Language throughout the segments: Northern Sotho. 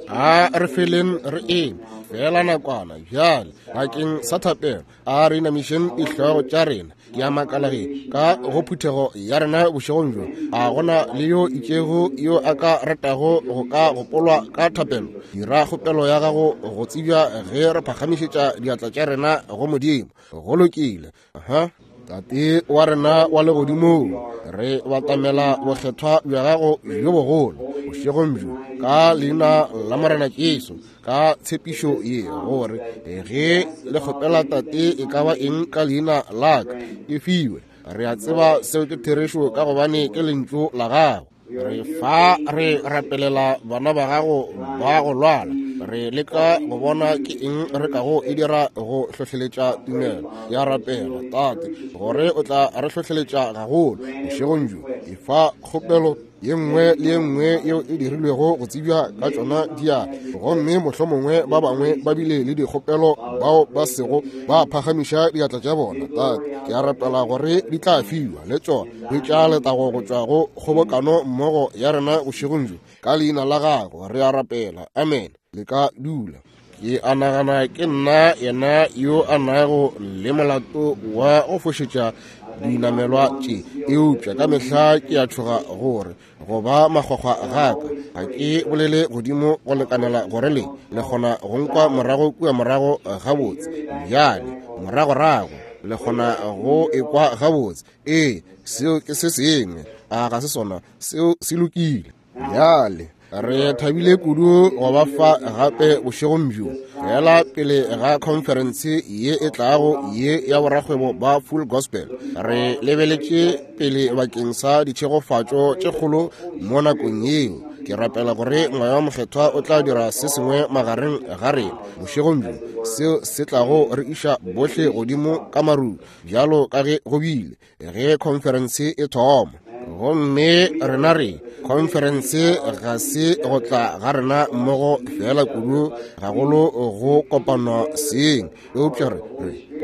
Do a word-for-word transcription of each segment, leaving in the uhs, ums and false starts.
A re feleng re eme fela nakwana bjale bakeng sa thapelo. A re inamišeng dihlogo tša rena. Ke a makala ge ka go phuthego ya rena bošegong bjo a gona le yo itšego yo a ka ratago go ka gopolwa ka thapelo. Dira kgopelo ya gago go tsebja ge re phagamišetša diatla tša rena go Modimo. Go lokile. Aha. Tate wa rena wa legodimong, re batamela bokgethwa bja gago bjo bogolo bošegong bjo ka leina la Morena Jesu, ka tshepišo ye gore ge le kgopela Tate e ka ba eng ka leina la ka e fiwe. Re a tseba seo ke therešo ka gobane ke lentšu la gago. Re fa re rapelela bana ba gago ba go lwala. Re leka go bona ke eng re kago e dira go hlohleletša tumelo ya rapela Tate gore o tla re hlohleletša gagolo bošegong bjo. E fa kgopelo ye nngwe le ye nngwe yeo e dirilwego go tsebja ka tšona diatla, gomme mohlomongwe ba bangwe ba bile le dikgopelo bao ba sego ba phagamiša diatla tša bona. Tate, ke a rapela gore di tla fiwa le tšona. Hwetša letago go tšwa go kgobokano mmogo ya rena bošegong bjo ka leina la gago re a rapela. Amen. Le ka dula. Ke a nagana ke nna yena yo a nago le molato wa go fošetša dinamelwa tše, eupša ka mehla ke a tšhoga gore go ba makgwakgwa gaka ga ke bolele godimo go lekanela gore le le kgona go nkwa morago kua morago gabotse. Bjale moragorago le kgona go ekwa gabotse. Ee, seo ke se sengwe. A ga se sona? Seo se lokile. Bjale re thabile kudu go ba fa gape bošegong bjo fela pele ga conference ye e tlago ye ya borakgwebo ba Full Gospel. Re lebeletše pele bakeng sa ditšhegofatšo tše kgolo mo nakong yeo. Ke rapela gore Moya wa Mokgethwa o tla dira se sengwe magareng ga rena bošegong bjo seo se tlago re iša bohle godimo ka maru bjalo ka ge go bile ge conference e thoma. Gomme rena re conference ga se go tla ga rena mmogo fela kudu gagolo go kopana seng, eupša re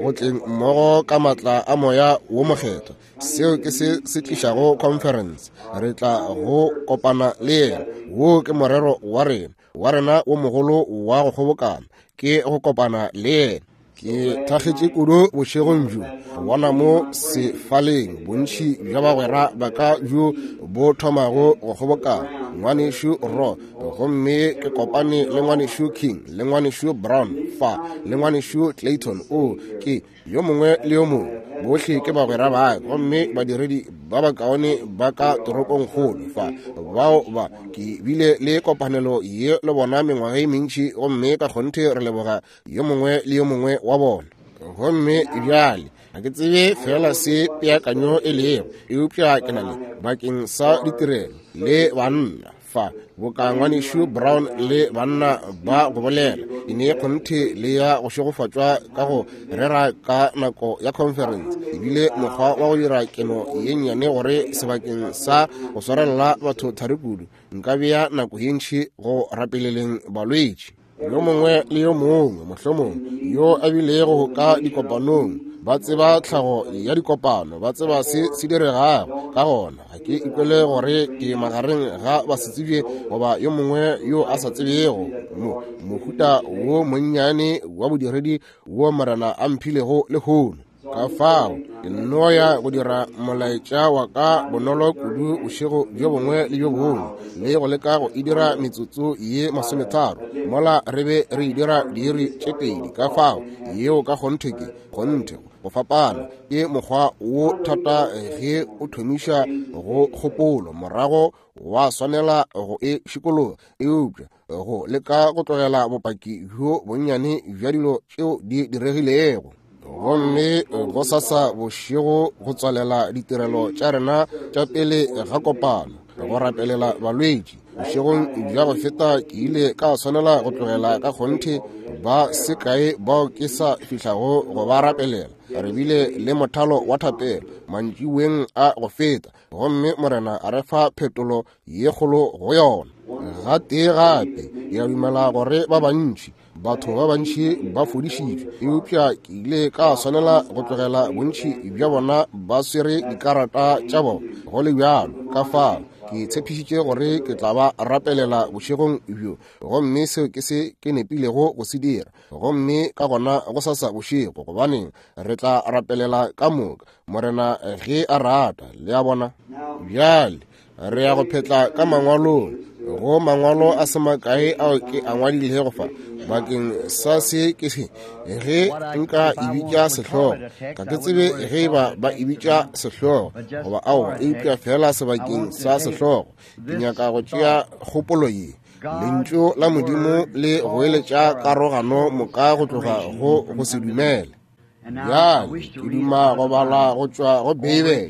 go tleng mmogo ka matla a Moya wo Mokgethwa. Seo ke se se tlišago conference. Re tla go kopana le yena. Wo ke morero wa rena wa rena wo mogolo wa go kgobokana, ke go kopana le yena. Ke thakgetše kudu bošegong bjo go bona mo sefaleng bontši bja bagwera ba ka bjo bo thomago go kgobokana. Ngwanešu Ro, gomme ke kopane le ngwanešu King le ngwanešu Brown fa le ngwanešu Clayton. O ke yo mongwe le yo mongwe, bohle ke bagwera ba ka, gomme badiredi ba bakaone ba ka toropongkgolo fa bao ba ke bile le kopanelo ye le bona mengwaga e mentši, gomme ka kgonthe re leboga yo mongwe le yo mongwe wa bona. Gomme bjale ga ke tsebe fela se peakanyo e lego, eupša ke na le bakeng sa ditirelo le banna fa boka ngwanešu Brown le banna ba go bolela e ne kgonthe le ya go šegofatšwa ka go rera ka nako ya conference. Ebile mokgwa wa go dira keno ye nnyane gore sebakeng sa go swarelela batho thari kudu nka bea nako ye ntši go rapeleleng balwetši. Yo mongwe le yo mongwe mohlomongwe yo a bilego ka dikopanong ba tseba tlhago ya dikopano, ba tseba se se diregago. Ka gona ga ke ikwele gore ke magareng ga basetsebje goba yo mongwe yo a sa tsebego mo mohuta wo monnyane wa bodiredi wo Morena a mphilego lehono. Ka fao ke nno ya go dira molaetša wa ka bonolo kudu bošego bjo bongwe le bjo bongwe le go leka go e dira metsotso ye masometharo mola re be re e dira diiri tše pedi. Ka fao yeo ka kgonthe ke kgonthe go fapana ke mokgwa wo thata ge o thomiša go kgopolo morago wa swanela go e šikologa, eupša go leka go tlogela bopaki bjo bonnyane bja dilo tšeo di diregilego. Gomme go sasa bošego go tswalela ditirelo tša rena tša pele ga kopano go rapelela balwetši. Bošegong bja go feta ke ile ka swanela go tlogela ka kgonthe ba se kae bao ke sa fihlago go ba rapelela. Re bile le mothalo wa thapelo mantšiboeng a go feta, gomme Morena a re fa phetolo ye kgolo go yona. Gatee gape ke a dumela gore ba bantši batho ba bantši ba fodišitšwe, eupša ke ile ka swanela go tlogela bontši bja bona ba swere dikarata tša bona go le bjalo. Ka fao Ke tshepišitše gore ke tla ba rapelela bošegong bjo, gomme seo ke se ke nepilego go se dira. Gomme ka gona go sasa bošego, gobaneng re tla rapelela ka moka, Morena ge a rata. Le a bona? Bjale re ya go phetla ka mangwalong, go mangwalo a se makae ao ke a ngwadilego fa bakeng sa se ke se ge nka e bitša sehlogo. Ga ke tsebe ge ba ba e bitša sehlogo goba aowa, eupša fela sebakeng sa sehlogo ke nyaka go tšea kgopolo ye: Lentšu la Modimo le goeletša karogano moka go tloga go go se dumele. Bjale ke duma go bala go tšwa go Beibele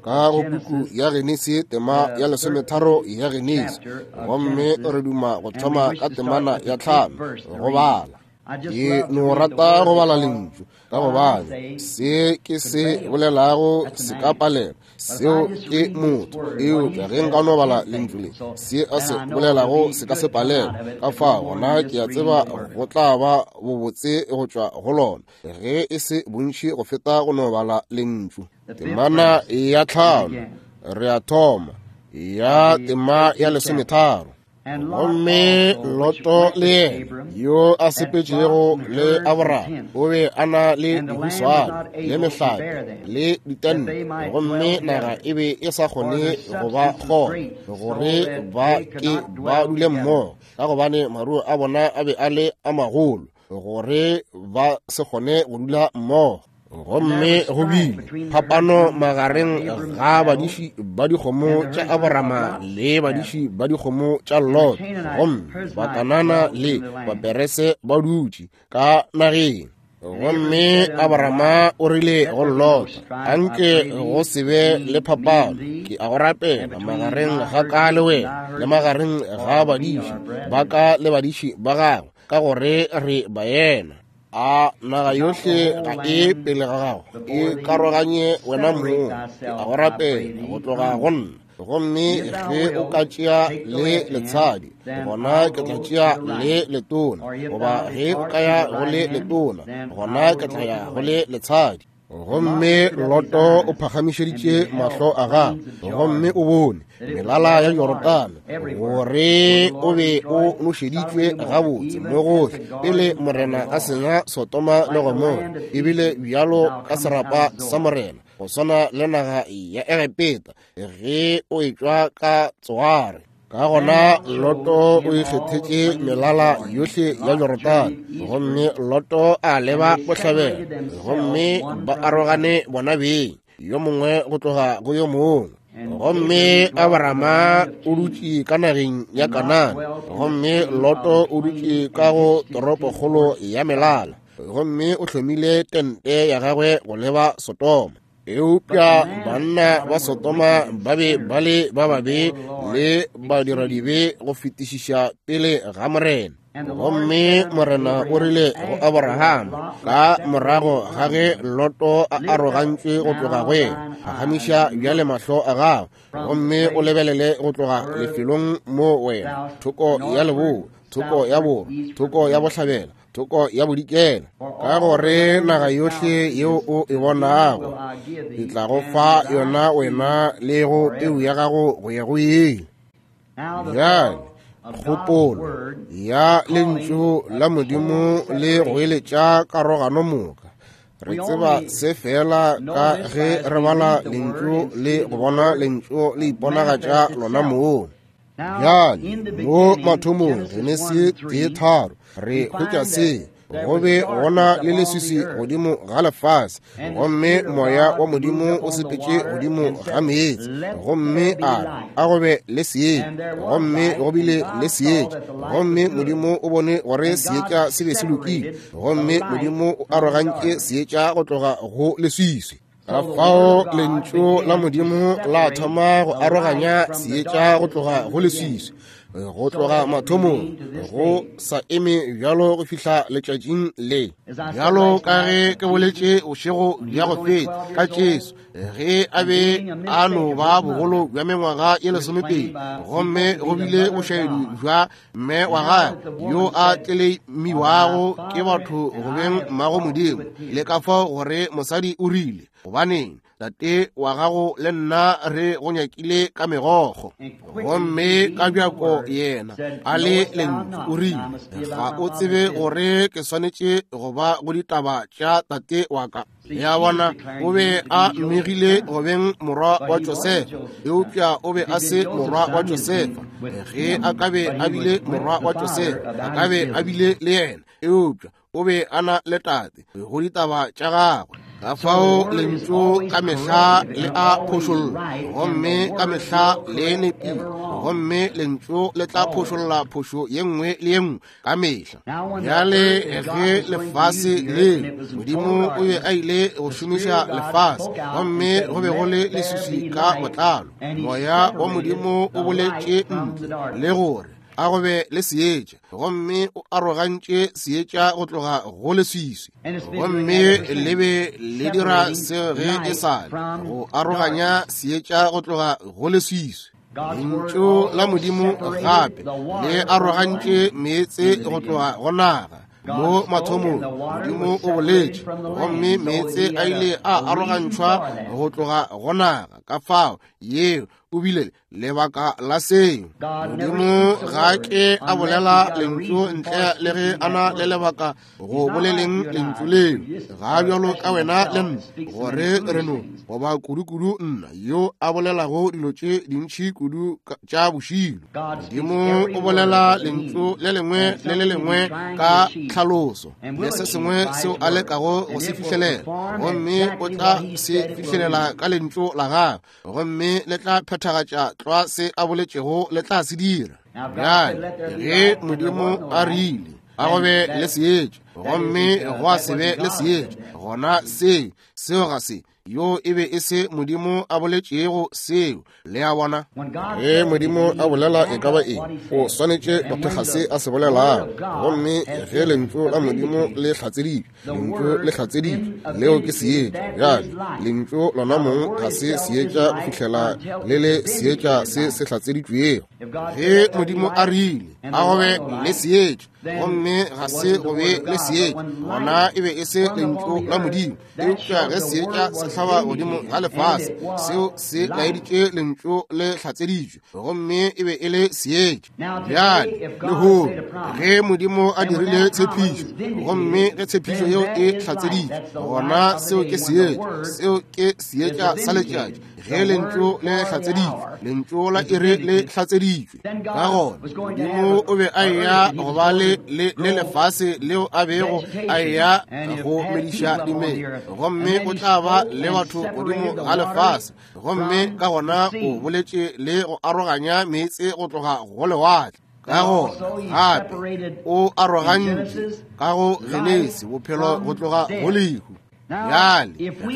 ka go puku ya Genesi, tema ya lesometharo ya Genesi, gomme re duma go thoma ka temana ya tlhano go bala. Ke no rata go bala lentšu ka gobane se ke se bolelago se ka palela, seo ke motho. Eupša ge nka no bala lentšu le, se a se bolelago se ka se palela. Ka fao gona ke a tseba go tla ba bobotse go tšwa go lona, ge e se bontši go feta go no bala lentšu. Temana ya tlhano re a thoma, ya tema ya lesometharo. Gomme Loto le yena yo a sepetšego le Abraham o be a na le dihuswane le mehlape le ditente, gomme naga e be e sa kgone go ba kgona gore ba ke ba dule mmogo, ka gobane maruo a bona a be a le a magolo gore ba se kgone go dula mmogo. Gomme go bile phapano magareng ga badiši ba dikgomo tša Aborama le badiši ba dikgomo tša Lot, gomme Bakanana le Baperese ba dutše ka nageng. Gomme Aborama o rile go Lot, anke go se be le phapano, ke a go rapela, magareng ga ka le wena le magareng ga badiši ba ka le badiši ba gago, ka gore re baena. A naga yohle ga e pele ga gago, e karoganye wena mong, ke a go rapela go tloga go nna. Gomme ge o ka tšea le letshadi, gona ke tla tšea le letona, goba ge o ka ya go le letona, gona ke tla ya go le letshadi. Gomme Loto o phagamišeditše mahlo a gagwe, gomme o bone melala ya Jorodane gore o be o nošeditšwe gabotse mo gohle pele Morena a senya Sodoma le Gomora, ebile bjalo ka serapa sa Morena, go swana le naga ya Egepeta ge o etšwa ka Tsoare. Ka gona Loto o ikgethetše melala yohle ya Jorodane, gomme Loto a leba bohlabela, gomme ba arogane bona beng, yo mongwe go tloga go yo mongwe. Gomme Abrahama o dutše ka nageng ya Kanana, gomme Loto o dutše ka go toropokgolo ya melala, gomme o hlomile tente ya gagwe go leba Sodoma. Eupša banna ba Sodoma ba be ba le ba babe le badiradibe go fetišiša pele ga Morena. Gomme Morena o rile go Abraham ka morago ga ge Loto a arogantšwe go tloga go yena, phagamiša bjale mahlo a gago gomme o lebelele go tloga lefelong mo wena, thoko ya leboa, thoko ya borwa, thoko ya bohlabela, thoko ya bodikela, ka gore naga yohle yeo o e bonago ke tla go fa yona wena le go peu ya gago go ya go ile. Bjale kgopolo ya lentšu la Modimo le goeletša karogano moka. Re tseba se fela ka ge re bala lentšu le go bona lentšu le iponagatša lona mong. Bjale mo mathomong Genesi tee tharo re hwetša se: go be gona le leswiswi godimo ga lefase, gomme moya wa Modimo o sepetše godimo ga meetse, gomme a re, a go be le seetša, gomme go bile le seetša. Gomme Modimo o bone gore seetša se be se lokile, gomme Modimo o arogantše seetša go tloga go leswiswi. Ka fao lentšu la Modimo la thoma go aroganya seetša go tloga go leswiswi, go tloga mathomong go sa eme bjalo go fihla letšatšing le. Bjalo ka ge ke boletše bošego bja go feta ka Jesu, ge a be a no ba bogolo bja mengwaga ye lesomepedi, gomme go bile bošaedi bja mme wa gagwe yo a tleleimiwago ke batho go beng mmago Modimo, le ka fao gore mosadi o rile Gobaneng, tate wa gago le nna re go nyakile ka megokgo. Gomme ka bjako yena a le lentšu o rile, ga o tsebe gore ke swanetše go ba go ditaba tša tate wa ka. Ya bona, o be a mmegile go beng morwa wa Josefa, eupša o be a se morwa wa Josefa. Ge a ka be a bile morwa wa Josefa, a ka be a bile le yena, eupša o be a na le tate go ditaba tša gagwe. Ka fao lentšu ka mehla le a phošolla, gomme ka mehla le nepile, gomme lentšu le tla phošolla phošo ye nngwe le ye nngwe ka mehla. Bjale ge lefase le, Modimo o be a ile go šomiša lefase, gomme go be go le leswiswi ka botlalo. Moya wa Modimo o boletše ntle le gore a go be le seetša, gomme o arogantše seetša go tloga go leswiswi. Gomme le be le dira seo ge e sa le, go aroganya seetša go tloga go leswiswi. Lentšu la Modimo gape le arogantše meetse go tloga go naga. Mo mathomong Modimo o boletše, gomme meetse a ile a arogantšhwa go tloga go naga. Ka fao yeo o bile lebaka la seo. Modimo ga ke a bolela lentšu ntle le ge a na le lebaka go boleleng lentšu leo. Ga bjalo ka wena le nna, gore re no goba kudu-kudu nna yo a bolelago dilo tše dintši kudu tša bošilo. Modimo o bolela lentšu le lengwe le le lengwe ka tlhaloso le se sengwe seo a lekago go se fihlelela, gomme o tla se fihlelela ka lentšu la gagwe, gomme le tla phethagatša tlwa se a boletšego le tla se dira. Bjale ge Modimo a rile a go be le seetša, gomme gwa se be le seetša, gona seo seo ga se yo e be e se Modimo a boletšego seo. Le a bona, ge Modimo a bolela e ka ba eng, o swanetše go thekga se a se bolelago. Gomme ge lentšu la Modimo le hlatseditšwe, lentšu le hlatseditšwe, leo ke seetša. Bjale lentšu lona mong ga se seetša go fihlela le le seetša se se hlatseditšwego. Ge Modimo a rile a go be le seetša, gomme ga se go be le seetša, gona e be e se lentšu la Modimo. Eupša ge seetša se hlaba godimo ga lefase, seo se laeditše lentšu le hlatseditšwe, gomme e be e le seetša. Bjale lehono ge Modimo a dirile tshepišo, gomme ge tshepišo yeo e hlatseditšwe, gona seo ke seetša. Seo ke seetša sa letšatši. Ge lentšu le hlatseditšwe, lentšu la iri le hlatseditšwe. Ka gona Modimo o be a eya go ba le le le lefase leo a bego a eya go mediša dimela, gomme o tla ba le batho godimo ga lefase. Gomme ka gona o boletše le go aroganya meetse go tloga go lewatle. Ka gona gape o arogantše ka go Genesi bophelo go tloga go lehu. Bjale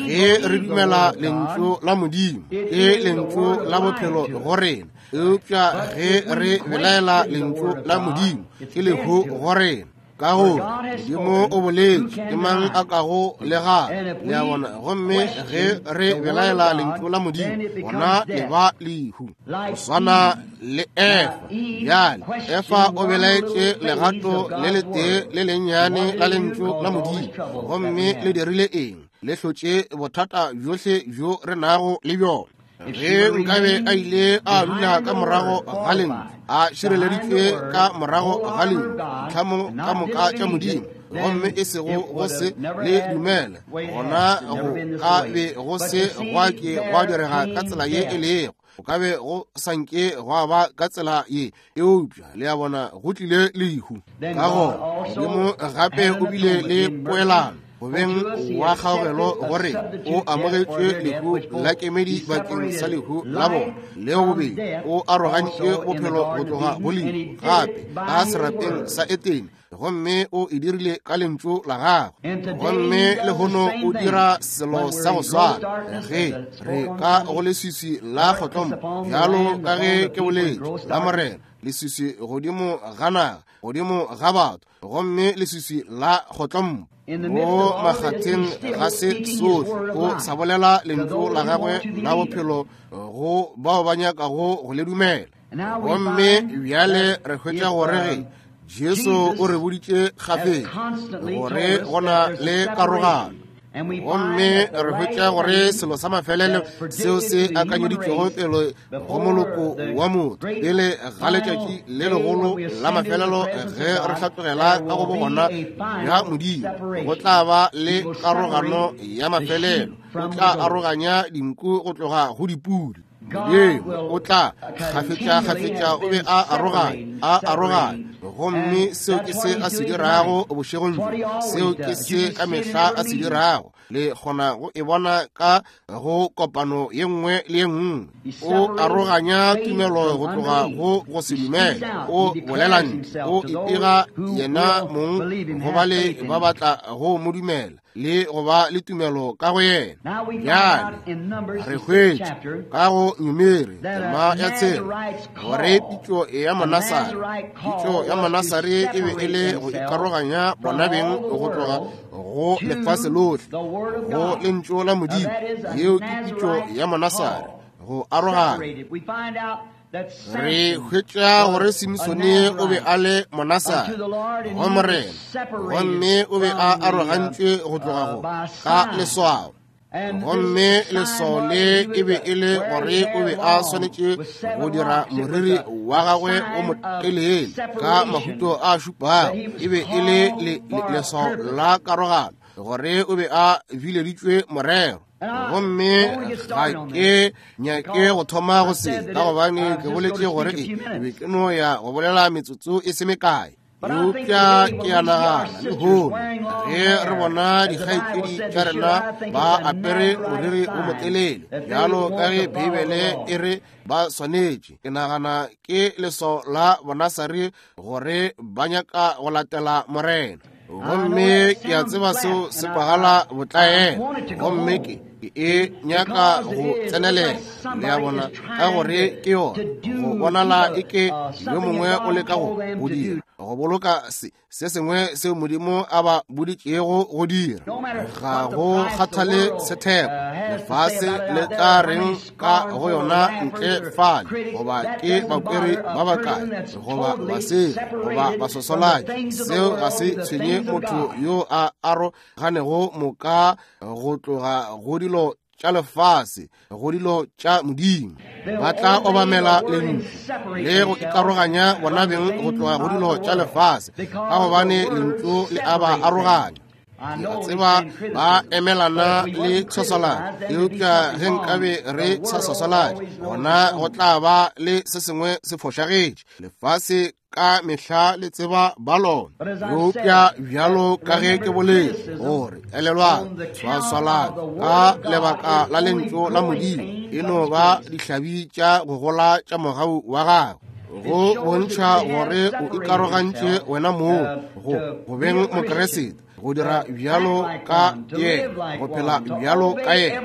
ge re dumela lentšu la Modimo, ke lentšu la bophelo go rena, eupša ge re belaela lentšu la Modimo, ke lehu go rena. Ka gore Modimo o boletše, ke mang a kago le gana? Le a bona? Gomme ge re belaela lentšu la Modimo, gona le ba lehu. Go swana le Efa. Bjale Efa o belaetše legato le letee le lennyane la lentšu la Modimo, gomme le dirile eng? Le hlotše bothata bjohle bjo re nago le bjona. Ge nkabe a ile a dula ka morago ga lentšu, a šireleditšwe ka morago ga lentšu, tlhamo ka moka tša Modimo, gomme e sego go se le dumele, gona go ka be go se gwa ke gwa direga ka tsela ye e lego. Go ka be go sa nke gwa ba ka tsela ye, eupša le a bona go tlile lehu. Ka gona Modimo gape o bile le poelano go beng wa kgaogelo gore o amogetšwe lehu la kemedi bakeng sa lehu la bona, le bobedi o arogantše bophelo go tloga go lehu gape ka serapeng sa Etene, gomme o e dirile ka lentšu la gagwe. Gomme lehono o dira selo sa go swana. Ge re ka go leswiswi la kgotlompo, bjalo ka ge ke boletše la Morena, leswiswi godimo ga naga, godimo ga batho, gomme leswiswi la kgotlompo mo makgatheng ga se sohle, o sa bolela lentšu la gagwe la bophelo go bao ba nyakago go le dumela. Gomme bjale re hwetša gore ge Jesu o re boditše kgafetša gore go na le karogano. Gomme re hwetša gore selo sa mafelelo seo se akanyeditšwego pele go moloko wa motho pele ga letšatši le legolo la mafelelo ge re hlatlogela ka go bogona bja Modimo, go tla ba le karogano ya mafelelo. O tla aroganya dinku go tloga go dipudi. Modimo o tla kgafetša-kgafetša o be a aroganya, a aroganya. Gomme seo ke se a se dirago bošegong bjo, seo ke se ka mehla a se dirago. Le kgona go e bona ka go kopano ye nngwe le ye nngwe. O aroganya tumelo go tloga go go se dumele. O bolela ntle, o ipega yena mong go bale ba batla go mo dumela le go ba le tumelo ka go yena. Bjale re hwetša ka go Numeri tema ya tshela gore pitšo ya Monasare, pitšo ya Monasare e be e le go ikaroganya bona beng go tloga go lefase lohle go lentšu la Modimo. Yeo ke pitšo ya Monasare, go aroganya. Re hwetša gore Simsone o be a le Monasare go Morena, gomme o be a arogantšwe go tloga go ka leswao. Gomme leswao le e be e le gore o be a swanetše go dira moriri wa gagwe o motelele ka mahuto a šupago. E be e le leswao la karogano, gore o be a bileditšwe morero. Gomme ga ke nyake go thoma go se, ka gobane ke boletše gore e be ke no ya go bolela metsotso e se mekae. Eupša ke a nagana lehono ge re bona dikgaetšedi tša rena ba apere moriri o motelele bjalo ka ge Beibele e re ba swanetše, ke nagana ke leswao la Bonasare gore ba nyaka go latela Morena. Gomme ke a tseba seo se kwagala botlaela, gomme ke e nyaka go tsenelela, le a bona, ka gore ke yona go bonala e ke yo mongwe o leka go go dira, go boloka se se sengwe seo Modimo a ba boditšego go dira. Ga go kgathale setheko lefase le tla reng ka go yona ntle fale, goba ke bakweri ba bakae, goba basegi, goba basosolaki, seo ga se tshwenye motho yo a aroganego moka go tloga go dilo tša lefase go dilo tša Modimo. Ba tla obamela lentšu le go ikaroganya bona beng go tloga go dilo tša lefase, ka gobane lentšu le a ba aroganya. Ke a tseba ba emelana le tshwasaladi, eupša ge nkabe re sa swasaladi, gona go tla ba le se sengwe se fošagetše. Lefase ka mehla le tseba ba lona. Eupša bjalo ka ge ke boletše gore elelwang, tshwaswaladi ka lebaka la lentšu la Modimo e no ba dihlabi tša go gola tša mogau wa gagwe, go bontšha gore o ikarogantše wena mong go go beng Mokeresete, go dira bjalo ka yena, go phela bjalo ka yena,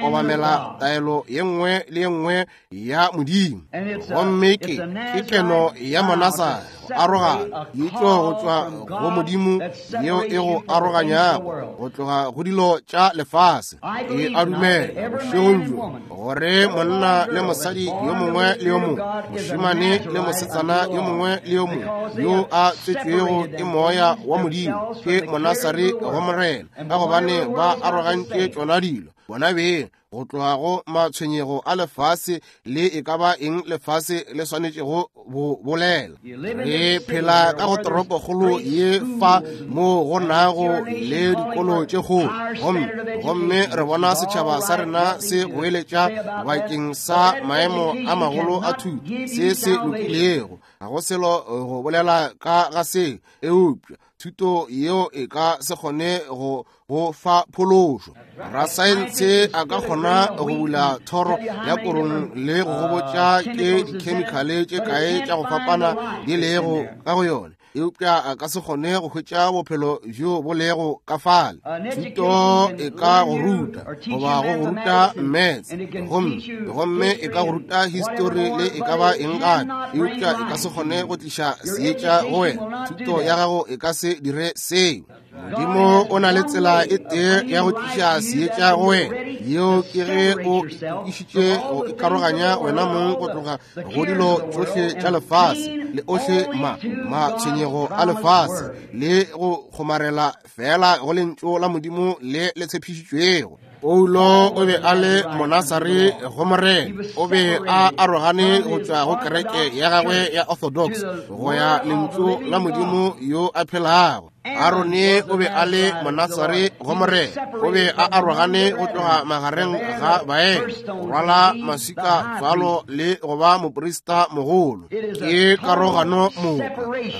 go obamela taelo ye nngwe le ye nngwe ya Modimo. Gomme ke ke keno ya Monasare, go arogana itšo go tšwa go Modimo yeo e go aroganyago go tloga go dilo tša lefase. E a dumela bošegong bjo gore monna le mosadi yo mongwe le yo mongwe, mošemane le mosetsana yo mongwe le yo mongwe yo a tswetšwego ke moya wa Modimo ke Monasare go Morena, ka gobane ba arogantše tšona dilo bona beng go tloga go matshwenyego a lefase le e ka ba eng lefase le swanetšego go bolela. Re phela ka go toropokgolo ye fa mo go nago le dikolo tše kgolo, gomme gomme re bona setšhaba sa rena se goeletša bakeng sa maemo a magolo a thuto se se lokilego. Ga go selo go bolela ka ga se, eupša thuto yeo e ka se kgone go go fa phološo. Rasaense a ka kgona go bula thoro ya korong le go gobotša ke dikhemikhale tše kae tša go fapana di lego ka go yona, eupša a ka se kgone go hwetša bophelo bjo bo lego ka fale. Thuto e ka go ruta goba go go ruta maths, gomme gomme e ka go ruta history le e ka ba eng gape, eupša e ka se kgone go tliša seetša go wena. Thuto ya gago e ka se dire seo. Modimo o na le tsela e tee ya go tliša seetša go wena, yeo ke ge o itokišitše go ikaroganya wena mong go tloga go dilo tšohle tša lefase le ohle ma matshwenyego a lefase, le go kgomarela fela go lentšu la Modimo le le tshepišitšwego. Paulo o be a le monasare go Morena, o be a arogane go tšwa go kereke ya gagwe ya Orthodox go ya lentšu la Modimo yo a phelago. Arone o be a le monasare go Morena, o be a arogane go tloga magareng ga baena, go rwala maswika tswalo le go ba moprista mogolo. Ke karogano moka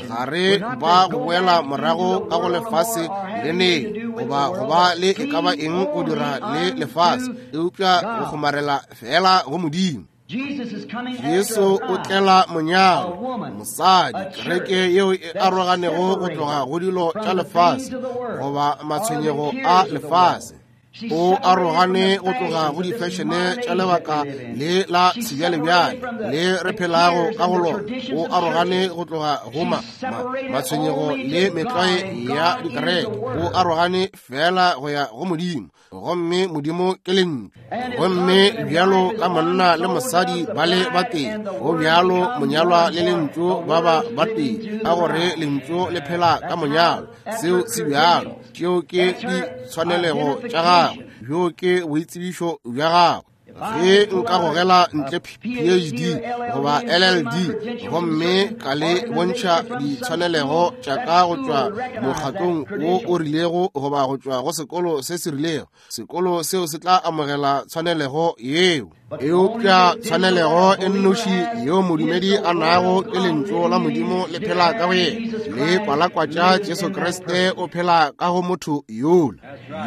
gare ba go boela morago ka go lefase le neng, goba go ba le e ka ba eng go dira le lefase, eupša go kgomarela fela go Modimo. Jesu o tlela monyalo, mosadi, kereke yeo e aroganego go tloga go dilo tša lefase goba matshwenyego a lefase. O arogane go tloga go difešene tša lebaka le la sebjalebjale le re phelago ka go lona. O arogane go tloga go ma, ma, matshwenyego le metlwae ya dikereke. O arogane fela go ya go Modimo, gomme Modimo ke lentšu. Gomme bjalo ka monna le mosadi ba le batee, go bjalo monyalwa le lentšu ba ba batee, ka gore lentšu le phela ka monyalwa. Seo se bjalo, tšeo ke ditshwanelego tša gagwe, bjo ke boitsebišo bja gagwe. Ge nka gogela ntle P H D goba L L D gomme ka le bontšha ditshwanelego tša ka go tšwa mokgatlong wo o rilego goba go tšwa go sekolo se se rilego, sekolo seo se tla amogela tshwanelego yeo. Eupša tshwanelego e nnoši yeo modumedi a nago ke lentšu la Modimo le phela ka go yena, le kwalakwatša Jesu Kriste o phela ka go motho yola.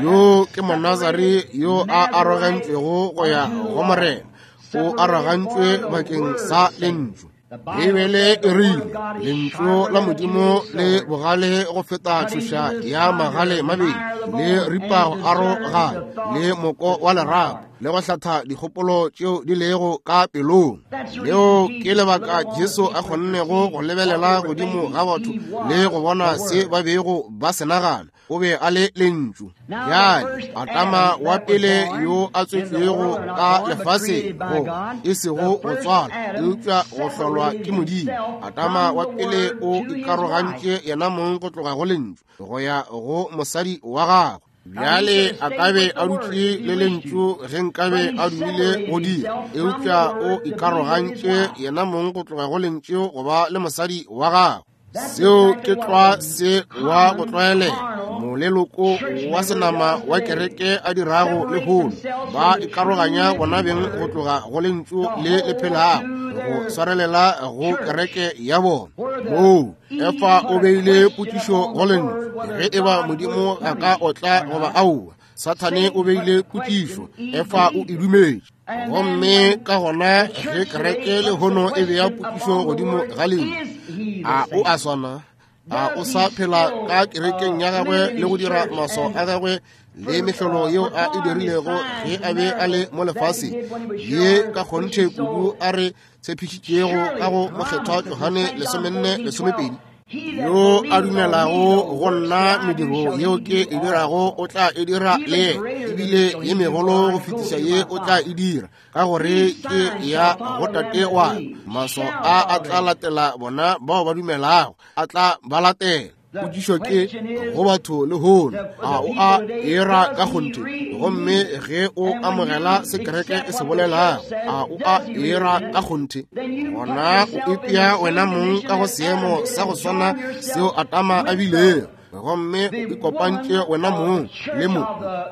Yo ke monazari yo a arogantšwego go ya go Morena, o arogantšwe bakeng sa lentšu. Beibele e rile lentšu la Modimo le bogale go feta tšhoša ya magale mabedi, le ripa go arogana le moko wa lerapo, le go hlatha dikgopolo tšeo di lego ka pelong. Leo ke lebaka Jesu a kgonnego go lebelela godimo ga batho le go bona se ba bego ba se nagana. O be a le lentšu. Bjale Adama wa pele yo a tswetšwego ka lefaseng, go e sego go tswalwa eupša go hlolwa ke Modimo, Adama wa pele o ikarogantše yena mong go tloga go lentšu go ya go mosadi wa gagwe. Bjale a ka be a dutše le lentšu ge nkabe a dumile go dira, eupša o ikarogantše yena mong go tloga go lentšu go ba le mosadi wa gagwe. Seo ke tlwa se wa go tlwaelega moleloko wa senama wa kereke a dirago lehono. Ba ikaroganya bona beng go tloga go lentšu le le phelago, go swarelela go kereke ya bona. Moo Efa o beile potšišo go lentšu, ge eba Modimo a ka otla goba aowa. Sathane o beile potšišo, Efa o e dumetše. Gomme ka gona ge kereke lehono e bea potšišo godimo ga lentšu, a o a swana? A o sa phela ka kerekeng ya gagwe le go dira maswao a gagwe le mehlolo yeo a e dirilego ge a be a le mo lefaseng, ye ka kgonthe kudu a re tshepišitšego ka go mokgethwa Johane lesomenne lesomepedi? Yo a dumelago go nna, mediro yeo ke e dirago o tla e dira le yena, ebile ye megolo go fetiša ye o tla e dira, ka gore ke ya go Tate wa ka. Maswao a a tla latela bona bao ba dumelago, a tla ba latela. Potšišo ke go batho lehono, a o a era ka kgonthe? Gomme ge o amogela se kereke e se bolelago, a o a era ka kgonthe? Gona o ipea wena mong ka go seemo sa go swana seo Adama a bilego, gomme o ikopantše wena mong le mo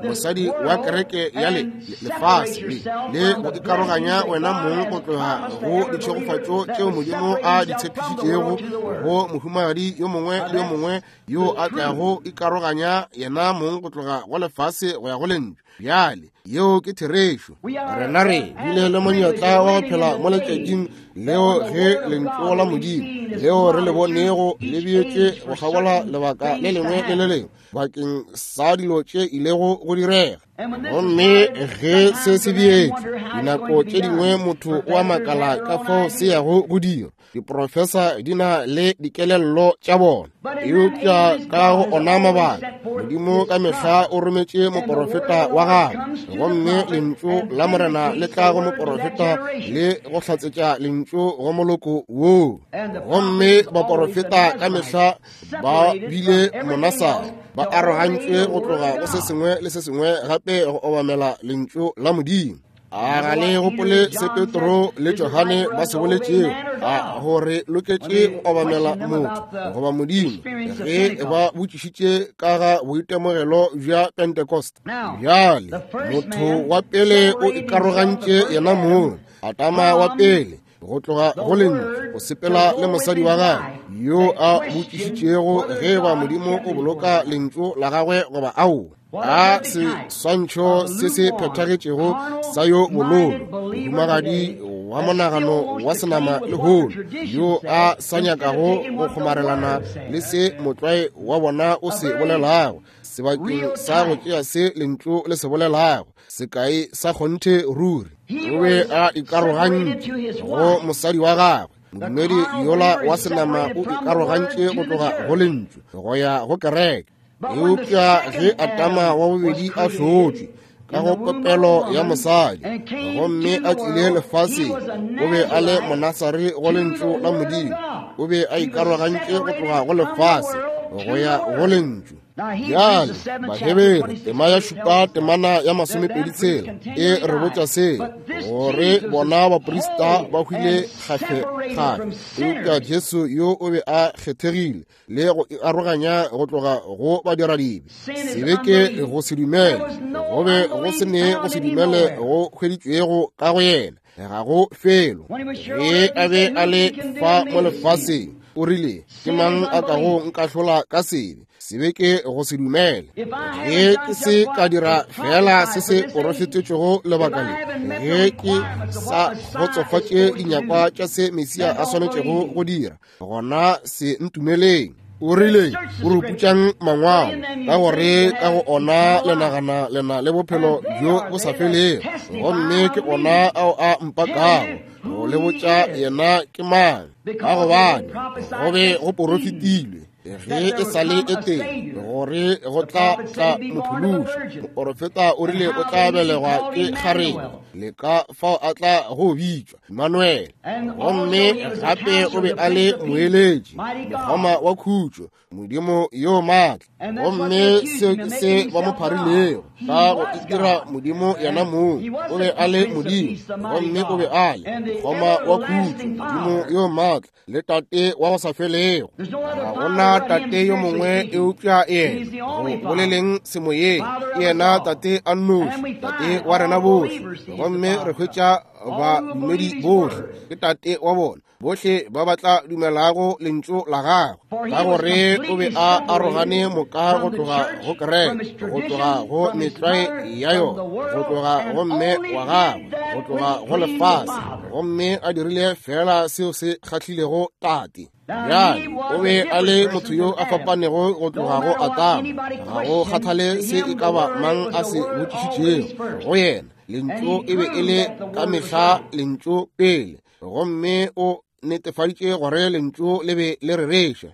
mosadi wa kereke ya le lefase le, le go ikaroganya wena mong go tloga go ditšhegofatšo tšeo Modimo a di tshepišitšego go mohumagadi yo mongwe le yo mongwe yo a tlago ikaroganya yena mong go tloga go lefase go ya go lentšu. Bjale yeo ke therešo. Rena re bile le monyetla wa go phela mo letšatšing leo ge lentšu la Modimo leo re le bonego le beetšwe go kgabola lebaka le lengwe le le lengwe bakeng sa dilo tše ilego go direga. Gomme ge se se beetšwe, dinako tše dingwe motho o a makala ka fao se yago go dira. Diprofesa di na le dikelello tša bona. Eupša ka go ona mabaka, Modimo ka mehla o rometše moporofeta wa gagwe, gomme lentšu la Morena le tla go moporofeta le go hlatsetša lentšu go moloko woo. Gomme baporofeta ka mehla ba bile monasare, ba arogantšwe go tloga go se sengwe le se sengwe gape go obamela lentšu la Modimo. A ga le gopole se Petro le Johane ba se boletšego, a gore loketše go obamela motho goba Modimo, ge ba botšišitše ka ga boitemogelo bja Pentecost. Bjale motho wa pele o ikarogantše yena mong, Adama wa pele, go tloga go lentšu, go sepela le mosadi wa gagwe yo a botšišitšego ge ba Modimo o boloka lentšu la gagwe goba aowa. A seswantšho se se phethagetšego sa yo bololo, mohumagadi wa monagano wa senama lehono, yo a sa nyakago go kgomarelana le se motlwae wa bona o se bolelago, sebakeng sa go tšea se lentšu le se bolelago, sekai sa kgonthe ruri. O be a ikarogantše go mosadi wa gagwe. Modumedi yola wa senama o ikarogantše go tloga go lentšu go ya go kereke. Eupša ge Adama wa bobedi a hlotšwe ka go popelo ya mosadi gomme a tlile lefaseng, o be a le monasare go lentšu la Modimo. O be a ikarogantše go tloga go lefase go ya go lentšu. Bjale Bahebere tema ya šupa temana ya masomepedi tshela e re botša se, gore bona baprista ba hwile kgafe-kgafe, eupša Jesu yo o be a kgethegile le go aroganya go tloga go badiradibe. Sebe ke go se dumele, go be go se ne go se dumele go hweditšwego ka go yena, ga go felo. Ge a be a le fa mo lefaseng, o rile, ke mang a kago nkahlola ka sebe? Sebe ke go se dumele. Ge ke se ka dira fela se se porofetetšego lebaka le, ge ke sa kgotsofatše dinyakwa tša se Mesia a swanetšego go dira, gona se ntumeleng. O rile, o ruputšang mangwalo, ka gore ka go ona le nagana lena le bophelo bjo bo sa felego, gomme ke ona ao a mpakago go le botša yena ke mang. Ka gobane go be go porofetilwe ge e sa le e teng gore go tla tla mophološi. Moporofeta o rile o tla belegwa ke kgarebe, le ka fao a tla go bitšwa Emmanuel. Gomme gape o be a le moeletši, mokgoma wa khutšo, Modimo yo maatla. Gomme seo ke se ba mo pharilego ka go itira Modimo yena mong. O be a le Modimo, gomme o be a le mokgoma wa khutšo, Modimo yo maatla, le tate wa go sa felego. Ga gona tate yo mongwe eupša yena. Go boleleng semoyeng, ke yena tate a nnoši, tate wa rena bohle. Gomme re hwetša badumedi bohle ke tate wa bona, bohle ba ba tla dumelago lentšu la gagwe, ka gore o be a arogane moka go tloga go kereke, go tloga go metlwae ya yona, go tloga go mme wa gagwe, go tloga go lefase, gomme a dirile fela seo se kgahlilego tate. Bjale o be a le motho yo a fapanego go tloga go Adama. Ga go kgathale se e ka ba mang a se botšišitšego go yena, lentšu e be e le ka mehla lentšu pele, gomme o netefaditše gore lentšu le be le rereša.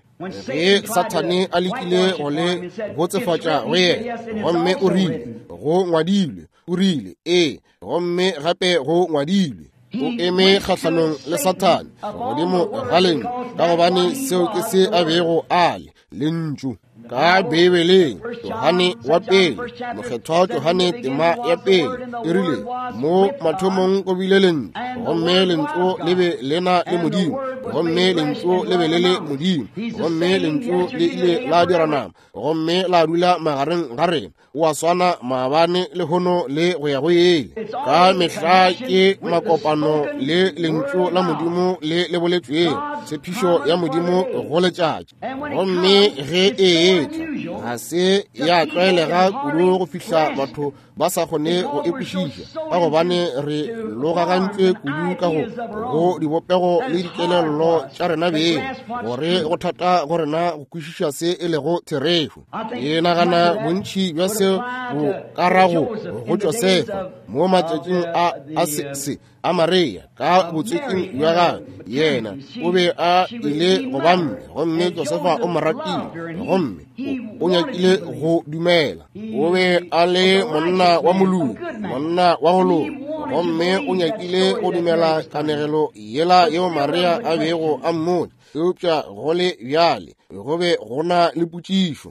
Ge Sathane a lekile go le botsefatša go yena, gomme o rile go ngwadilwe, o rile ee, gomme gape go ngwadilwe. O eme kgahlanong le Sathane godimo ga lentšu, ka gobane seo ke se a bego a le, lentšu. Ka Beibeleng, Johane wa pele, mokgethwa Johane tema ya pele, e rile, mo mathomong go bile lentšu, gomme lentšu le be le na le Modimo, gomme lentšu le be le le Modimo, gomme lentšu le ile la dira nama, gomme la dula magareng ga rena. O a swana maabane lehono le go ya go ile. Ka mehla ke makopano le lentšu la Modimo le le boletšwego, tshepišo ya Modimo go letšatši. Gomme ge e etla, ga se ya tlwaelega kudu go fihla batho ba sa kgone go e kwešiša, ka gobane re logagantšwe kudu ka go go dibopego le dikelello dikgopolo tša rena beng, gore go thata go rena go kwešiša se e lego therešo. Ke nagana bontši bja se bo ka rago go Josefa mo matšatšing a a se, se a Maria ka botswetsing bja gagwe. Yena o be a ile go ba mme, gomme Josefa o mo ratile, gomme o, o nyakile go dumela. O be a le monna wa moloki, monna wa go loka, gomme o nyakile go dumela kanegelo yela yeo Maria a bego a mmotša. Eupša go le bjale go be go na le potšišo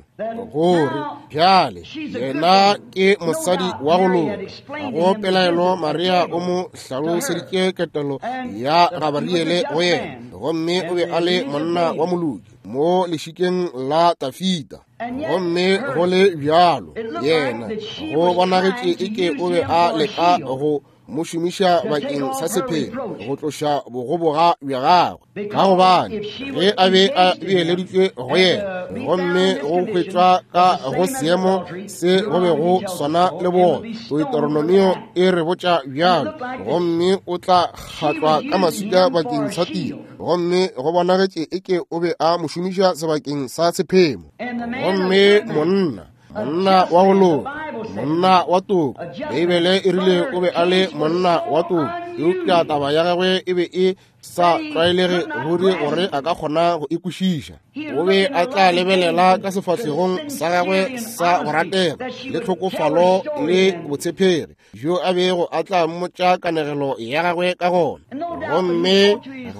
gore bjale yena ke mosadi wa go loka. Ga go pelaelo Maria o mo hlaloseditše ketelo ya Gabariele go yena, gomme o be a le monna wa moloki mo lešikeng la Tafita. Gomme go le bjalo yena go bonagetše eke o be a leka go mo šomiša bakeng sa sephelo go tloša bogoboga bja gagwe, ka gobane ge a be a beeleditšwe go yena gomme go hwetšwa ka go seemo se go be go swana le bona. Deuteronomio e re botša bjalo, gomme o tla kgatlwa ka maswika bakeng sa tiro, gomme go bonagetše eke o be a mo šomiša sebakeng sa sephemo. Gomme monna monna wa go loka, monna wa toka, Beibele e rile o be a le monna wa toka, eupša taba ya gagwe e be e sa tlwaelege ruri gore a ka kgona go e kwešiša. O be a tla lebelela ka sefahlegong sa gagwe sa go ratega le tlhokofalo le botshepegi bjo a bego a tla mmotša kanegelo ya gagwe ka gona. Gomme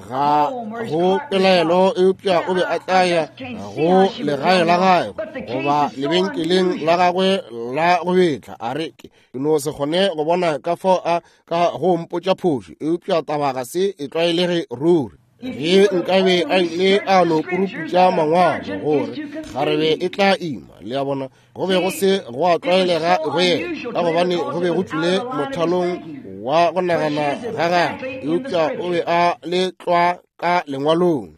ga go pelaelo eupša o be a tla ya go legae la gagwe goba lebenkeleng la gagwe la go betla, a re ke no se kgone go bona ka fao a ka go mpotša phošo, eupša taba ga se e tlwaelege ruri. Ge nkabe a ile a no puruputša mangwalo gore kgarebe e tla ima, le a bona, go be go se go a tlwaelega go yena, ka gobane go be go tšwile mothalong wa go nagana ga gagwe, eupša o be a le tlwa ka lengwalong.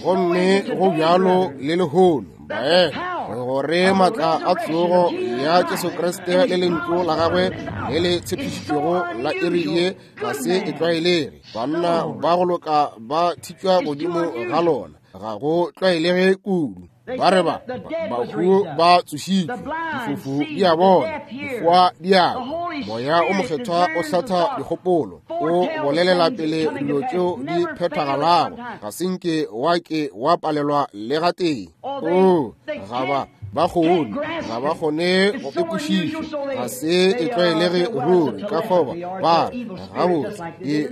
Gomme go bjalo le lehono, baena, gore maatla a tsogo ya Jesu Kriste le lentšu la gagwe le le tshepišitšwego la iri ye ga se e tlwaelege. Banna ba go loka ba thitšwa godimo ga lona, ga go tlwaelege kudu. Ba re ba bahu ba tsošitšwe, difofu di a bona, difoa di a kwa, moya o mokgethwa o hlatha dikgopolo, o bolelela pele dilo tšeo di phethagalago, ga se nke wa ke wa palelwa le gatee. O ga ba ba kgone, ga ba kgone go e kwešiša, ga se e tlwaelege ruri. Ka fao ba re gabotse ke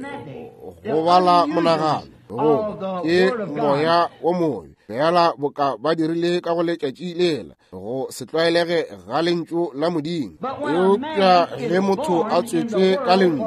go bala monagano, goba ke moya wo mobe, fela boka ba dirile ka go letšatši lela, go se tlwaelege ga lentšu la Modimo. Eupša ge motho a tswetšwe ka lentšu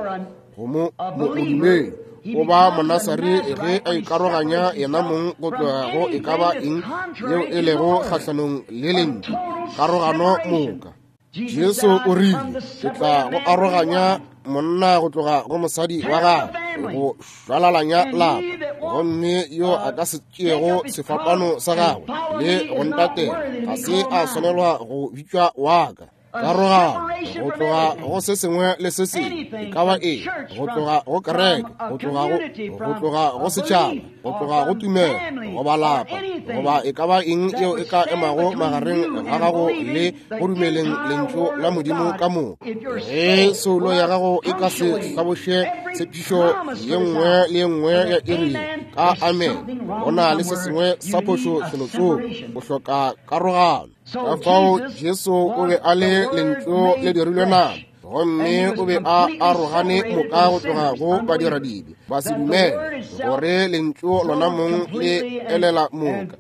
go mo modumedi, o ba monasari ge a ikaroganya yena mong go tloga go e ka ba eng yeo e lego kgahlanong le lentšu, karogano moka. Jesu o rile, ke tla go aroganya monna go tloga go mosadi wa gagwe, go šwalalanya lapa, gomme yo a ka se tšeego sefapano sa gagwe le go ntatela ga se a swanelwa go bitšwa wa ka. Karogano go tloga go se sengwe le se sengwe, e ka ba eng, go tloga go kereke, go tloga go go tloga go setšhaba, go tloga go tumelo, goba lapa, goba e ka ba eng yeo e ka emago magareng ga gago le go dumeleng lentšu la Modimo ka moka. Ge soulo ya gago e ka se hlaboše tshepišo ye nngwe le ye nngwe ya iri ka amen, go na le se sengwe sa phošo felotsoko, o hloka karogano. Ka fao Jesu o be a le lentšu le dirilwe nama, gomme o be a arogane moka go tloga go badiradibe ba se dumele gore lentšu lona mong le elela moka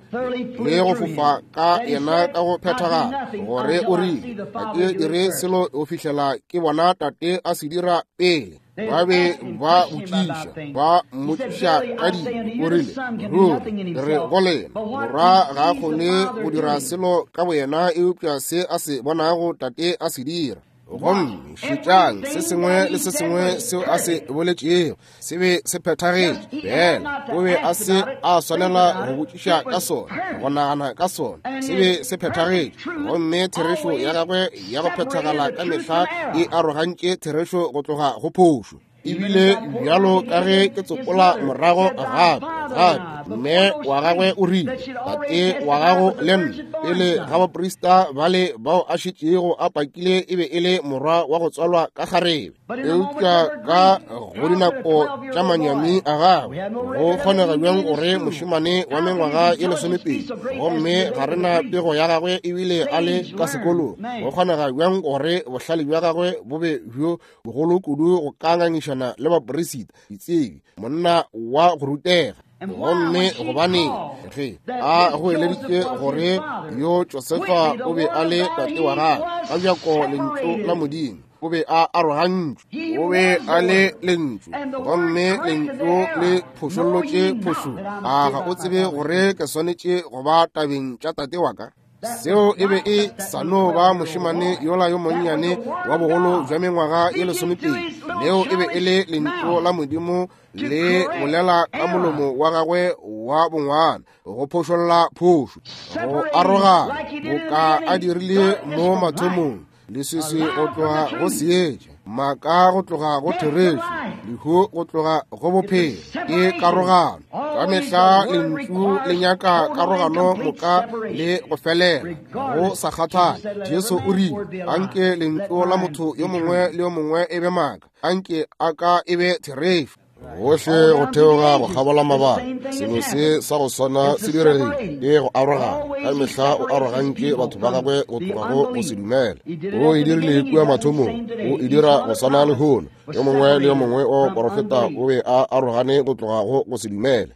le go fofa ka yena ka go phethagala, gore o rile ga ke dire selo go fihlela ke bona Tate a se dira pele. Ba be ba botšiša, ba mmotšiša ka dilo. O rile, ruri re go lena, Morwa ga a kgone go dira selo ka boyena eupša se a se bonago Tate a se dira. Gomme šetšang se sengwe le se sengwe seo a se boletšego se be se phethagetše. Fela o be a se a swanela go botšiša ka sona, go nagana ka sona, se be se phethagetše. Gomme therešo ya gagwe ya go phethagala ka mehla e arogantše therešo go tloga go phošo. Ebile bjalo ka ge ke tsopola morago gape gape mme wa gagwe o rile, tate wa gago le nna pele ga baprista bale bao a šetšego a pakile e be e le morwa wa go tswalwa ka kgarebe. Eupša ka go dinako tša manyami a gagwe go kgonega bjang gore mošemane wa mengwaga ye lesomepedi, gomme ga re na pego ya gagwe ebile a le ka sekolong, go kgonega bjang gore bohlale bja gagwe bo be bjo bogolo kudu go ka ngangišana le baperisita, ditsebi, monna wa go rutega? Gomme gobane ge a goeleditše gore yo Josefa o be a le tate wa gagwe, ka bjako lentšu la Modimo o be a arogantšwe, o be a le lentšu, gomme lentšu le phošollotše phošo. A ga o tsebe gore ke swanetše go ba tabeng tša tate wa ka? Seo e be e sa no ba mošemane yola yo monnyane wa bogolo bja mengwaga ye lesomepedi. Leo e be e le lentšu la Modimo le bolela ka molomo wa gagwe wa bongwana, go phošolla phošo, go arogana, boka a dirile mo mathomong, leswiswi go tloga go seetša, maaka go tloga go therešo, lehu go tloga go bophelo. Ke karogano. Ka mehla lentšu le nyaka karogano moka le go felela, go sa kgathale. Jesu o rile, anke lentšu la motho yo mongwe le yo mongwe e be maaka, anke a ka e be therešo. Gohle go theoga go kgabola mabaka, selo se sa go swana se diregile, ke go arogana. Ka mehla o arogantše batho ba gagwe go tloga go go se dumele. O e dirile kua mathomong, o e dira go swana lehono. Yo mongwe le yo mongwe wa baporofeta o be a arogane go tloga go go se dumele.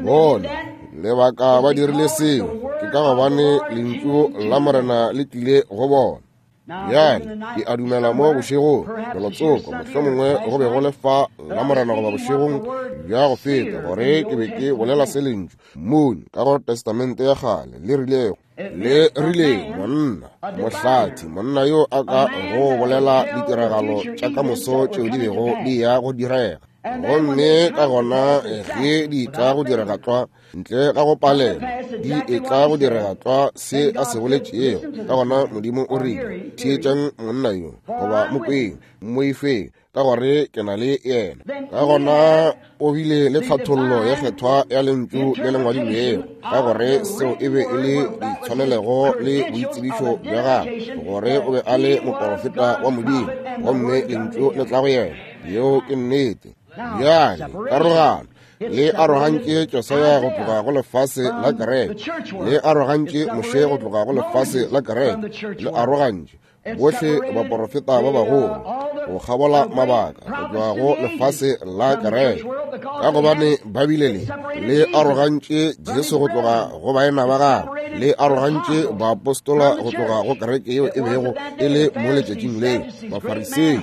Bona lebaka ba dirile seo ke ka gobane lentšu la Morena le tlile go bona. Bjale ke a dumela mo bošegong felotsoko, mohlomongwe go be go le fa la Morena goba bošegong bja go feta, gore ke be ke bolela se lentšu mone ka go Testamente ya kgale le rilego, le rile monna mohlathi, monna yo a ka go bolela ditiragalo tša ka moso tšeo di bego di ya go direga. Gomme ka gona ge di tla go direga tlwa, ntle ga go palela, di e tla go direga tlwa se a se boletšego. Ka gona Modimo o rile, theetšang monna yo, goba mo kweng, moifeng, ka gore ke na le yena. Ka gona o bile le tlhathollo ya kgethwa ya lentšu le le ngwadilwego, ka gore seo e be e le ditshwanelego le boitsebišo bja gagwe, gore o be a le moporofeta wa Modimo, gomme lentšu le tla go yena. Yeo ke nnete. Bjale karogano le arogantše Josia go tloga go lefase la kereke, le arogantše Moshe go tloga go lefase la kereke, le arogantše bohle baporofeta ba bagolo go kgabola mabaka go tloga go lefase la kereke, ka gobane ba bile le le arogantše Jesu go tloga go baena ba gagwe, le arogantše baapostola go tloga go kereke yeo e bego e le mo letšatšing leo, Bafarisei,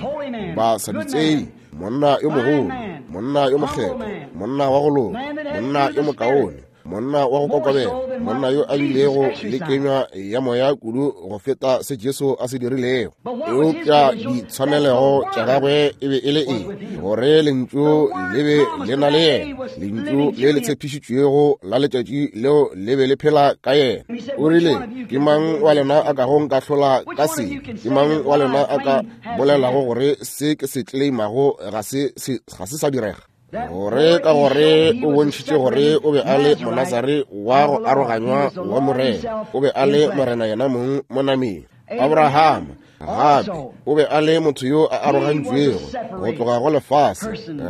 Basadutsei, monna yo mogolo, monna yo mokgethwa, monna wa go loka, monna yo mokaone, monna wa go kokobela, monna yo a bilego le kenywa ya moya kudu go feta se Jesu a se dirilego. Eupša ditshwanelego tša gagwe e be e le eng? Gore lentšu le be le na le yena, lentšu le le tshepišitšwego la letšatši leo le be le phela ka yena. O rile, ke mang wa lena a kago nkahlola ka se? Ke mang wa lena a ka bolelago gore se ke se tleimago ga se ga se sa direga? Gore ka gore o bontšhitše gore o be a le Monazare wa go aroganywa wa Morena, o be a le Morena yena mong mo nameng. Abraham gape o be a le motho yo a arogantšwego go tloga go lefase.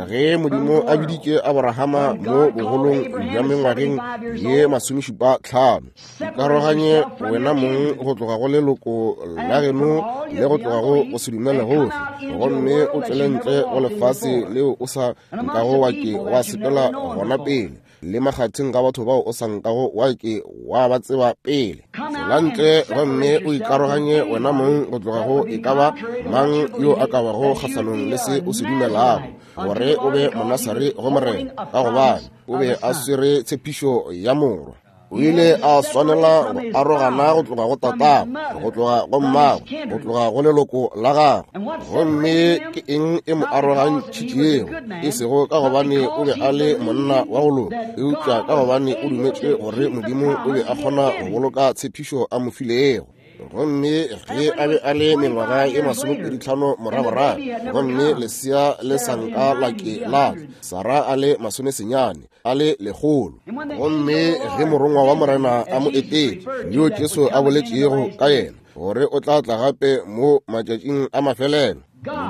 Ge Modimo a biditše Abrahama mo bogolong bja mengwageng ye masomešupa tlhano, ikaroganye wena mong go tloga go leloko la geno le go tloga go go se dumele gohle, gomme o tšwele ntle go lefase leo o sa nkago wa ke wa sepela gona pele, le makgatheng ga batho bao o sa nkago wa ke wa ba tseba pele. Tswela ntle gomme o ikaroganye wena mong go tloga go e ka ba mang yo a ka bago kgahlanong le se o se dumelago, gore o be Monasare go Morena, ka gobane o be a swere tshepišo ya morwa. O ile a swanela go arogana go tloga go tatagwe, go tloga go mmagwe, go tloga go leloko la gagwe. Gomme ke eng e mo arogantšhitšego? E sego ka gobane o be a le monna wa go loka, eupša ka gobane o dumetše gore Modimo o be a kgona go boloka tshepišo a mo filego. Gomme ge a be a le mengwaga e masomepedi tlhano moragorago, gomme lesea le sa nka la ke la Sara a le masomesenyane a le lekgolo. Gomme ge morongwa wa Morena a mo etetše, yo Jesu a boletšego ka yena gore o tla tla gape mo matšatšing a mafelelo,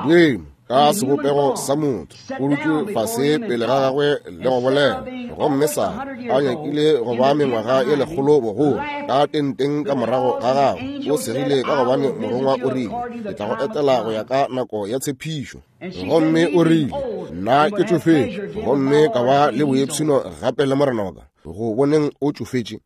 Modimo ka sebopego sa motho o dutše fase pele ga gagwe le go bolela. Gomme Sara a nyakile go ba mengwaga e lekgolo bogolo ka tenteng ka morago ga gagwe, o segile ka gobane morongwa o rile, ke tla go etela go ya ka nako ya tshepišo. Gomme o rile, nna ke tšofetše, gomme ka ba le boipshino gape le morena wa ka go boneng o tšofetše.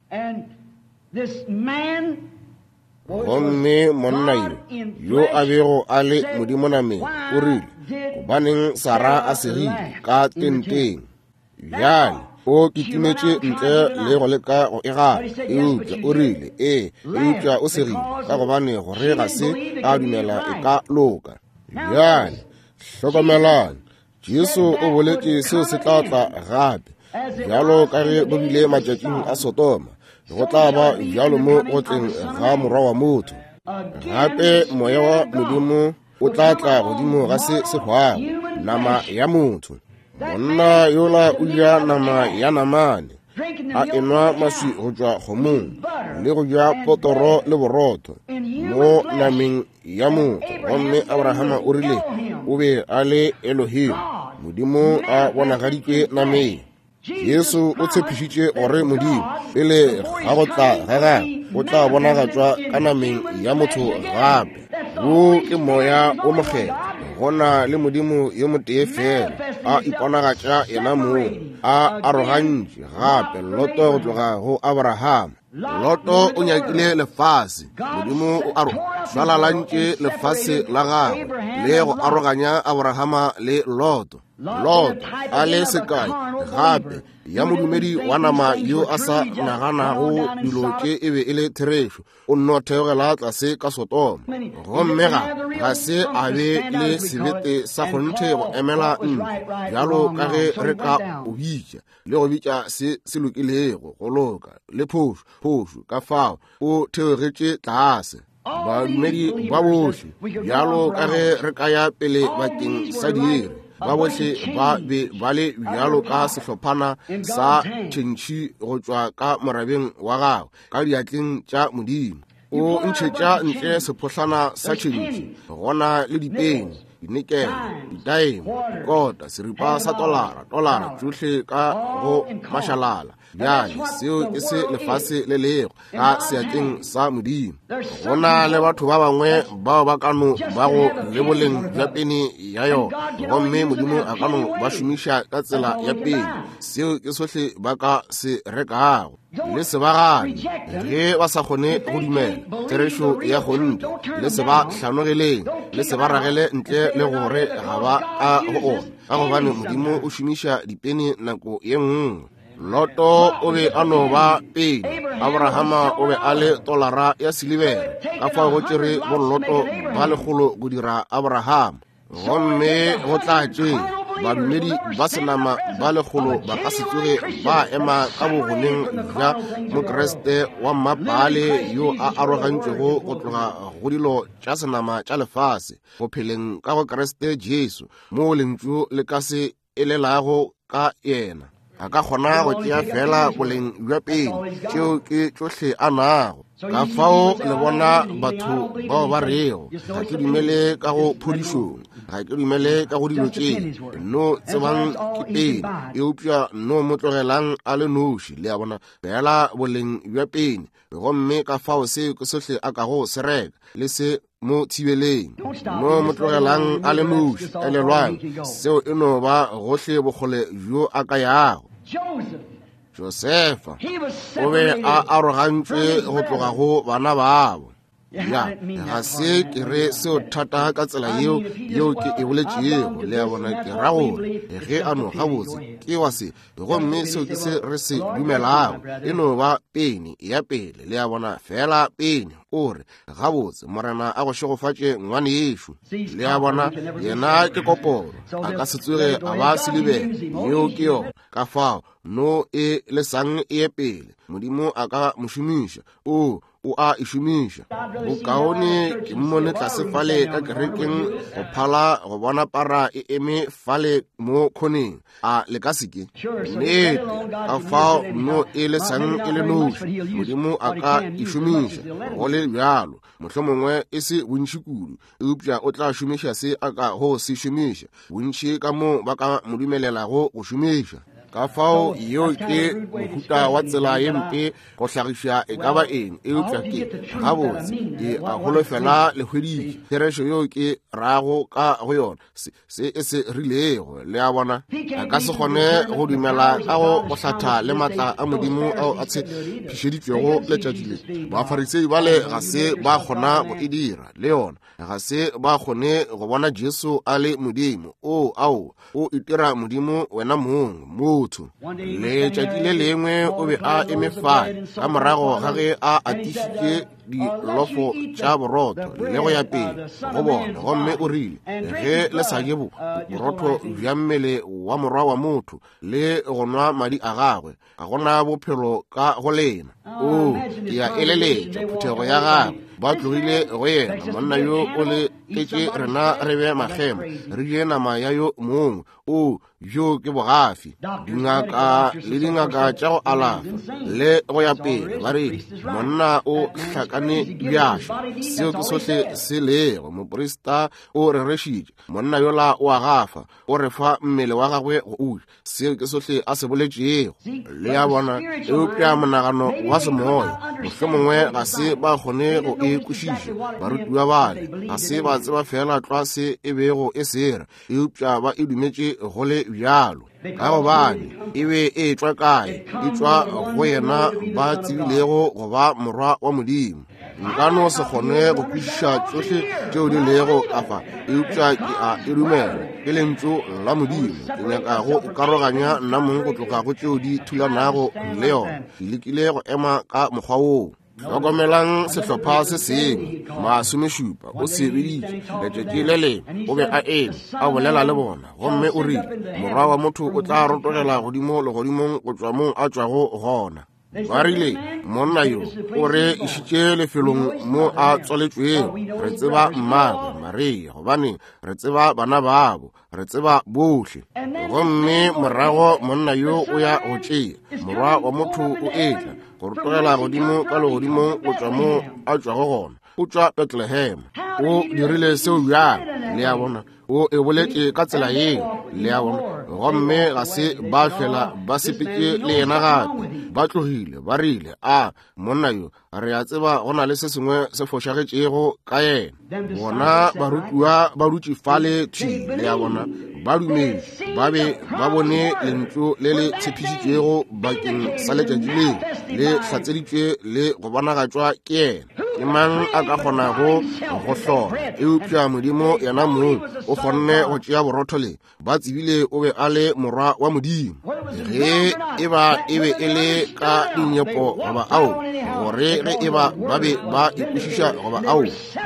Gomme monna yo yo a bego a le Modimo nameng o rile, gobaneng Sara a segile ka tenteng? Bjale o kitimetše ntle le go leka go e gana, eupša o rile, ee, eupša o segile ka gobane gore ga se a dumela e ka loka. Bjale hlokomelang, Jesu o boletše seo se tla tla gape, bjalo ka ge go bile matšatšing a Sodoma, go tla ba bjalo mo go tleng ga morwa wa motho. Gape moya wa Modimo o tla tla godimo ga se se hwago, nama ya motho. Monna yola o ja nama ya namane, a enwa maswi go tšwa kgomong, le go ja potoro le borotho mo nameng ya motho. Gomme Abrahama o rile o be a le Elohim, Modimo a bonagaditšwe nameng. Jesu o tshepišitše gore Modimo pele ga go tla ga gagwe o tla bonagatšwa ka nameng ya motho gape. Wo ke moya o mokgethwa, go na le Modimo yo motee fela a iponagatša yena mong, a arogantše gape Loto go tloga go Abrahama. Loto o nyakile lefase, Modimo o aro šwalalantše lefase la gagwe le go aroganya Abrahama le Loto. Loto a le sekai gape ya modumedi wa nama yo a sa naganago dilo tše e be e le therešo, o nno theogela tlase ka Sodoma. Gomme ga ga se a be le sebete sa kgonthe go emela ntlo, bjalo ka ge re ka o bitša le go bitša se se lokilego go loka le phošo phošo, ka fao o theogetše tlase. Badumedi ba bohle, bjalo ka ge re ka ya pele bakeng sa diiri, ba bohle ba be ba le bjalo ka sehlophana sa tšhentšhi go tšwa ka morabeng wa gagwe ka diatleng tša Modimo. O ntšhetša ntle sephohlana sa tšhentšhi, gona le dipeni, dinikele, didaeme, dikota, seripa sa tolara, tolara, tšohle ka go mašalala. Bjale seo ke se lefase le lego ka seatleng sa Modimo. Go na le batho ba bangwe bao ba ka no ba go le boleng bja peni ya yona, gomme Modimo a ka no ba šomiša ka tsela ya peni. Seo ke sohle ba ka se rekago. Le se ba gane ge ba sa kgone go dumela therešo ya kgonthe, le se ba hlanogeleng, le se ba ragele ntle le gore ga ba ka go ona, ka gobane Modimo o šomiša dipeni nako ye nngwe. Loto o be a no ba peni, Abrahama o be a le tolara ya silibere, ka fao go tšere bo Loto ba lekgolo go dira Abrahama. Gomme go tla tše badumedi ba senama ba lekgolo ba ka se tsoge ba ema ka bogoneng bja Mokriste wa mmapale yo a arogantšwego go tloga go dilo tša senama tša lefase, go pheleng ka go Kriste Jesu, moo lentšu le ka se elelago ka yena. A ka kgona go tšea fela boleng bja peni, tšeo ke tšohle a nago. Ka fao le bona batho bao ba rego, ga ke dumele ka go phodišong, ga ke dumele ka go dilo tše, no tsebang ke peni, eupša no mo tlogelang a le noši, le a bona, fela boleng bja peni. Gomme ka fao seo ke sohle a kago se reka, le se mo thibeleng, no mo tlogelang a le noši. Elelwang, seo e no ba gohle bokgole bjo a ka yago. Josefa o be a arogantšwe go tloga go bana babo. Ya, ga se ke re seo thata ka tsela yeo yeo ke e boletšego, le a bona, ke ra gore ge a no gabotse ke wa se, gomme seo ke se re se dumelago, e no ba peni ya pele, le a bona, fela peni. O re gabotse, Morena a go šegofatše ngwanešo, le a bona, yena ke koporo, a ka se tsoge a ba silibere, yeo ke yona. Ka fao No e lesang e ye pele. Modimo a ka mo šomiša. O o a e šomiša. Bokaone ke mmone tlase fale ka kerekeng go phala go bona para e eme fale mo khoneng. A le ka seke? Nnete, ka fao no e lesang e le noši. Modimo a ka e šomiša go le bjalo. Mohlomongwe e se bontši kudu, eupša o tla šomiša se a ka go se šomiša. Bontši ka mo ba ka mo dumelelago go šomiša. Ka fao yeo ke mohuta wa tsela ye mpe go hlagiša e ka ba eng, eupša ke gabotse ke a holofela le hweditše therešo yeo ke rago ka go yona, se, se e se rilego. Le a bona, a ka se kgone go dumela ka go go hlatha le maatla a Modimo ao a tshepišeditšwego letšatši le. Bafarisei bale ga se ba kgona go e dira le yona, ga se ba kgone go bona Jesu a le Modimo. O ao o itira Modimo wena mong motho. Letšatši le lengwe o be a eme fale ka morago ga ge a atišitše dilofo tša borotho le go ya pele go bona, gomme o rile, ge le sa je borotho bja mmele wa morwa wa motho le go nwa madi a gagwe, ga gona bophelo ka go lena. O ke a eleletša phuthego ya gagwe ba tlogile go yena. Monna yo o le etše rena re be makgema, re je nama ya yo mongwe. O bjo ke bogafi. Dingaka le dingaka tša go alafa le go ya pele ba rile monna o hlakane bjašo. Seo ke sohle se lego. Moprista o rerešitše, monna yola o a gafa, o re fa mmele wa gagwe go uja. Seo ke sohle a se boletšego. Le a bona, eupša monagano wa semoya mohlomongwe ga se ba kgone go e kwešiša. Barutiwa bale ga se ba tseba fela tlwa se e bego e sera, eupša ba e dumetše go le bjalo, ka gobane e be e tšwa kae? E tšwa go yena ba tsebilego go ba morwa wa Modimo. Nka no se kgone go kwešiša tšohle tšeo di lego ka fa, eupša ke a e dumela. Ke lentšu la Modimo. Ke nyaka go ikaroganya nna mong go tloga go tšeo di thulanago le yona. Ke lekile go ema ka mokgwa woo. Hlokomelang sehlopha se sengwe, masomešupa o se biditše. Letšatši le lengwe o be a eme a bolela le bona, gomme o rile, morwa wa motho o tla rotogela godimo legodimong go tšwa moo a tšwago gona. Ba rile, monna yo o re išitše lefelong mo a tswaletšwego. Re tseba mmagwe Maria, gobane re tseba bana babo, re tseba bohle. Gomme morago monna yo o ya go tšea morwa wa motho o etla go rotogela godimo ka legodimong go tšwa mo a tšwago gona. O tšwa Bethlehem. O dirile seo bjang? Le a bona, o e boletše ka tsela yeo. Le a bona, gomme ga se ba fela ba sepetše le yena gape. Ba tlogile, ba rile, a monna yo re a tseba go na le se sengwe se fošagetšego ka yena. Bona barutiwa ba dutše fale thwi. Le a bona, ba dumele, ba be ba bone lentšu le le tshepišitšwego bakeng sa letšatši leo le hlatseditšwe le go bonagatšwa ke yena. Ke mang a ka kgonago go hlola? Eupša Modimo yena mong o kgonne go tšea borotho le. Ba tsebile o be a le morwa wa Modimo. Ge e ba e be e le ka dinyepo goba ao, gore ge e ba ba be ba ikwešiša goba ao,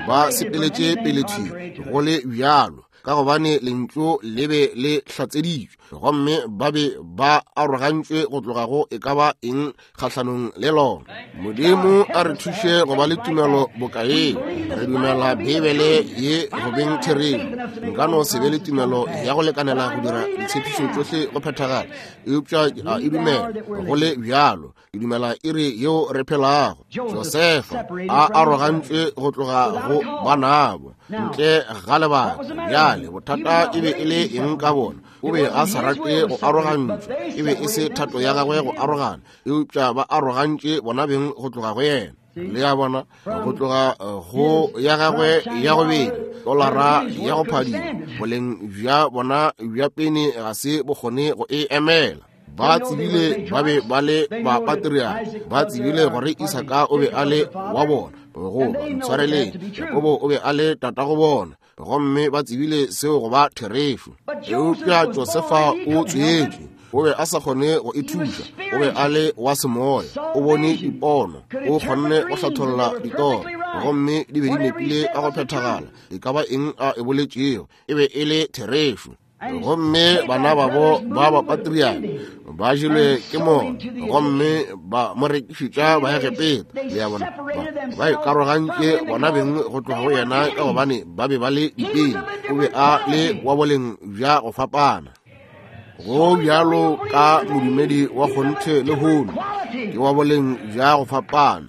ba sepeletše pele thwi go le bjalo, ka gobane lentšu le be le hlatseditšwe, gomme ba be ba arogantšwe go tloga go e ka ba eng kgahlanong le lona. Modimo a re thuše go ba le tumelo bokaeng. Re dumela Beibele ye go beng therešo. Nka no se be le tumelo ya go lekanela go dira ditshepišo tšohle go phethagala, eupša ke a e dumela go le bjalo. Ke dumela iri yeo re phelago. Josefa a arogantšwe go tloga go banabo ntle ga lebaka. Bjale bothata e be e le eng ka bona? O be a sa rate go arogantšwa, e be e se thato ya gagwe go arogana, eupša ba arogantše bona beng go tloga go yena. Le a bona, go tloga go ya gagwe ya go bedi tolara ya go phadima, boleng bja bona bja pene ga se bokgone go e emela. Ba tsebile ba be ba le ba patriarch, ba tsebile gore Isaka o be a le wa bona, goba ntshwareleng, Jakobo o be a le tatago bona, gomme ba tsebile seo go ba therešo. Eupša Josefa o tswetšwe, o be a sa kgone go ithuša, o be a le wa semoya, o bone dipono, o kgonne go hlatholla ditoro, gomme di be di nepile ka go phethagala. E ka ba eng a e boletšego e be e le therešo. Gomme bana babo ba bapatriane ba jelwe ke mona, gomme ba mo rekišetša Baegepeta. Le a bona, ba ikarogantše bona beng go tloga go yena ka gobane ba be ba le dipele. O be a le wa boleng bja go fapana. Go bjalo ka modumedi wa kgonthe lehono, ke wa boleng bja go fapana.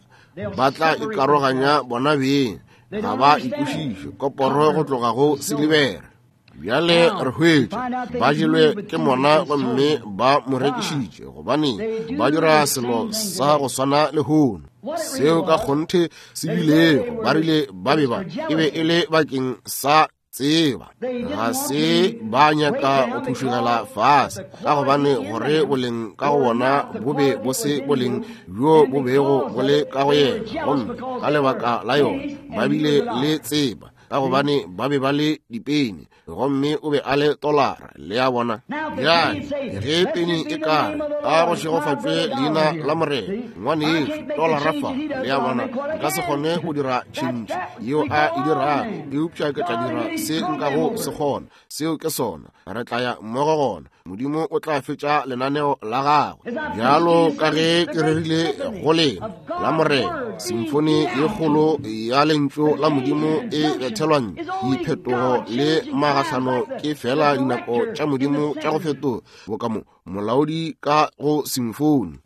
Ba tla ikaroganya bona beng, ga ba ikwešiše koporo go tloga go silibera. Bjale re hwetša ba jelwe ke mona gomme ba mo rekišitše, gobane ba dira selo sa go swana lehono. Seo ka kgonthe se bilego, ba rile ba be ba e be e le bakeng sa tseba, ga se ba nyaka go phušugela fase, ka gobane gore boleng ka go bona bo be bo se boleng bjo bo bego bo le ka go yena, gomme ka lebaka la yona ba bile le tseba, ka gobane ba be ba le dipeni, gomme o be a le tolara. Le a bona? Bjale ge peni e ka re, a go šegofatšwe leina la Morena, ngwanešu, tolara fa. Le a bona? Nka se kgone go dira tšhentšhe yeo a e dirago, eupša ke tla dira se nkago se kgona. Seo ke sona. Re tla ya mmogo gona. Modimo o tla fetša lenaneo la gagwe. Bjalo ka ge ke rerile go lena la Morena, simfoni ye kgolo ya lentšu la Modimo e bethelwang diphetogo le magahlano ke fela dinako tša Modimo tša go fetoga, boka mo molaodi ka go simfoni.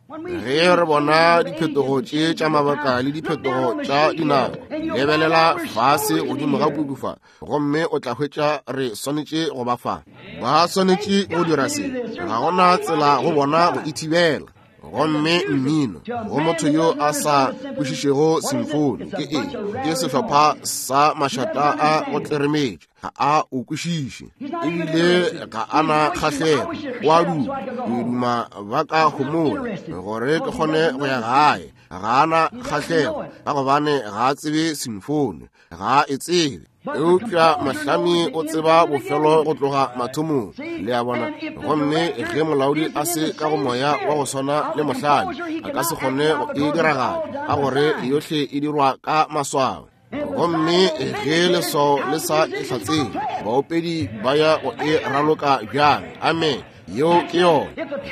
Ge re bona diphetogo tše tša mabaka le diphetogo tša dinako, lebelela fase godimo ga puku fa, gomme o tla hwetša re swanetše go ba fa. Ba swanetše go dira se, ga gona tsela go bona go ithibela. Gomme mmino go motho yo a sa kwešišego simfoni ke eng? Ke sehlopha sa mašata a go tleremetša, ga a o kwešiše, ebile ga a na kgahlego. O a duma, ke duma ba ka homola gore ke kgone go ya gae. Ga a na kgahlego ka gobane ga a tsebe simfoni, ga a e tsebe. Eupša mohlami o tseba bofelo go tloga mathomong. Le a bona? Gomme ge molaodi a se ka go moya wa go swana le mohlami, a ka se kgone go e diragatša, ka gore yohle e dirwa ka maswao. Gomme ge leswao le sa e hlatsele, baopedi ba ya go e raloka bjang? Amen. Yeo ke yona.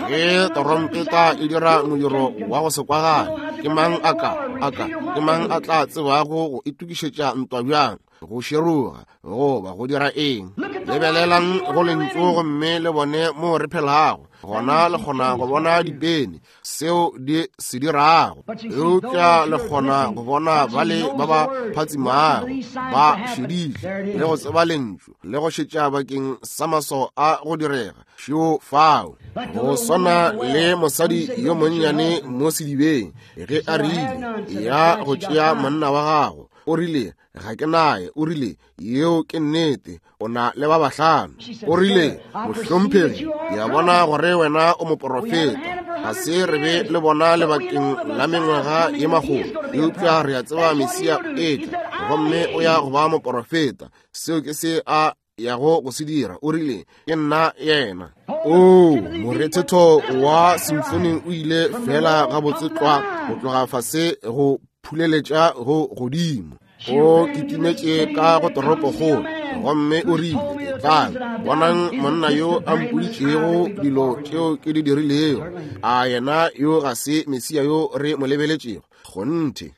Ge torompeta e dira modiro wa go se kwagale, ke mang a ka a ka ke mang a tla tsebago go itokišetša ntwa bjang, go široga goba go dira eng? Lebelelang go lentšu gomme le bone mo re phelago gona. Le kgona go bona dipeni seo di se dirago, eupša le kgona go bona bale ba ba phatsimago ba šeditše le go tseba lentšu le go šetša bakeng sa maswao a go direga. Šeo fao. Go swana le mosadi yo monnyane mo sedibeng, ge a rile ya go tšea monna wa gago, o rile ga ke naye. O rile yeo ke nnete, o na le ba bahlano. O rile, mohlomphegi, ke a bona gore wena o moporofeta. Ga se re be le bona lebakeng la mengwaga ye magolo, eupša re a tseba Mesia etla, gomme o ya go ba moporofeta. Seo ke se a yago go se dira. O rile, ke nna yena. O morethetho wa simfoni o ile fela gabotse tlwa go tloga fase go phuleletša go godimo. O kitimetše ka go toropokgolo, gomme o rile, etlang, bonang monna yo a mpoditšego dilo tšeo ke di dirilego. A yena yo ga se Mesia yo re mo lebeletšego? Kgonthe.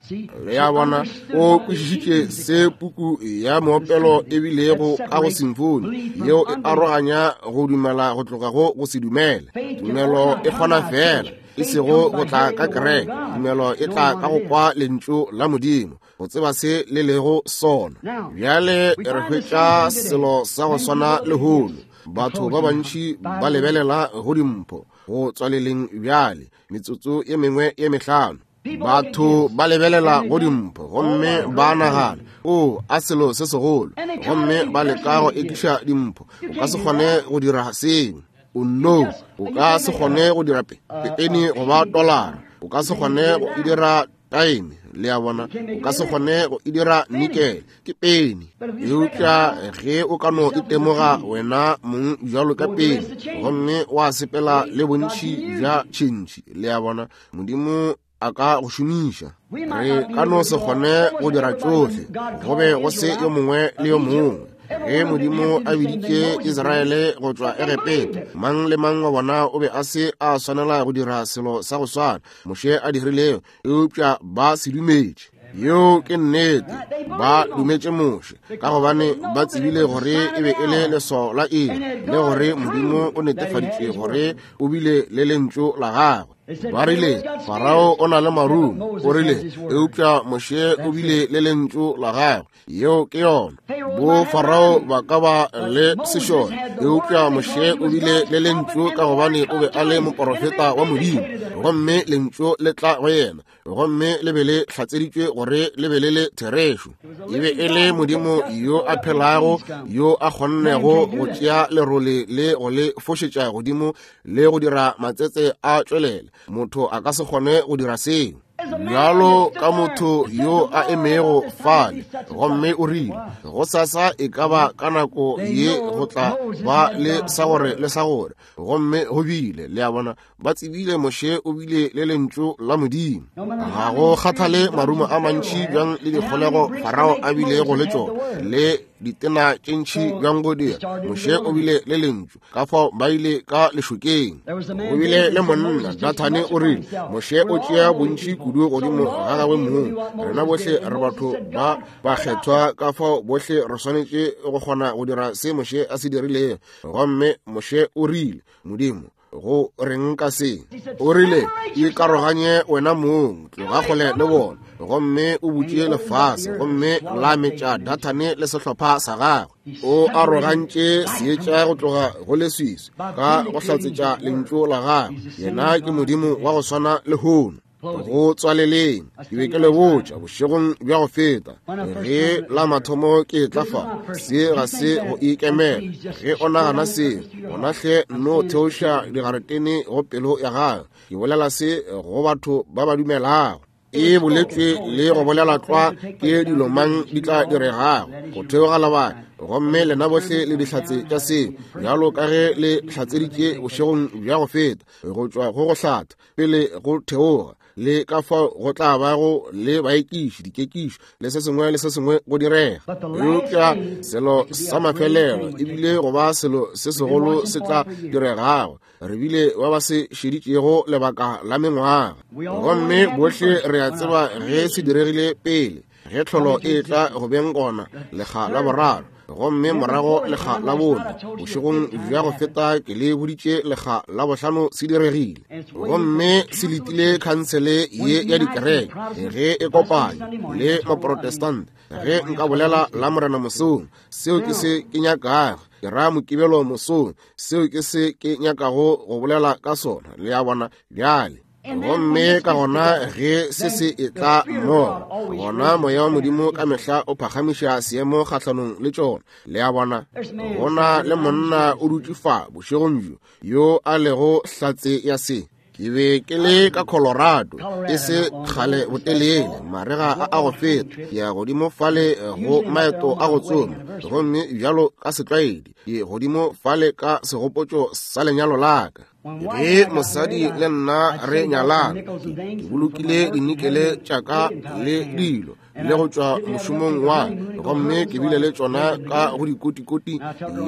Le a bona? O kwešišitše se puku ya moopelo e bilego ka go simfoni, yeo e aroganya go dumela go tloga go go se dumele. Tumelo e kgona fela, e sego go tla ka kereke. Tumelo e tla ka go kwa lentšu la Modimo, go tseba se le lego sona. Bjale re hwetša selo sa go swana lehono. Batho ba bantši ba lebelela go dimpho go tswaleleng bjale metsotso ye mengwe ye mehlano. Batho ba lebelela go dimpho gomme ba nagana, o a selo se segolo, gomme ba leka go ekiša dimpho. O ka se kgone go dira seo. O no, o ka se kgone go dira peni goba tolara. O ka se kgone go e dira taeme. Le a bona? O ka se kgone go e dira nikele, ke peni. Eupša ge o ka no itemoga wena mong bjalo ka peni, gomme wa sepela le bontši bja tšhentšhi, le a bona, Modimo a ka go šomiša. Re ka no se kgone go dira tšohle, go be go se yo mongwe le yo mongwe. Ge Modimo a biditše Israele go tšwa Egepeta, mang le mang wa bona o be a se a swanela go dira selo sa go swana Moshe a dirilego, eupša ba se dumetše. Yeo ke nnete, ba dumetše Moshe ka gobane ba tsebile gore e be e le leswao la iri, le gore Modimo o netefaditše gore o bile le lentšu la gagwe. Ba rile Farao o na le marumo, o rile, eupša Moshe o bile le lentšu la gagwe. Yeo ke yona. Bo Farao ba ka ba le sešole, eupša Moshe o bile le lentšu ka gobane o be a le moporofeta wa Modimo, gomme lentšu le tla go yena, gomme le be le hlatseditšwe gore le be le le therešo. E be e le Modimo yo a phelago, yo a kgonnego go tšea lerole le go le fošetša godimo le go dira matsetse a tšwelele. Motho a ka se kgone go dira seo. Bjalo ka motho yo a emego fale, gomme o rile go sasa e ka ba ka nako ye go tla ba le sa gore le sa gore, gomme go bile. Le a bona, ba tsebile Moshe o bile le lentšu la Modimo. Ga go kgathale marumo a mantši bjang le dikgolego Farao a bilego le tšona, le ditena tše ntši bjang go dira, Moshe o bile le lentšu. Ka fao ba ile ka lešokeng. Go bile le monna Dathane o rile Moshe o tšea bontši kudu godimo ga gagwe mong. Rena bohle re batho ba bakgethwa, ka fao bohle re swanetše go kgona go dira se Moshe a se dirilego. Gomme Moshe o rile, Modimo, go reng ka se? O rile, ikaroganye wena mong, tloga kgole le bona, gomme o butše lefase, gomme la metša Dathane le sehlopha sa gagwe. O arogantše seetša go tloga go leswiswi ka go hlatsetša lentšu la gagwe. Yena ke Modimo wa go swana lehono. Go tswaleleng, ke be ke le botša bošegong bja go feta, ge la mathomo ke tla fa, se ga se go ikemela. Ge o nagana se, gona hle no theoša digaretene go pelo ya gago. Ke bolela se go batho ba ba dumelago. E boletšwe le go bolela tlwa ke dilo mang di tla diregago go theoga lebaka, gomme lena bohle le dihlatse tša seo, bjalo ka ge le hlatseditše bošegong bja go feta, go tšwa go go hlatha pele go theoga, le ka fao go tla bago le baekiši, dikekišo le se sengwe le se sengwe go direga. Eupša selo sa mafelelo ebile go ba selo se segolo se tla diregago, re bile ba ba se šeditšego lebaka la mengwaga, gomme bohle re a tseba ge se diregile pele, ge tlholo e tla go beng gona lekga la boraro, gomme morago lekga la bone. Bošegong bja go feta ke le boditše lekga la bohlano se diregile, gomme se letile khansele ye ya dikereke ge e kopanya le maprotestante. Ge nka bolela la Morena mosong, seo ke se ke nyakago. Ke ra Mokibelo mosong, seo ke se ke nyakago go bolela ka sona. Le a bona bjale. Gomme ka gona ge se se e tla mmogo, gona moya wa Modimo ka mehla o phagamiša seemo kgahlanong le tšona. Le a bona, gona le monna o dutše fa bošegong bjo yo a lego hlatse ya se. Ke be ke le ka Colorado e se kgale botelele, marega a a go feta, ke ya godimo fale go maeto a go tsoma, gomme bjalo ka setlwaedi ke godimo fale ka segopotšo sa lenyalo la ka. Ge mosadi le nna re nyalana, ke bolokile dinikele tša ka le dilo le go tšwa mošomong wa, gomme ke bile le tšona ka go dikotikoti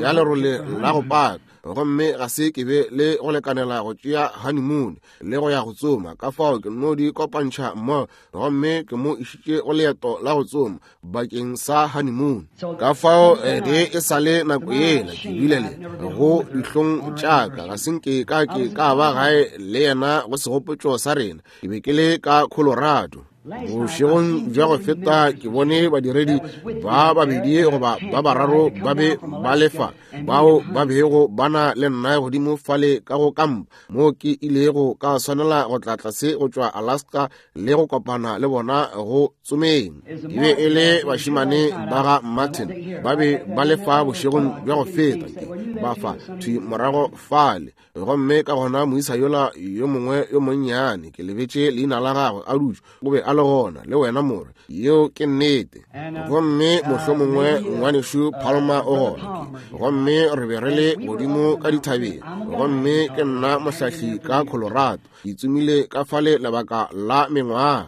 ya lerole la go paka, gomme ga se ke be le go lekanela go tšea honeymoon le go ya go tsoma. Ka fao ke no di kopantšha mmogo, gomme ke mo išitše go leeto la go tsoma bakeng sa honeymoon. Ka fao ge e sa le nako yela ke bile le go dihlong tša ka, ga se nke ka ke ka ba gae le yena go segopotšo sa rena. Ke be ke le ka Colorado. Bošegong bja go feta ke bone badiredi ba babedi goba ba bararo ba be ba lefa, bao ba bego ba na le nna godimo fale ka go kampa mo ke ilego ka swanela go tla tlase go tšwa Alaska le go kopana le bona go tsomeng. E be e le bašemane ba ga Martin, ba be ba lefa bošegong bja go feta, ke ba fa thwi morago fale. Gomme ka gona moisa yola yo mongwe yo monnyane, ke lebetše leina la gagwe, a dutše, o be a a le gona le wena more. Yeo ke nnete. Gomme mohlomongwe ngwanešu Palmer o gona. Gomme re be re le godimo ka dithabeng. Gomme ke nna mohlahli ka Colorado. Ke tsomile ka fale lebaka la mengwaga.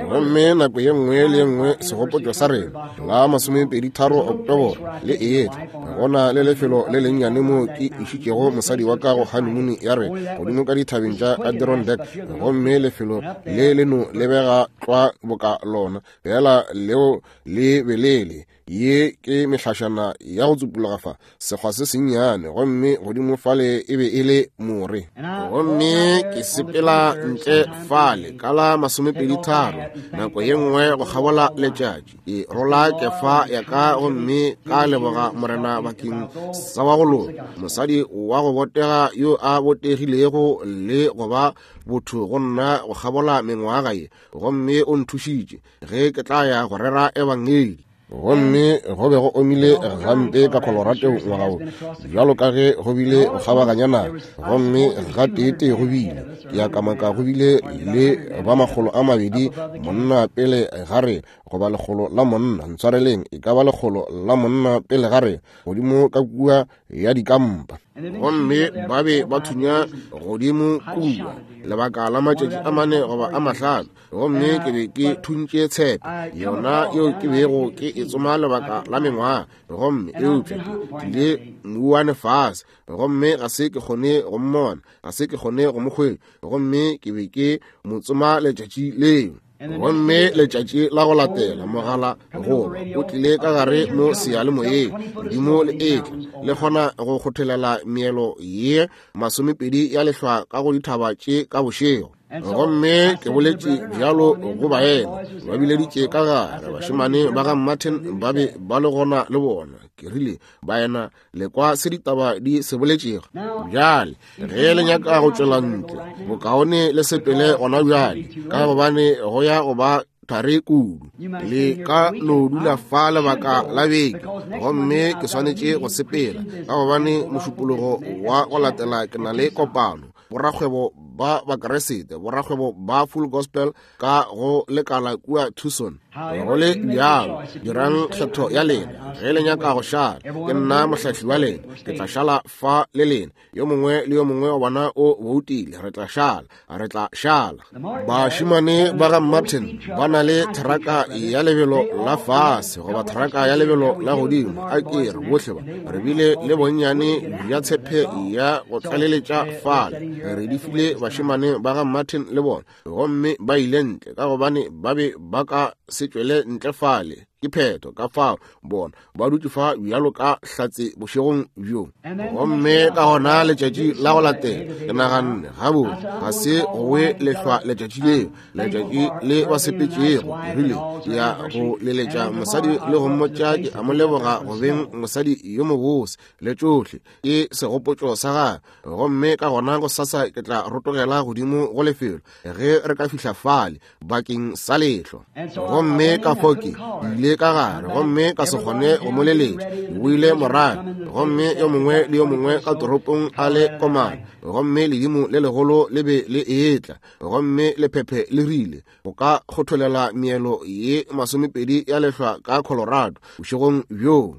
Gomme nako ye nngwe le ye nngwe segopotšo sa rena la masomepedi tharo Oktoboro le etla. Gona le lefelo le lennyane mo ke išitšego mosadi wa ka go honeymoon ya rena godimo ka dithabeng tša Adirondack. Gomme lefelo le le no lebega tlwa boka lona, fela leo le belele. Ye ke mehlašana ya go tsupologa fa, sekgwa se sennyane, gomme godimo fale e be e le more. Gomme ke sepela ntle fale ka la masomepedi tharo, nako ye nngwe go kgabola letšatši. Ke rola kefa ya ka gomme ka leboga Morena bakeng sa wa go loka, mosadi wa go botega yo a botegilego le go ba botho go nna go kgabola mengwaga ye, gomme o nthušitše ge ke tla ya go rera ebangedi. Gomme go be go omile gampe ka Colorado ngwaga wo, bjalo ka ge go bile go kgabaganya naga. Gomme gateetee go bile, ke a kamaka go bile le ba makgolo a mabedi monna pele ga rena, goba lekgolo la monna, ntshwareleng, e ka ba lekgolo la monna pele ga rena, godimo ka kua ya dikampa. Gomme ba be ba thunya godimo kua lebaka la matšatši a mane goba a mahlano. Gomme ke be ke thuntše tshepe yona yeo ke bego ke e tsoma lebaka la mengwaga. Gomme eupša ke tlile mouwane fase, gomme ga se ke kgone go mmona, ga se ke kgone go mo hwetša. Gomme ke be ke mo tsoma letšatši leo. Gomme letšatši la go latela mogala goba o tlile ka gare mo seyalemoyeng, ledimo le etla le kgona go kgothelela meelo ye masomepedi ya lehlwa ka go dithaba tše ka bošego. Gomme ke boletše bjalo go baena, ba bileditše ka gare, bašemane ba ga Martin ba be ba le gona le bona. Ke rile, baena, le kwa se ditaba di se boletšego. Bjale ge le nyaka go tšwela ntle, bokaone le sepele gona bjale, ka gobane go ya go ba thari kudu. Le ka no dula fa lebaka la beke, gomme ke swanetše go sepela, ka gobane mošupologo wa go latela ke na le kopano. Borakgwebo ba Bakeresete, borakgwebo ba Full Gospel ka go lekala kua Tucson. Go le bjalo, dirang kgetho ya lena. Ge le nyaka go šala, ke nna mohlahli wa lena, ke tla šala fa le lena. Yo mongwe le yo mongwe wa bona o boutile, re tla šala, re tla šala. Bašemane ba ga Martin ba na le theraka ya lebelo la fase goba theraka ya lebelo la godimo. A ke re bohle ba re bile le bonnyane bja tshepe ya go tlaleletša fale. Re di file bašemane ba ga Martin le bona, gomme ba ile ntle ka gobane ba be ba ka se tšwele ntle fale. Ke phetho ka fao bona ba dutše fa bjalo ka hlatse bošegong bjo. Gomme ka gona letšatši la go latela ke naganne, gabotse ga se gowe lehlwa letšatši leo, letšatši le ba sepetšego. Ke rile ke ya go leletša mosadi le go mmotša ke a mo leboga go beng mosadi yo mobose le tšohle, ke segopotšo sa gagwe. Gomme ka gona go sasa ke tla rotogela godimo go lefelo ge re ka fihla fale bakeng sa lehlwa. Gomme ka fao ke ile ka gare, gomme ka se kgone go mo leletša. Ke boile morago, gomme yo mongwe le yo mongwe ka toropong a le komana. Gomme ledimo le legolo le be le etla, gomme lephephe le rile go ka kgotholela meelo ye masomepedi ya lehlwa ka Colorado bošegong bjoo.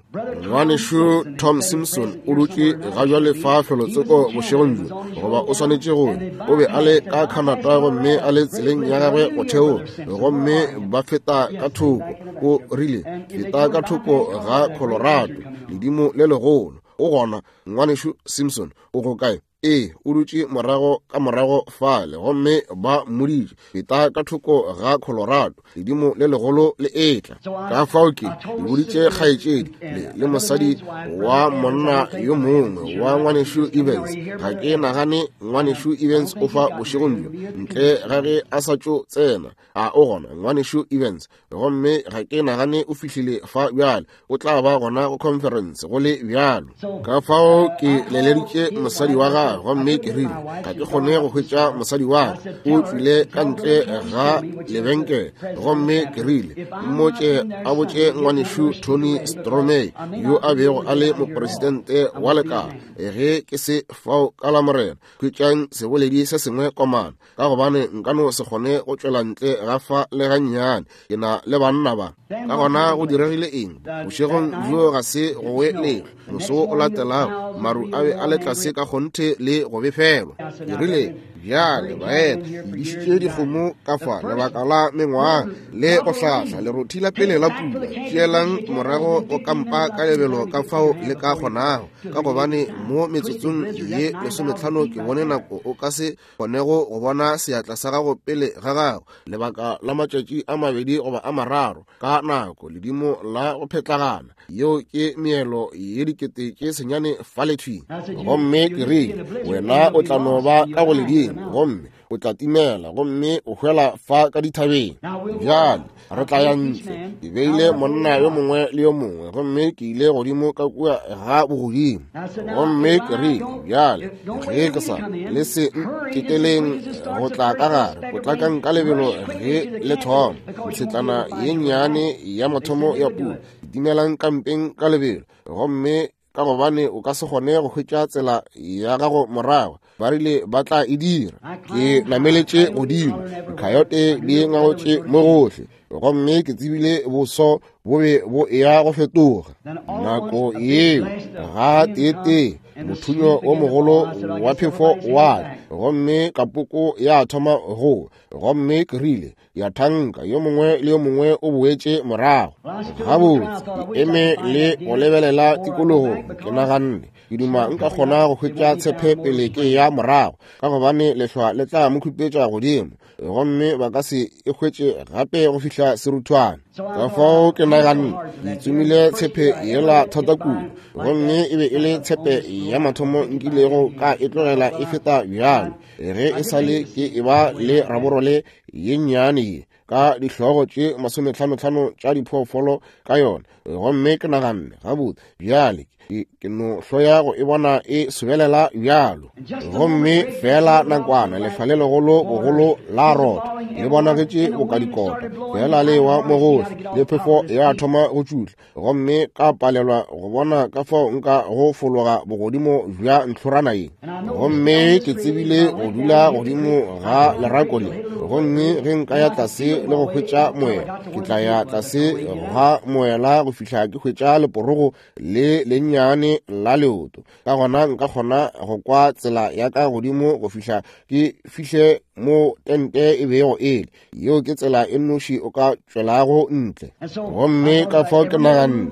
Ngwanešu Tom Simpson o dutše ga bjale fa felotsoko bošegong bjo, goba o swanetše go. O be a le ka Canada gomme a le tseleng ya gagwe go theoga, gomme ba feta ka thoko. O rile, feta ka thoko ga Colorado, ledimo le legolo. O gona, ngwanešu Simpson, o go kae? Ee, o dutše morago ka morago fale, gomme ba mmoditše, feta ka thoko ga Colorado, ledimo le legolo le etla. Ka fao ke boditše kgaetšedi le, le mosadi wa monna yo mongwe wa ngwanešu Evans. Ga ke nagane ngwanešu Evans o fa bošegong bjo, ntle ga ge a sa tšo tsena. A o gona ngwanešu Evans? Gomme ga ke nagane o fihlile fa bjale, o tla ba gona go conference go le bjalo. Ka fao ke leleditše mosadi wa gagwe morago, gomme ke rile ga ke kgone go hwetša mosadi wa ka, o tšwile ka ntle ga lebenkele. Gomme ke rile mmotše a botše ngwanešu Tony Stromey yo a bego a le mopresidente wa lekala, ge ke se fao ka la Morena, hwetšang seboledi se sengwe komana, ka gobane nka no se kgone go tšwela ntle ga fa le gannyane, ke na le banna ba. Ka gona go diregile eng? Bošegong bjo ga se go we lehlwa. Moso o latelago maru a be a le tlase ka kgonthe le go befelwa. Ke rile, bjale baena, ke dišitše dikgomo ka fa lebaka la mengwaga le go hlahla lerothi la pele la pula. Tšeelang morago go kampa ka lebelo ka fao le ka kgonago, ka gobane mo metsotsong ye lesometlhano ke bone nako o ka se kgonego go bona seatla sa gago pele ga gago lebaka la matšatši a mabedi goba a mararo ka nako ledimo la go phetlagana. Yeo ke meelo ye dikete tše senyane fale thwi. Gomme ke rile, wena o tla no ba ka go ledimo, gomme o tla timela, gomme o hwela fa ka dithabeng. Bjale re tla ya ntle. Ke beile monna yo mongwe le yo mongwe, gomme ke ile godimo ka kua ga bogodimo. Gomme ke rile, bjale ge ke sa le se nteteleng go tla ka gare, potlakang ka lebelo ge le thoma ntshetlana ye nnyane ya mathomo ya pula, timelang kampeng ka lebelo, gomme ka gobane o ka se kgone go hwetša tsela ya gago morago. Ba rile ba tla e dira. Ke nameletše godimo, dikhayote di ngangotše mo gohle, gomme ke tsebile boso bo be bo eya go fetoga. Nako yeo ga tee-tee mothunyo o mogolo wa phefo wa tla, gomme kapoko ya thoma go, gomme ke rile ya thanka yo mongwe le yo mongwe o boetše morago. Gabotse ke eme le go lebelela tikologong, ke naganne ke duma nka kgona go hwetša tshepe pele ke ya morago, ka gobane lehlwa le tla mo khupetša godimo, gomme ba ka se e hwetše gape go fihla seruthwane. Ka fao ke naganne ke tsomile tshepe yela thata kudu, gomme e be e le tshepe ya mathomo nkilego ka e tlogela e feta bjalo, ge e sa le ke e ba le raborole ye nnyane ye ka dihlogo tše masometlhanotlhano tša diphoofolo ka yona. Gomme ke naganne, gabotse bjale ke no hloya go e bona e sobelela bjalo. Gomme fela nakwana lehlwa le legolo bogolo la rotha le bonagetše boka dikota, fela le wa mo gohle, le phefo ya thoma go tšutla, gomme ka palelwa go bona ka fao nka go fologa bogodimo bja ntlhorana ye. Gomme ke tsebile go dula godimo ga lerako le, gomme ge nka ya tlase le go hwetša moela, ke tla ya tlase ga moela go fihla ke hwetša leporogo le lennyane la leoto. Ka gona nka kgona go kwa tsela ya ka godimo go fihla ke fihle mo tente e bego e le. Yeo ke tsela e nnoši o ka tšwelago ntle. Gomme ka fao ke naganne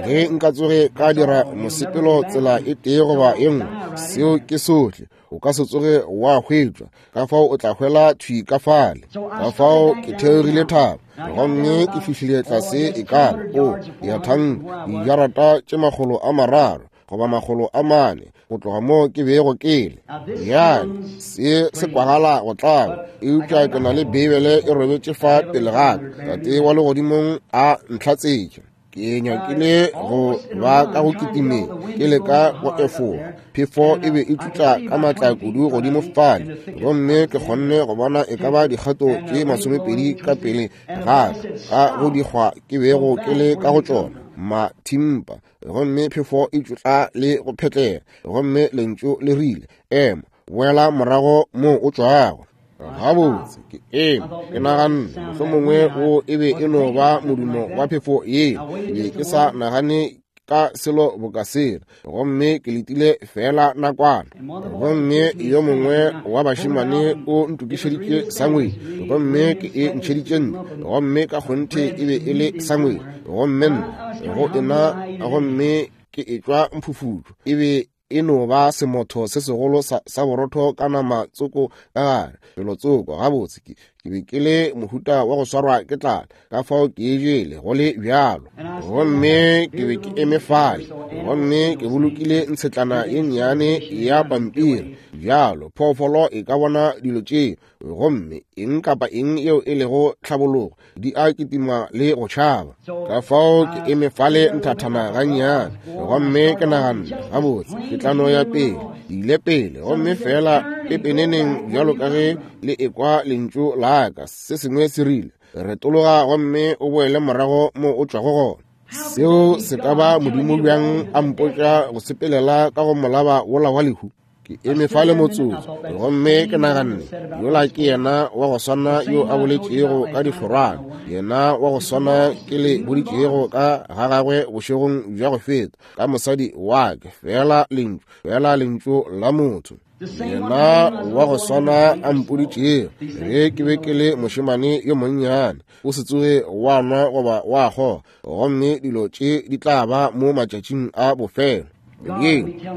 ge nka tsoge ka dira mosepelo tsela e tee goba e nngwe, seo ke sohle, o ka se tsoge wa hwetšwa, ka fao o tla hwela thwi ka fale. Ka fao ke theogile thaba, gomme ke fihlile tlase e ka ba o ya thanka dijarata tše makgolo a mararo goba makgolo a mane go tloga mo ke bego ke le. Bjale se se kwagala go tlaba, eupša ke na le Beibele e robetše fa pele ga ka. Tate wa legodimong a ntlhatsetše. Ke nyakile go ba ka go kitimeng, ke leka go efoga. Phefo e be e tšutla ka matla kudu godimo fale, gomme ke kgonne go bona e ka ba dikgato tše masomepedi ka pele ga ka go dikgwa ke bego ke le ka go tšona mathimpa, gomme phefo e tšutla le go phetlela, gomme lentšu le rile, ema, boela morago mo o tšwago. Gabotse ke eme, ke naganne mohlomongwe o e be e no ba modumo wa phefo yeo. Ke be ke sa nagane ka selo boka sela, gomme ke letile fela nakwana. Gomme yo mongwe wa bašemane o ntokišeditše sangwetši, gomme ke e ntšheditše ntle, gomme ka kgonthe e be e le sangwetši, gomme nna go ena, gomme ke etšwa mphufutšo. E be e no ba semotho se segolo sa, sa borotho ka nama tsoko ka gare, pelo tsoko. Gabotse ke ke be ke le mohuta wa go swarwa ke tlala, ka fao ke e jele go le bjalo. Gomme ke be ke eme fale, gomme ke bolokile ntshetlana ye nnyane ya pampiri bjalo, phoofolo e ka bona dilo tšeo, gomme eng kapa eng yeo e lego tlhabologo di a kitima le go tšhaba. Ka fao ke eme fale nthathana gannyane, gomme ke naganne, gabotse ke tla no ya pele. Ke ile pele gomme fela pepeneneng bjalo ka ge le ekwa lentšu la ka, se sengwe se rile, retologa gomme o boele morago mo o tšwago gona. Seo se ka ba Modimo bjang a mpotša go sepelela ka go molaba wola wa lehu? Ke eme fale motsotso gomme ke naganne, yola ke yena wa go swana yo a boletšego ka dihlorwana, yena wa go swana ke le boditšego ka ga gagwe bošegong bja go feta ka mosadi wa ke, fela lentšu, fela lentšu la motho. Yena wa go swana a mpoditšego ge ke be ke le mošemane yo monnyane, o se tsoge wa nwa goba wa kgoga, gomme dilo tše di tla ba mo matšatšing a bofelo.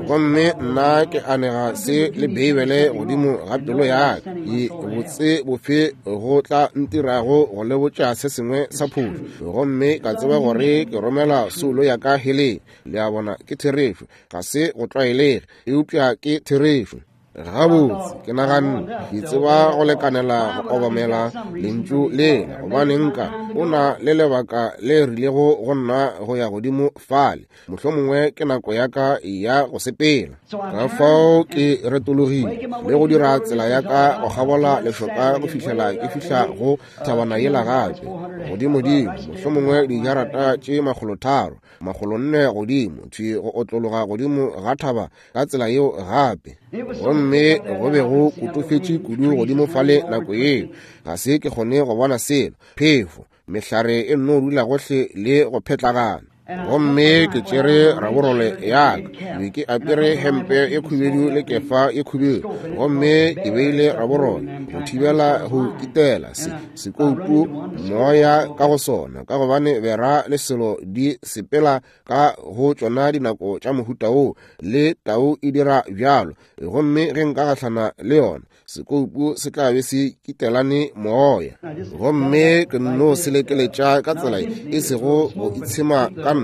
Gomme nna ke anega se le Beibele godimo ga pelo ya ka, ke botse bofe go tla ntirago go le botša se sengwe sa phošo, gomme ka tseba gore ke romela soulo ya ka heleng. Le a bona, ke therešo, ga se go tlwaelege, eupša ke therešo. Gabotse, ke naganne ke tseba go lekanela go obamela lentšu lela, gobane nka o na le lebaka le rilego go nna go ya godimo fale, mohlomongwe ke nako ya ka ya go sepela. Ka fao ke retologile le go dira tsela ya ka go kgabola lešoka go fihlela ke fihla go thabana yela gape, godimodimo, mohlomongwe dijarata tše makgolotharo, makgolonne godimo, thwi go otlologa godimo ga thaba ka tsela yeo gape. Gomme go be go kotofetše kudu godimo fale nako yeo, ga se ke kgone go bona selo, phefo, mehlare e nno dula gohle le go phetlagana. Gomme ke tšere raborole ya ka, be ke apere hempe e khubedu le kefa e khubedu, gomme ke beile raborole go thibela go kitela se sekoutu moya ka go sona, ka gobane bera le selo di sepela ka go tšona dinako tša mohuta wo, le tau e dira bjalo. Gomme ge nka gahlana le yona, sekoupu se tla be se kitelane moya. Gomme ke nno se lekeletša ka tsela e sego go itshema ka nna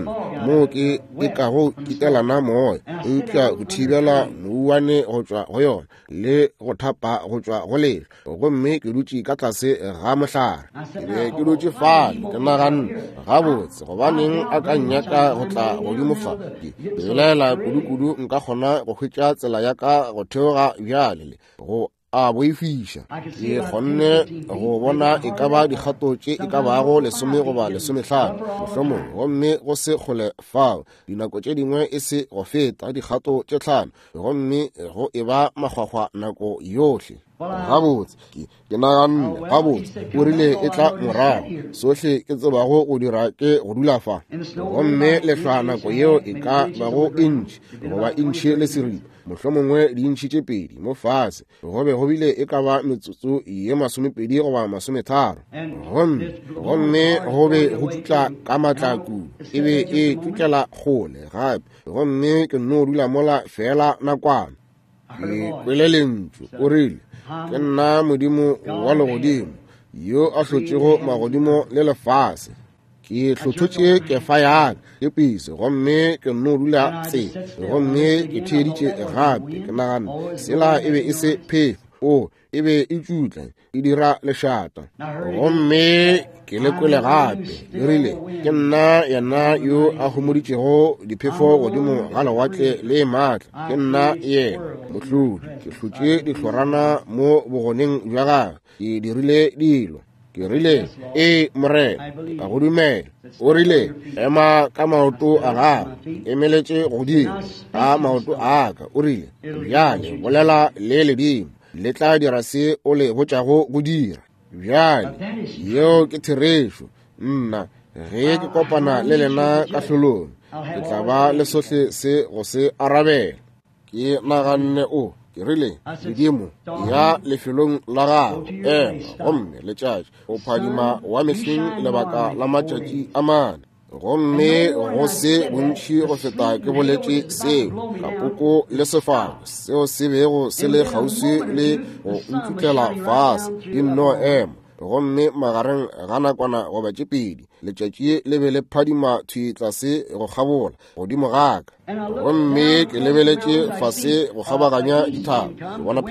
moo ke e kago kitelana moya, eupša go thibela mouwane go tšwa go yona le go thapa go tšwa go lehlwa. Gomme ke dutše ka tlase ga mohlare, ke be ke dutše fale ke naganne, gabotse, gobaneng a ka nnyaka go tla godimo fa? Ke belaela kudu-kudu nka kgona go hwetša tsela ya ka go theoga bjale le go a boifiša. Ke kgonne go bona e ka ba dikgato tše e ka bago lesome goba lesomehlano mohlomongwe, gomme go se kgole fao, dinako tše dingwe e se go feta dikgato tše tlhano, gomme go e ba makgwakgwa nako yohle. Gabotse, ke naganne, gabotse, o rile e tla morago, sohle ke tsebago go dira ke go dula fa. Gomme lehlwa nako yeo e ka bago intšhi goba intšhi le seripa, mohlomongwe dintšhi tše pedi mo fase, go be go bile e ka ba metsotso ye masomepedi goba masometharo. Gomme gomme go be go tšutla ka matla kudu, e be e tšutlela kgole gape, gomme ke nno dula mola fela nakwana. Ke kwele lentšu, o rile, ke nna Modimo wa legodimo yo a hlotšego magodimo le lefase. Ke hlothotše kefa ya ka ke pise, gomme ke nno dula tse, gomme ke theeditše gape. Ke naganne sela e be e se phefo, o e be e tšutla e dira lešata. Gomme ke le kwele gape le rile, ke nna yena yo a homoditšego diphefo godimo ga lewatle le maatla, ke nna yena mohlodi, ke hlotše dihlorana mo bogoneng bja gagwe, ke dirile dilo. Ke rile, ee Morena, ka go dumela. O rile, ema ka maoto a gago, emeletše godimo ka maoto a ka. O rile, bjale bolela le ledimo, le tla dira se o le botšago go dira. Bjale yeo ke therešo. Nna ge ke kopana le lena kahlolong, ke tla ba le sohle se go se arabela. Ke naganne, o ke rile, Modimo, ya lefelong la gago, ema gomme letšatši o phadima wa mehleng lebaka la matšatši a mane. Gomme go se bontši go feta ke boletše seo, kapoko le sefako seo se bego se le kgauswi le go ntšutlela fase di nno ema, gomme magareng ga nakwana goba tše pedi Letšatši le be le phadima thwi tlase go kgabola godimo ga ka. Gomme ke lebeletše fase go kgabaganya dithaba, ke bona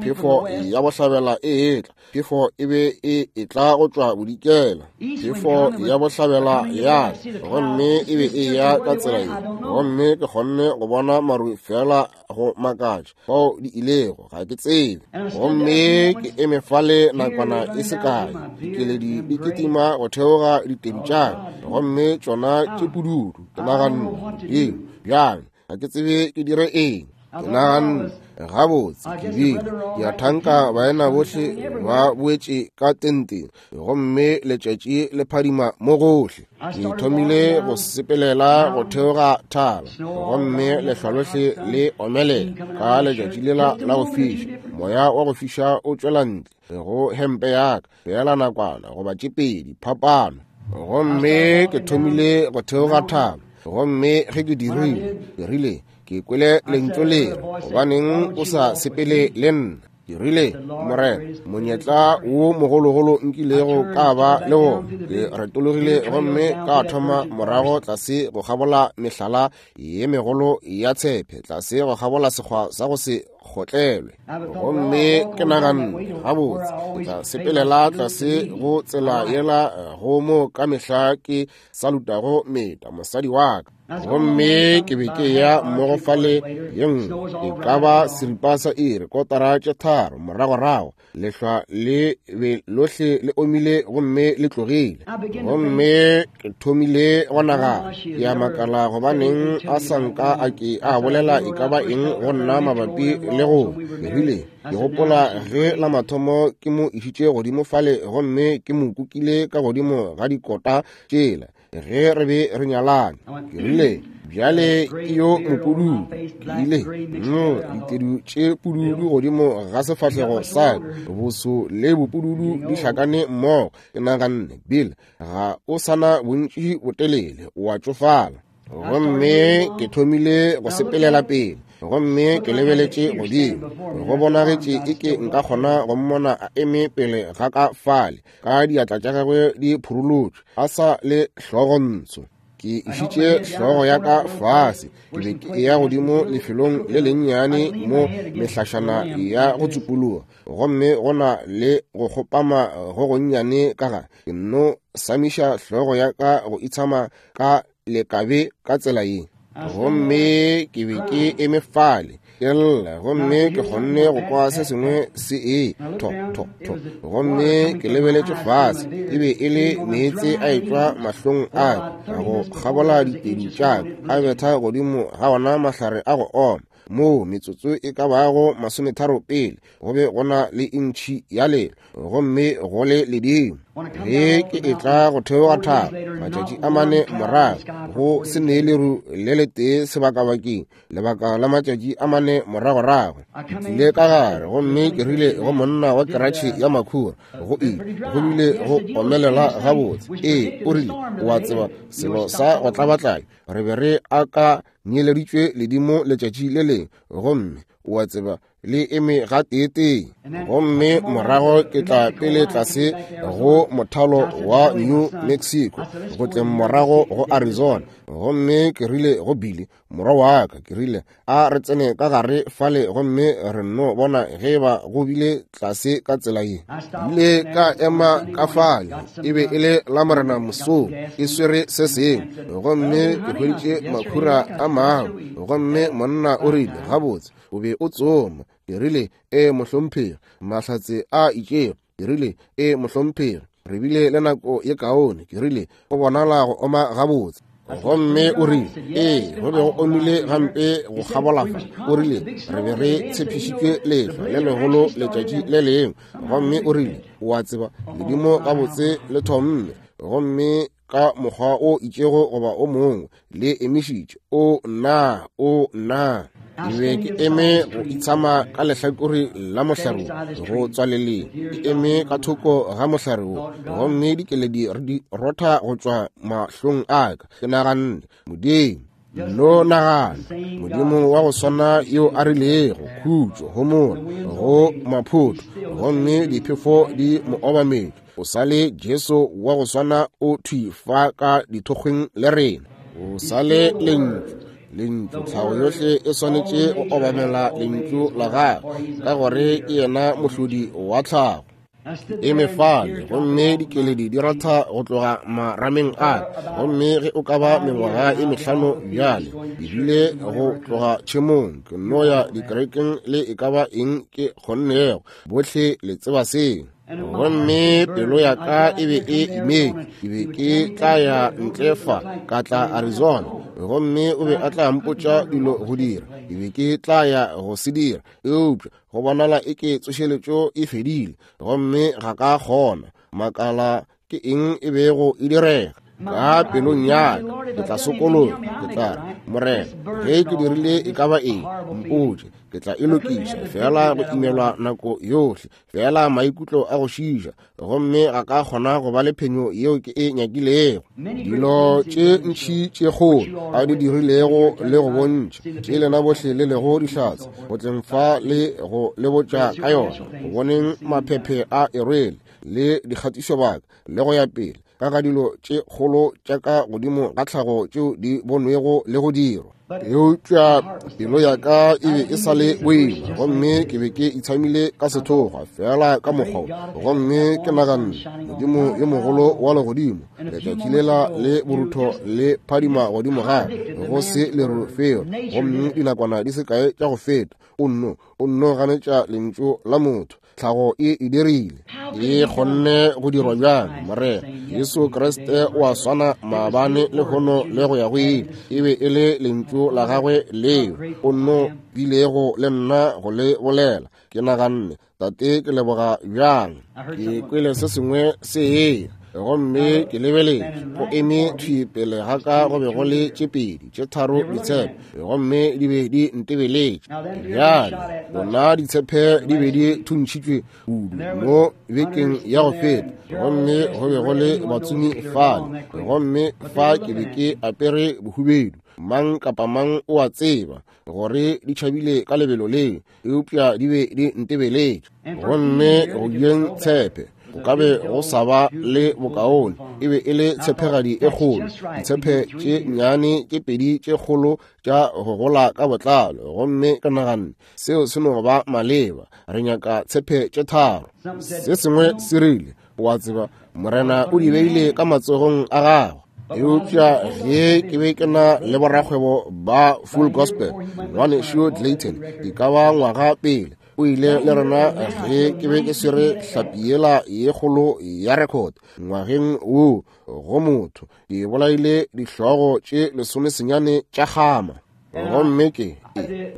phefo ya bohlabela e etla. Phefo e be e etla go tšwa bodikela, phefo ya bohlabela ya, gomme e be e ya ka tsela ye. Gomme ke kgonne go bona maru fela go makatša fao di ilego, ga ke tsebe. Gomme ke eme fale nakwana e se kae, dikeledi di kitima go theoga ditedu tša ka, gomme tšona tše pududu. Ke naganne, Modimo, bjang, ga ke tsebe ke dire eng. Ke naganne, gabotse, ke bile ke a thanka baena bohle ba boetše ka tenteng, gomme letšatši le phadima mo gohle. Ke thomile go sepelela go theoga thaba, gomme lehlwa lohle le omelela ka letšatši lela la go fiša. Moya wa go fiša o tšwela ntle go hempe ya ka feela nakwana goba tše pedi phapano. Gomme ke thomile go theoga thaba, gomme ge ke dirile, ke rile, ke kwele lentšu le re, gobaneng o sa sepele le nna? Ke rile, Morena, monyetla wo mogologolo nkilego ka ba le wona. Ke retologile gomme ka thoma morago tlase go kgabola mehlala ye megolo ya tshepe, tlase go kgabola sekgwa sa go se kgotlelwe. Gomme ke naganne, gabotse, ke tla sepelela tlase go tsela yela go mo ka mehla ke salutago meta mosadi wa ka. Gomme ke be ke ya mmogo fale ye nngwe, e ka ba seripa sa iri, kotara tše tharo moragorago, lehlwa le be lohle le omile gomme le tlogile. Gomme ke thomile go nagana, ke a makala gobaneng a sa nka a ke a bolela e ka ba eng go nna mabapi le go. Ke rile, ke gopola ge la mathomo ke mo išitše godimo fale gomme ke mo kukile ka godimo ga dikota tšela ge re be re nyalane. Ke rile, bjale ke yo mopududu. Ke ile, no, ditedu tše pududu godimo ga sefahlego sa ka, boso le bopududu di hlakane mmogo. Ke naganne, Bill, ga o sana bontši botelele, o a tšofala. Gomme ke thomile go sepelela pele, gomme ke lebeletše godimo. Go bonagetše eke nka kgona go mmona a eme pele ga ka fale, ka diatla tša gagwe di phurolotšwe, a sa le hlogontsho. Ke išitše hlogo ya ka fase, ke be ke eya godimo lefelong le lennyane mo mehlašana ya go tsupologa, gomme go na le go kgopama go gonnyane ka gare. Ke nno samiša hlogo ya ka go itshama ka lekabe ka tsela ye. Gomme ke be ke eme fale ke lla, gomme ke kgonne go kwa se sengwe se e tho tho tho. Gomme ke lebeletše fase, e be e le meetse a etšwa mahlong a ka go kgabola ditedu tša ka, a betha godimo ga ona mahlare a go oma. Moo metsotso e ka bago masometharo pele go be go na le intšhi ya lelo, gomme go le ledimo. Ge ke etla go theoga thaba matšatši a mane morago, go se nee leru le letee sebakabakeng lebaka la matšatši a mane moragorago. Ke tlile ka gare gomme ke rile go monna wa keratšhe ya makhura, go ile go bile go omelela gabotse. Ee, o rile, o a tseba selo sa go tlabatlai, re be re aka nyeleditšwe ledimo letšatši le lengwe, gomme o a tseba le eme ga teetee. Gomme morago ke tla pele tlase go mothalo wa New Mexico, go tleng morago go Arizona. Gomme ke rile go Billy morwa wa ka, ke rile, a re tsene ka gare fale gomme re nno bona ge ba go bile tlase ka tsela ye. Ile ka ema ka fale, e be e le la Morena mosong, ke swere se sengwe, gomme ke hweditše makhura a mangwe. Gomme monna o rile, gabotse, o be o tsoma. Ke rile, e mohlomphegi, mahlatse a itšego. Ke rile, e mohlomphegi, re bile le nako ye kaone. Ke rile, go bonala go oma gabotse. Gomme o rile, ee, go be go omile gampe go kgabola fa. O rile, re be re tshepišitšwe lehlwa le legolo letšatši le lengwe. Gomme o rile, o a tseba, ledimo gabotse le thomme, gomme ka mokgwa o itšego goba o mongwe le emišitše. O nna, o nna. Ke be ke eme go itshama ka lehlakore la mohlare wo, go tswaleleng, ke eme ka thoko ga mohlare wo, gomme dikeledi di rotha go tšwa mahlong a ka. Ke naganne, Modimo, nno nagana, Modimo wa go swana yo a rilego khutšo homola go maphoto, gomme diphefo di mo obametše. O sa le Jesu wa go swana o thwi fa ka dithokgweng le rena. O sa le Lentšu. Lentšu, tlhago yohle e swanetše go obamela Lentšu la gagwe, ka gore ke yena mohlodi wa tlhago. Eme fale, gomme dikeledi di ratha go tloga marameng a ka. Gomme ge o ka ba mengwaga e mehlano bjale, ebile go tloga tšhemong, ke no ya dikerekeng le e ka ba eng ke kgonnego. Bohle le tseba seo. Gomme pelo ya ka e be e imetšwe. Ke be ke tla ya ntle fa, ka tla Arizona, gomme o be a tla mpotša dilo go dira. Ke be ke tla ya go se dira, eupša go bonala e ke tsošeletšo e fedile, gomme ga ka kgona. Makala ke eng e bego e direga ka pelong ya ka. Ke tla sokologa, ke tla re, Morena, ge ke dirile e ka ba eng, mpotše, ke tla e lokiša. Fela go imelwa nako yohle, fela maikutlo a go šiša, gomme ga ka kgona go ba le phenyo yeo ke e nyakilego. Dilo tše ntši tše kgolo a di dirilego le go bontšha, tše lena bohle le lego dihlatse, go tleng fa le go le botša ka yona, go boneng maphephe a e rwele le dikgatišobaka le go ya pele, ka ga dilo tše kgolo tša ka godimo ga tlhago tšeo di bonwego le go dirwa. Eupša pelo ya ka e be e sa le boima, gomme ke be ke itshamile ka sethokgwa fela ka mokgwa. Gomme ke naganne, Modimo yo mogolo wa legodimo, letšatši lela le borutho le phadima godimo ga go se leru felo, gomme dinakwana di se kae tša go feta, o nno o nno ganetša lentšu la motho. Tlhago e e dirile, e kgonne go dirwa bjang? Morena Jesu Kriste o a swana maabane, lehono le go ya go ile. E be e le lentšu la gagwe leo o nno bilego le nna go le bolela. Ke naganne, Tate, ke leboga bjang. Ke kwele se sengwe se eya, gomme ke lebeletše, go eme thwi pele ga ka go be go le tše pedi tše tharo ditshepe, gomme di be di ntebeletše. Bjale bona ditshepe di be di thuntšhitšwe kudu mo bekeng ya go feta, gomme go be go le batsomi fale, gomme fa ke be ke apere bohubedu. Mang kapa mang o a tseba gore di tšhabile ka lebelo leo, eupša di be di ntebeletše. Gomme go jeng tshepe go ka be go sa ba le bokaone, e be e le tshepegadi e kgolo, ditshepe tše nnyane tše pedi tše kgolo tša go gola ka botlalo. Gomme ke naganne, seo se no ba maleba, re nyaka tshepe tše tharo. Se sengwe se rile, o a tseba, Morena o di beile ka matsogong a gagwe. Eupša ge ke be ke na le borakgwebo ba Full Gospel, ngwanešu Clayton, e ka ba ngwaga pele, o ile le rena ge ke be ke swere hlapi yela ye kgolo ya record ngwageng wo go motho, ke bolaile dihlogo tše lesomesenyane tša kgama. Gomme ke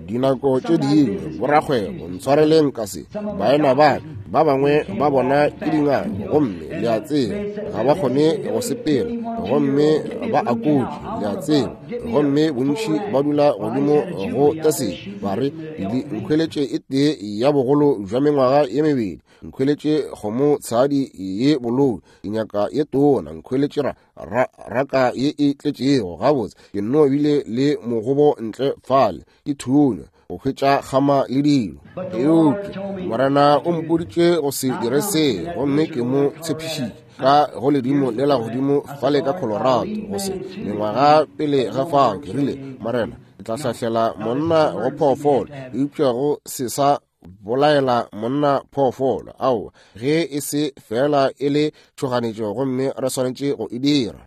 dinako tše dingwe borakgwebo, ntshwareleng ka se, baena ba ba bangwe ba bona ke dingaka, gomme le a tseba ga ba kgone go sepela, gomme ba akotše, le a tseba, gomme bontši ba dula godimo go taseng, ba re, nkhweletše e tee ya bogolo bja mengwaga ye mebedi, nkhweletše kgomo tshadi ye bolou, ke nyaka ye tona, nkhweletše ra raka ye e tletšego gabotse. Ke nno bile le mogobo ntle fale ke thunya go hwetša kgama le dilo. Eupša Morena o mpoditše go se dire se, gomme ke mo tshepišitše ka go ledimo le la godimo fale ka Colorado go se mengwaga pele ga fao. Ke rile, Morena, ke tla hlahlela monna go phoofolo, eupša go se sa bolaela monna phoofolo, ao ge e se fela e le tšhoganetšo, gomme re swanetše go e dira.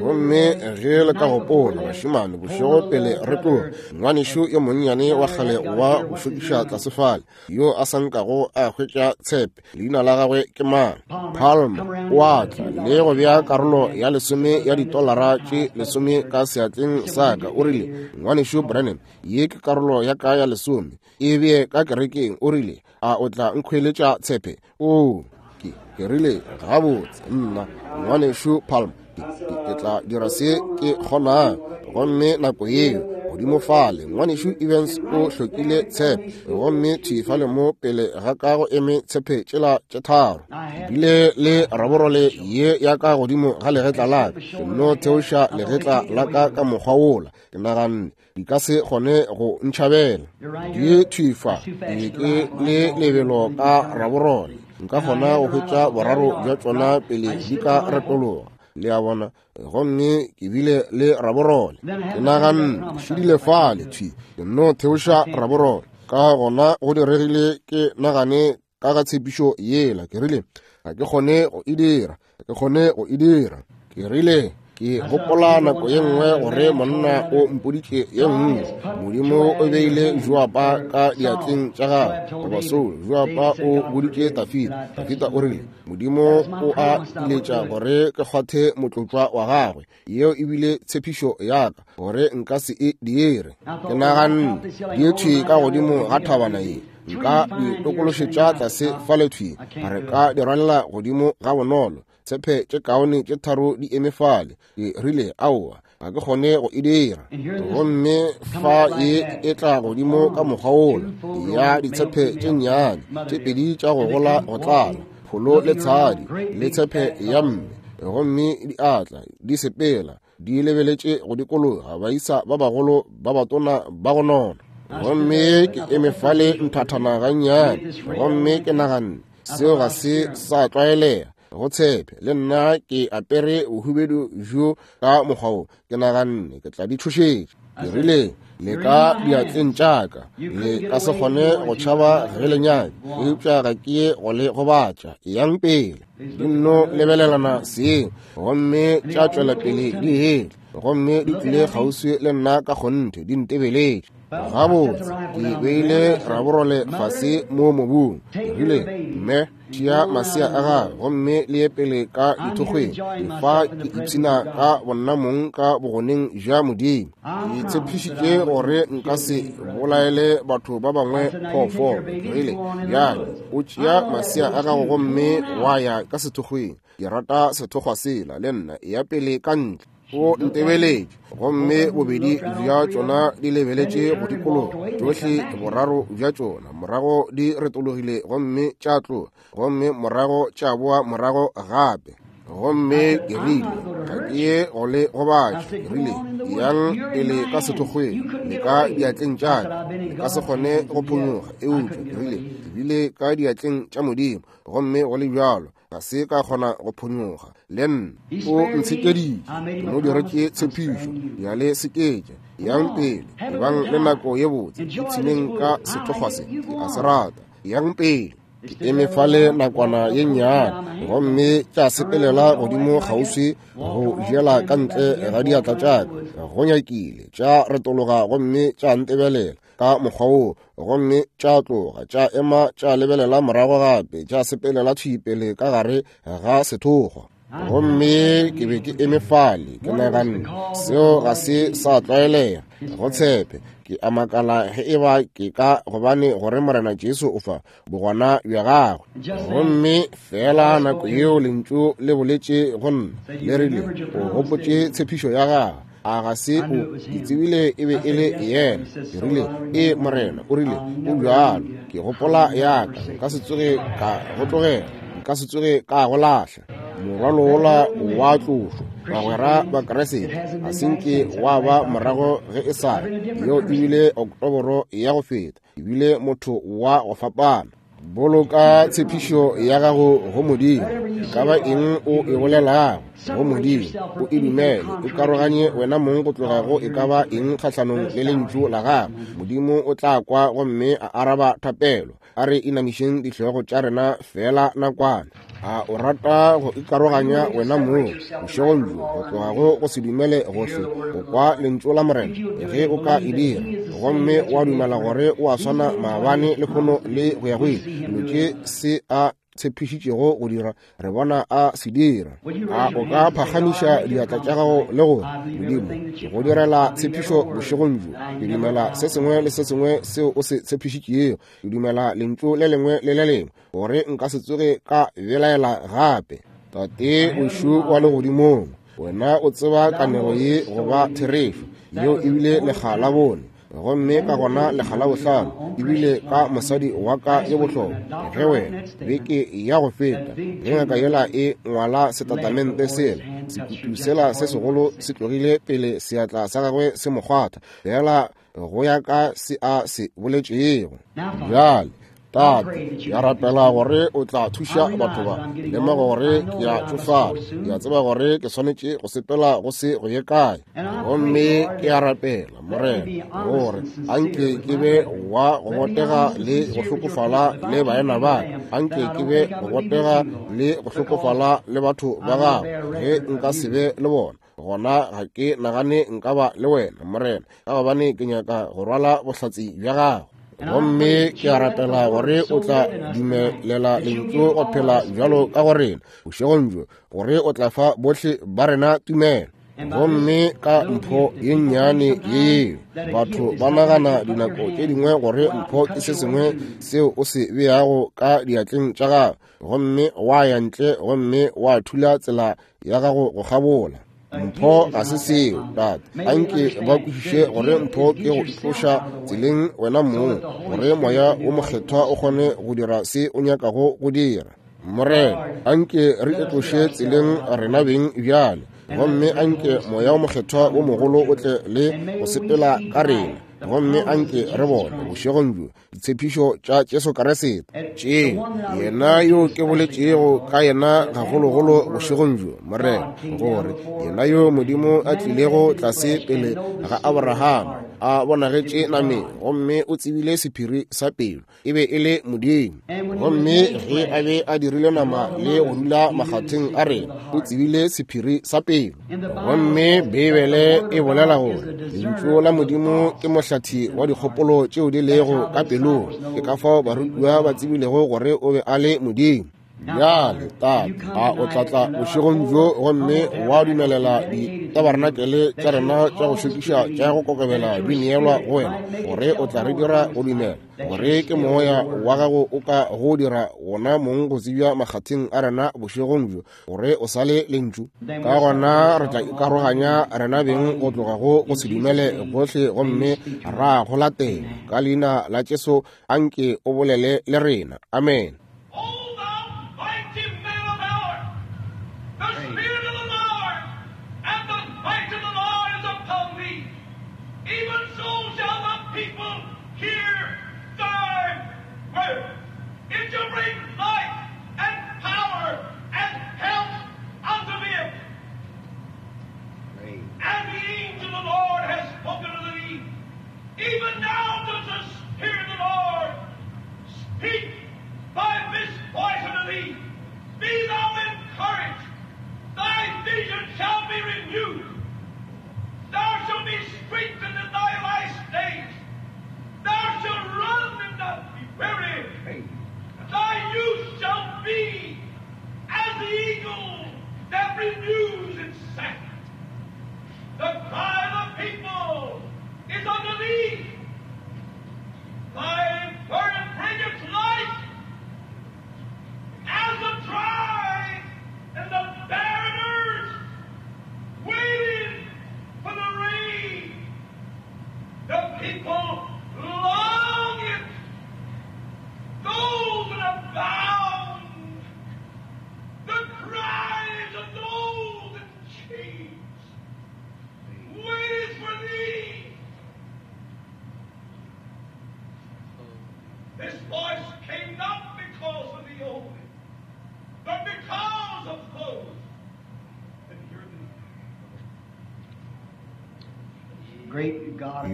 Gomme ge le ka gopola, bašemane, bošego pele re tloga, ngwanešu yo monnyane wa kgale wa go šokiša tlase fale, yo a sa nkago a hwetša tshepe, leina la gagwe ke mang? Palmer, o a tla le go bea karolo ya lesome ya ditolara tše lesome ka seatleng sa ka. O rile, ngwanešu Branham, ye ke karolo ya ka ya lesome, e bee ka kerekeng. O rile, a o tla nkhweletša tshepe? O ke ke rile, gabotse nna ngwanešu Palm, ke tla dira se ke kgonang. Gomme nako yeo godimo fale ngwanešu Evans o hlokile tshepe, gomme thwi fale mo pele ga ka go eme tshepe tšela tše tharo. Ke bile le raborole ye ya ka godimo ga legetla la ka, ke nno theoša legetla la ka ka mokgwa wola. Ke naganne di ka se kgone go ntšhabela. Di thwi fa, ke be ke le lebelo ka raborole. Nka kgona go hwetša boraro bja tšona pele di ka retologa. Le a bona? Gomme ke bile le raborole. Ke naganne šidile fale thwi, ke nno theoša raborole. Ka gona go diregile ke nagane ka ga tshepišo yela. Ke rile ga ke kgone go e dira, ga ke kgone go e dira. Ke rile ke gopola nako ye nngwe gore monna o mpoditše ye nngwe. Modimo o beile Joaba ka diatleng tša gagwe, goba Saul. Joaba o boditše Dafida. Dafida o rile Modimo o a iletša gore ke kgwathe motlotšwa wa gagwe. Yeo e bile tshepišo ya ka gore nka se e dire. Ke naganne di thwi ka godimo ga thabana ye, nka di tokološetša tlase fale thwi, re ka di rwalela godimo ga bonolo. Tshepe tše kaone tše tharo di eme fale. Ke rile aowa, ga ke kgone go e dira. Gomme fa ye e tla godimo ka mokgwa wola ya ditshepe tše nnyane tše pedi tša go gola go tlala, pholo le tshadi le tshepe ya mme. Gomme di atla di sepela di lebeletše go dikologa baisa ba bagolo ba batona ba go nona. Gomme ke eme fale nthathana gannyane, gomme ke naganne seo ga se sa tlwaelega go tshepe. Le nna ke apere bohubedu bjo ka mokgwa wo. Ke naganne ke tla di tšhošetša. Ke rile le ka diatleng tša ka, le ka se kgone go tšhaba ge le nyaka, eupša ga ke ye go le gobatša. Eyang pele. Di nno lebelelana seng, gomme tša tšwela pele di hele, gomme di tlile kgauswi le nna ka kgonthe, di ntebeletše. Gabotse ke beile raborole fase mo mobung. Ke rile mme tšea masea a gagwe gomme le ye pele ka dithokgweng. Fa ke ipshina ka bonna mong ka bogoneng bja Modimo. Ke tshepišitše gore nka se bolaele batho ba bangwe phoofolo. Ke rile bjale o tšea masea a gago gomme wa ya ka sethokgweng. Ke rata sethokgwa sela le nna, eya pele ka ntle. O ntebeletše, gomme bobedi bja tšona di lebeletše go dikologa, tšohle boraro bja tšona. Morago di retologile gomme tša tloga, gomme morago tša boa morago gape. Gomme ke rile ga ke ye go le gobatša. Ke rile yang pele ka sethokgweng, le ka diatleng tša ka, le ka se kgone go phonyoga. Eupša ke rile ke bile ka diatleng tša Modimo, gomme go le bjalo ga se ka kgona go phonyoga. Le nna o ntshekeditše, ke mo diretše tshepišo. Bjale seketše, yang pele, ebang le nako ye botse, ipshineng ka sethokgwa se, ke a se rata. Yang pele. Ke eme fale nakwana ye nnyane, gomme tša sepelela godimo kgauswi go jela ka ntle ga diatla tša ka. Go nyakile tša retologa gomme tša ntebelela ka mokgwa woo, gomme tša tloga tša ema tša lebelela morago gape, tša sepelela thwi pele ka gare ga sethokgwa. Gomme ke be ke eme fale ke naganne seo ga se sa tlwaelega go tshepe. Ke a makala ge e ba ke ka gobane gore Morena Jesu o fa bogona bja gagwe. Gomme fela nako yeo lentšu le boletše go nna le rile o gopotše tshepišo ya gagwe. A ga se o ke tsebile e be e le yena. Ke rile e Morena, o rile o bjalo. Ke gopola ya ka, nka se tsoge ka go tlogela, nka se tsoge ka go lahla. Morwalo wola wa tlošwa, bagwera ba Kriste, ga se nke wa ba morago ge e sa le. Yeo ebile Oktoboro ya go feta, ebile motho wa go fapana. Boloka tshepišo ya gago go Modimo. E ka ba eng o e bolelago go Modimo, o e dumele, o karoganye wena mong go tloga go e ka ba eng kgahlanong le lentšu la gago. Modimo o tla kwa gomme a araba thapelo. A re inamišeng dihlogo tša rena fela nakwana. A o rata go ikaroganya wena mong bošegong bjo go tloga go go se dumele gohle go kwa lentšu la Morena? Ge o ka e dira gomme wa dumela gore o a swana maabane lehono le go ya go ile, dilo tše se a tshepišitšego go dira re bona a se dira. A o ka phagamiša diatla tša gago le gore Modimo, ke go direla tshepišo bošegong bjo. Ke dumela se sengwe le se sengwe seo o se tshepišitšego. Ke dumela lentšu le lengwe le le lengwe, gore nka se tsoge ka belaela gape. Tate wešo wa legodimong, wena o tseba kanego ye go ba therešo. Yeo ebile lekga la bone, gomme ka gona lekga la bohlano ebile ka mosadi wa ka ye bohlokwa. Ge wena beke ya go feta ge ngaka yela e ngwala setatamente sela, sekutu sela se segolo se tlogile pele seatla sa gagwe se mo kgwatha, fela go ya ka se a se boletšego. Bjale Tate, ke a rapela gore o tla thuša batho ba. Lemoga gore ke a tšofala, ke a tseba gore ke swanetše go sepela go se go ye kae. Gomme ke a rapela, Morena, gore anke ke be wa go botega le go hlokofala le baena ba, anke ke be go botega le go hlokofala le batho ba gago. Ge nka se be le bona, gona ga ke nagane nka ba le wena, Morena, ka gobane ke nyaka go rwala bohlatse bja gago. Gomme ke a rapela gore o tla dumelela lentšu go phela bjalo ka go rena bošegong bjo, gore o tla fa bohle ba rena tumelo. Gomme ka mpho ye nnyane yeo, batho ba nagana dinako tše dingwe gore mpho ke se sengwe seo o se beago ka diatleng tša gago, gomme wa ya ntle gomme wa thula tsela ya gago go kgabola. Mpho ga se seo, Tate. Anke ba kwešiše gore mpho ke go itloša tseleng wena mong, gore moya wo mokgethwa o kgone go dira se o nyakago go dira. Morena, anke re itloše tseleng rena beng bjale, gomme anke moya wo mokgethwa wo mogolo o tle le go sepela ka rena. Gomme anke re bone bošegong bjo ditshepišo tša Jesu Kriste tše yena yo ke boletšego ka yena gagologolo bošegong bjo, Morena, gore yena yo Modimo a tlilego tlase pele ga Abraham a bonagetše nameng, gomme o tsebile sephiri sa pelo, e be e le Modimo. Gomme ge a be a dirile nama le go dula makgatheng a rena, o tsebile sephiri sa pelo. Gomme Beibele e bolela gore lentšu la Modimo ke mohlathi wa dikgopolo tšeo di lego ka pelong. Ke ka fao barutiwa ba tsebilego gore o be a le Modimo. Bjale, Tate, a o tla tla bošegong bjo gomme wa dumelela ditabarenakele tša rena tša go šokiša tša go kokobela di neelwa go wena, gore o tla re dira go dumela gore ke moya wa gago o ka go dira wona mong go tsebja makgatheng a rena bošegong bjo, gore o sa le lentšu. Ka gona re tla ikaroganya rena beng go tloga go go se dumele gohle, gomme ra go latela. Ka leina la Jesu, anke o bolele le rena. Amen.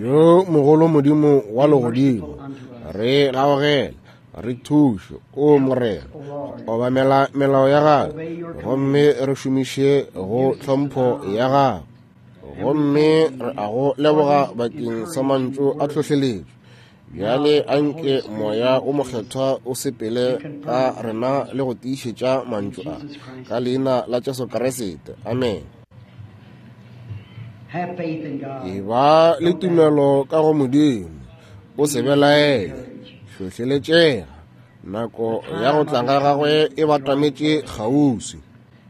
Yo mogolo Modimo wa legodimo, re gaogele, re thuše, o Morena, obamela melao ya gago, gomme re šomiše go tlhompho ya gago. Gomme re a go leboga bakeng sa mantšu a tlhohleletšo. Bjale anke moya o mokgethwa o sepele ka rena le go tiišetša mantšu a, ka leina la Jesu Kriste. Amen. E ba le tumelo ka go Modimo, o se belaele, hlohleletšega. Nako ya go tla ga gagwe e batametše kgauswi.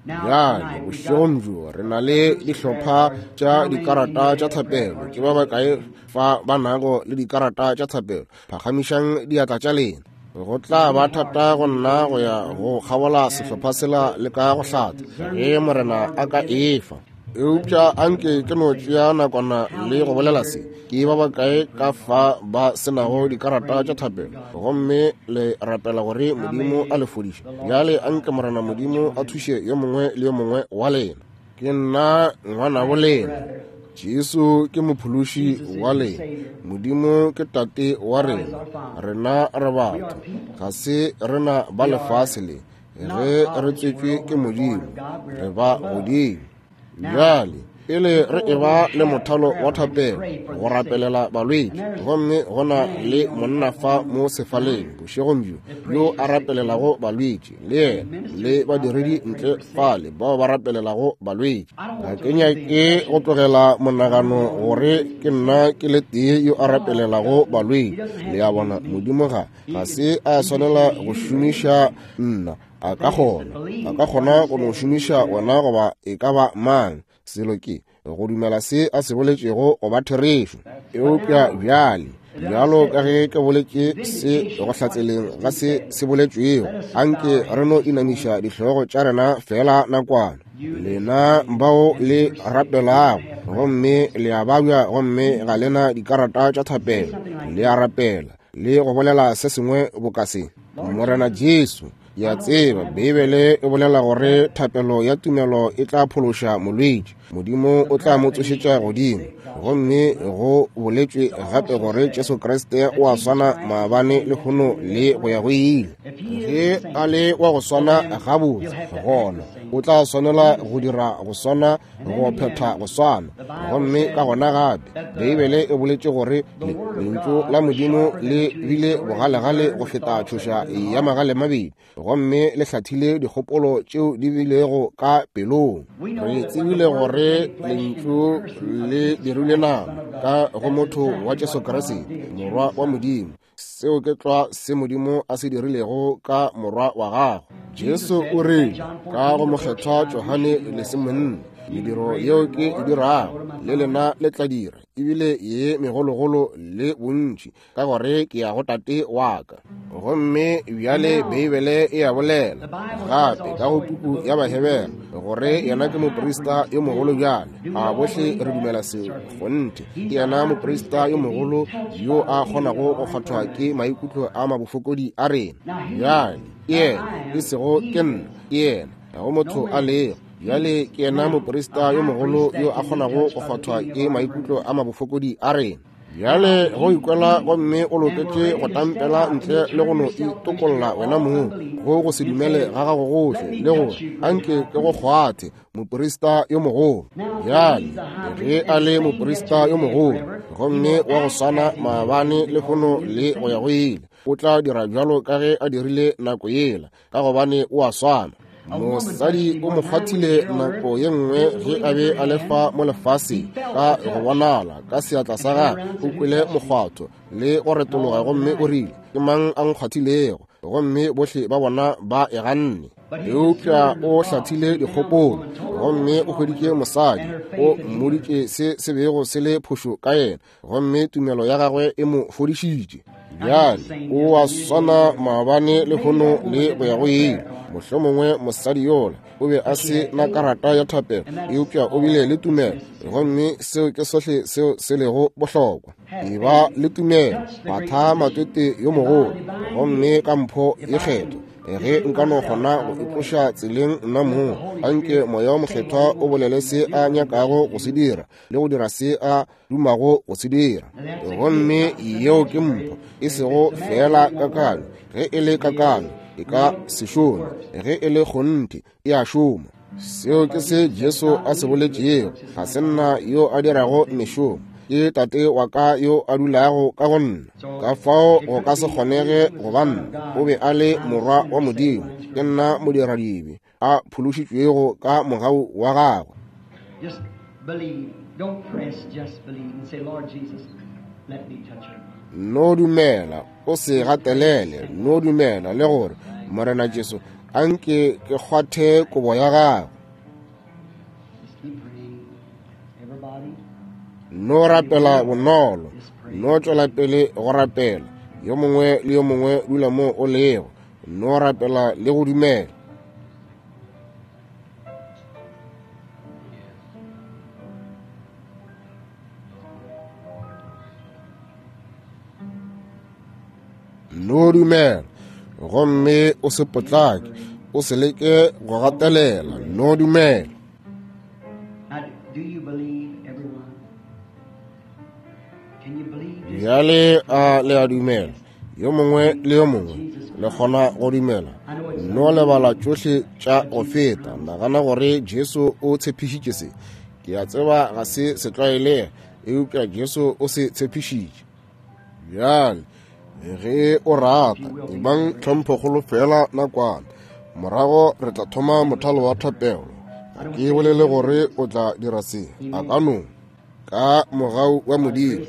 Bjale bošegong bjo re na le dihlopha tša dikarata tša thapelo. Ke ba bakae fa ba nago le dikarata tša thapelo? Phagamišang diatla tša lena. Go tla ba thata go nna go ya go kgabola sehlopha sela le ka go hlatha, ge Morena a ka efa. Eupša anke ke no tšea nakwana le go bolela se. Ke ba bakae ka fa ba senago dikarata tša thapelo, gomme le rapela gore Modimo a le fodiše? Bjale anke Morena Modimo a thuše yo mongwe le yo mongwe wa lena. Ke nna ngwanabo lena. Jesu ke mophološi wa lena. Modimo ke tate wa rena. Rena re batho, ga se rena ba lefase le. Ge re tswetšwe ke Modimo, re ba godimo. Bjale pele re eba le mothalo wa thapelo go rapelela balwetši, gomme go na le monna fa mo sefaleng bošegong bjo yo a rapelelago balwetši, le yena le badiredi ntle fale bao ba rapelelago balwetši. Ga ke nyake go tlogela monagano gore ke nna ke le tee yo a rapelelago balwetši. Le a bona, Modimo ga ga se a swanela go šomiša nna. A ka kgona, a ka kgona go no šomiša wena goba e ka ba mang. Selo ke go dumela se a se boletšego go ba therešo. Eupša bjale, bjalo ka ge ke boletše se go hlatseleng ga se se boletšwego, anke re no inamiša dihlogo tša rena fela nakwana. Lena bao le rapelago gomme le a babja gomme ga lena dikarata tša thapelo, le a rapela le go bolela se sengwe boka se: Morena Jesu, ke a tseba Beibele e bolela gore thapelo ya tumelo e tla phološa molwetši, Modimo o tla mo tsošetša godimo. Gomme go boletšwe gape gore Jesu Kriste o a swana maabane, lehono le go ya go ile. Ge a le wa go swana gabotse, gona o tla swanela go dira go swana, go phetha go swana. Gomme ka gona gape Beibele e boletše gore lentšu la Modimo le bile bogalegale go feta tšhoša ya magale mabedi, gomme le hlathile dikgopolo tšeo di bilego ka pelong. Re tsebile gore lentšu le dirile nama ka go motho wa Jesu Kriste, Morwa wa Modimo. Seo ke tlwa se Modimo a se dirilego ka Morwa wa gagwe. Jesu o rile ka go mokgethwa Johane lesomonne, mediro yeo ke e dirago le lena le tla dira, ebile ye megologolo le bontši, ka gore ke ya go Tate wa ka. Gomme bjale Beibele e a bolela gape ka go puku ya Bahebere gore yena ke moprista yo mogolo. Bjale a bohle re dumela seo? Kgonthe, ke yena moprista yo mogolo yo a kgonago go kgwathwa ke maikutlo a mabofokodi a rena. Bjale ke yena, e sego ke nna, ke yena, ga go motho a lego. Bjale ke yena moprista yo mogolo yo a kgonago go kgwathwa ke maikutlo a mabofokodi a rena. Bjale go ikwela gomme o loketše go tampela ntle le go no itokolla wena mong go go se dumele ga gago gohle, le gore anke ke go kgwathe, moprista yo mogolo. Bjale ge a le moprista yo mogolo gomme wa go swana maabane, lehono le go ya go ile, o tla dira bjalo ka ge a dirile nako yela, ka gobane o a swana. Mosadi o mo kgwathile nako ye nngwe ge a be a le fa mo lefaseng, ka go bonala ka seatla sa gagwe o kwele mokgwatho le go retologa, gomme o rile, ke mang a nkgwathilego? Gomme bohle ba bona ba e ganne. Eupša o hlathile dikgopolo gomme o hweditše mosadi, o mmoditše se se bego se le phošo ka yena, gomme tumelo ya gagwe e mo fodišitše. Bjale o a swana maabane, lehono le go ya go ile. Mohlomongwe mosadi yola o be a se na karata ya thapelo, eupša o bile le tumelo, gomme seo ke sohle seo se lego bohlokwa. E ba le tumelo, batha matwete yo mogolo, gomme ka mpho ye kgethwa. Ge nka no kgona go itloša tseleng nna mong, anke Moya wo Mokgethwa o bolele se a nyakago go se dira le go dira se a dumago go se dira. Gomme yeo ke mpho, e sego fela kakanyo. Ge e le kakanyo e ka se šome, ge e le kgonthe e a šoma. Seo ke se Jesu a se boletšego: ga se nna yo a dirago mešomo, ke Tate wa ka yo a dulago ka go nna. Ka fao go ka se kgonege go ba nna. O be a le Morwa wa Modimo, ke nna modiradibe a phološitšwego ka mogau wa gagwe. Just believe. Don't press, just believe and say, Lord Jesus, let me touch her. No dumela, o se gatelele, no dumela le gore, Morena Jesu, anke ke kgwathe kobo ya gago. Just keep praying. Everybody. No rapela bonolo, no tšwela pele go rapela. Yo mongwe le yo mongwe dula mo o lego, no rapela le go dumela. No dumela, gomme o se potlake, o se leke go gatelela. No dumela. Bjale a le a dumela, yo mongwe le yo mongwe le kgona go dumela. No lebala tšohle tša go feta. Nagana gore Jesu o tshepišitše se. Ke a tseba ga se setlwaelege, eupša Jesu o se tshepišitše. Bjale ge o rata, ebang tlhomphokgolo fela nakwana, morago re tla thoma mothalo wa thapelo. Ga ke bolele gore o tla dira se, a ka no ka mogau wa Modimo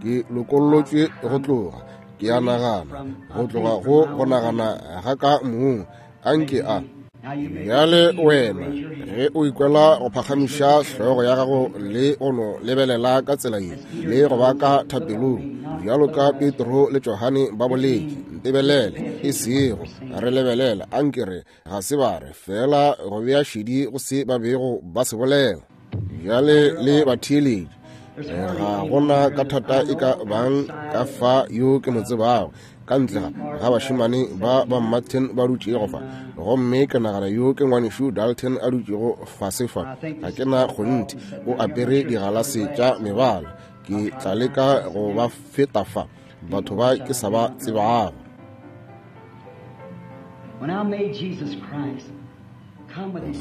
ke lokollotšwe go tloga, ke a nagana, go tloga go go nagana ga ka mong. Anke a bjale wena ge o ikwela go phagamiša hlogo ya gago le go no lebelela ka tsela ye le go ba ka thapelong, bjalo ka Petro le Johane ba boletše, ntebelele, e sego re lebelela, anke re ga se ba re fela go bea šedi go se ba bego ba se bolela. Bjale le batheeletši, ga gona ka thata e ka bang ka fa yo ke mo tsebago, ka ntle ga bašemane ba ba Martin ba dutšego fa, gomme ke nagana yo ke ngwanešu Dalton a dutšego fase fa. Ga ke na kgonthe, o apere digalase tša mebala. Ke tla leka go ba feta fa, batho ba ke sa ba tsebago.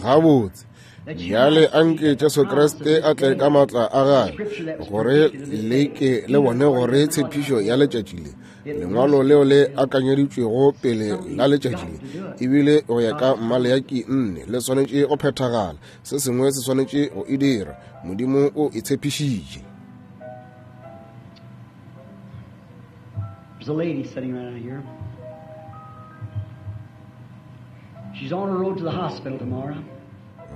Gabotse bjale anke Jesu Kriste a tle ka maatla a gagwe, gore le ke le bone gore tshepišo ya letšatši le, lengwalo leo le akanyeditšwego pele la letšatši le, ebile go ya ka Maleaki nne, le swanetše go phethagala. Se sengwe se swanetše go e dira. Modimo o e tshepišitše. There's a lady sitting right out here. She's on her road to the hospital tomorrow.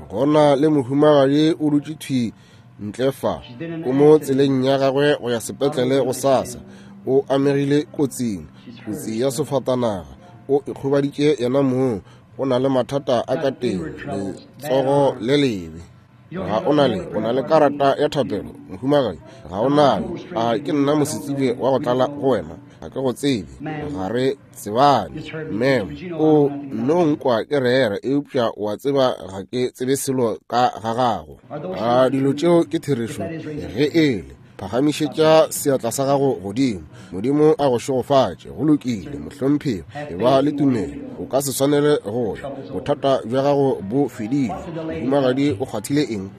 Gona le mohumagadi o dutše thwi ntle fa, o mo tseleng ya gagwe go ya sepetlele go sasa. O amegile kotsing, kotsi ya sefatanaga. O ikgobaditše yena mong, o na le mathata a ka teng, letsogo le lebe. Ga o na le, o na le karata ya thapelo, mohumagadi? Ga o nayo? A ke nna mosetsebje wa go tlala go wena? Ga ke go tsebe, ga re tsebane. Mem, o no nkwa ke rera, eupša wa tseba ga ke tsebe selo ka ga gago. A dilo tšeo ke therešo? Ge ele, phagamišetša seatla sa gago godimo. Modimo a go šegofatše. Go lokile, mohlomphegi, e ba le tumelo. O ka se swanele go ya, bothata bja gago bo fedile. Mohumagadi o kgwathile eng?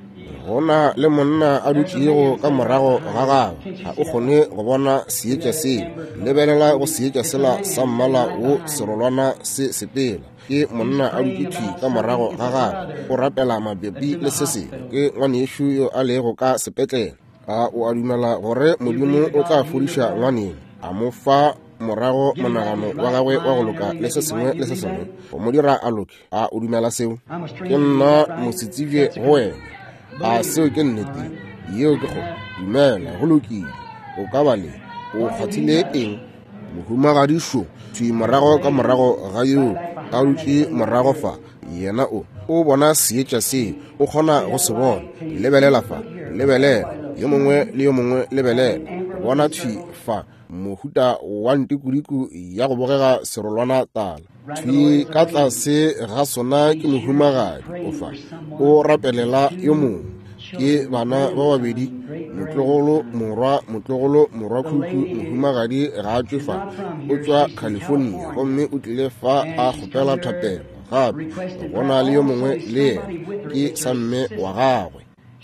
Gona le monna a dutšego ka morago ga gagwe, ga o kgone go bona seetša seo. Lebelela go seetša sela sa mmala wo serolwana se sepela. Ke monna a dutše thwi ka morago ga gagwe, o rapela mabepi le se sengwe. Ke ngwanešu yo a lego ka sepetlele. A o a dumela gore Modimo o tla fodiša ngwaneno, a mo fa morago monagano wa gagwe wa go loka le se sengwe le se sengwe, go mo dira a loke? A o dumela seo? Ke nna mosetsebje go wena. A seo ke nnete? Yeo ke go dumela. Go lokile. O ka ba le o kgwathile eng? Mohumagadi šo thwi morago ka morago ga yo a dutše morago fa, yena o o bona seetša seo, o kgona go se bona. Lebelela fa, lebelela, yo mongwe le yo mongwe lebelela. Bona thwi fa mohuta wa ntikudiku ya go bogega serolwana tala. Thwi ka tlase ga sona ke mohumagadi o fa, o rapelela yo mongwe. Ke bana ba babedi, motlogolo morwa, motlogolo morwa khukhu. Mohumagadi ga a tšwe fa, o tšwa California, gomme o tlile fa a kgopela thapelo. Gape gona le yo mongwe le yena, ke sa mme wa gagwe.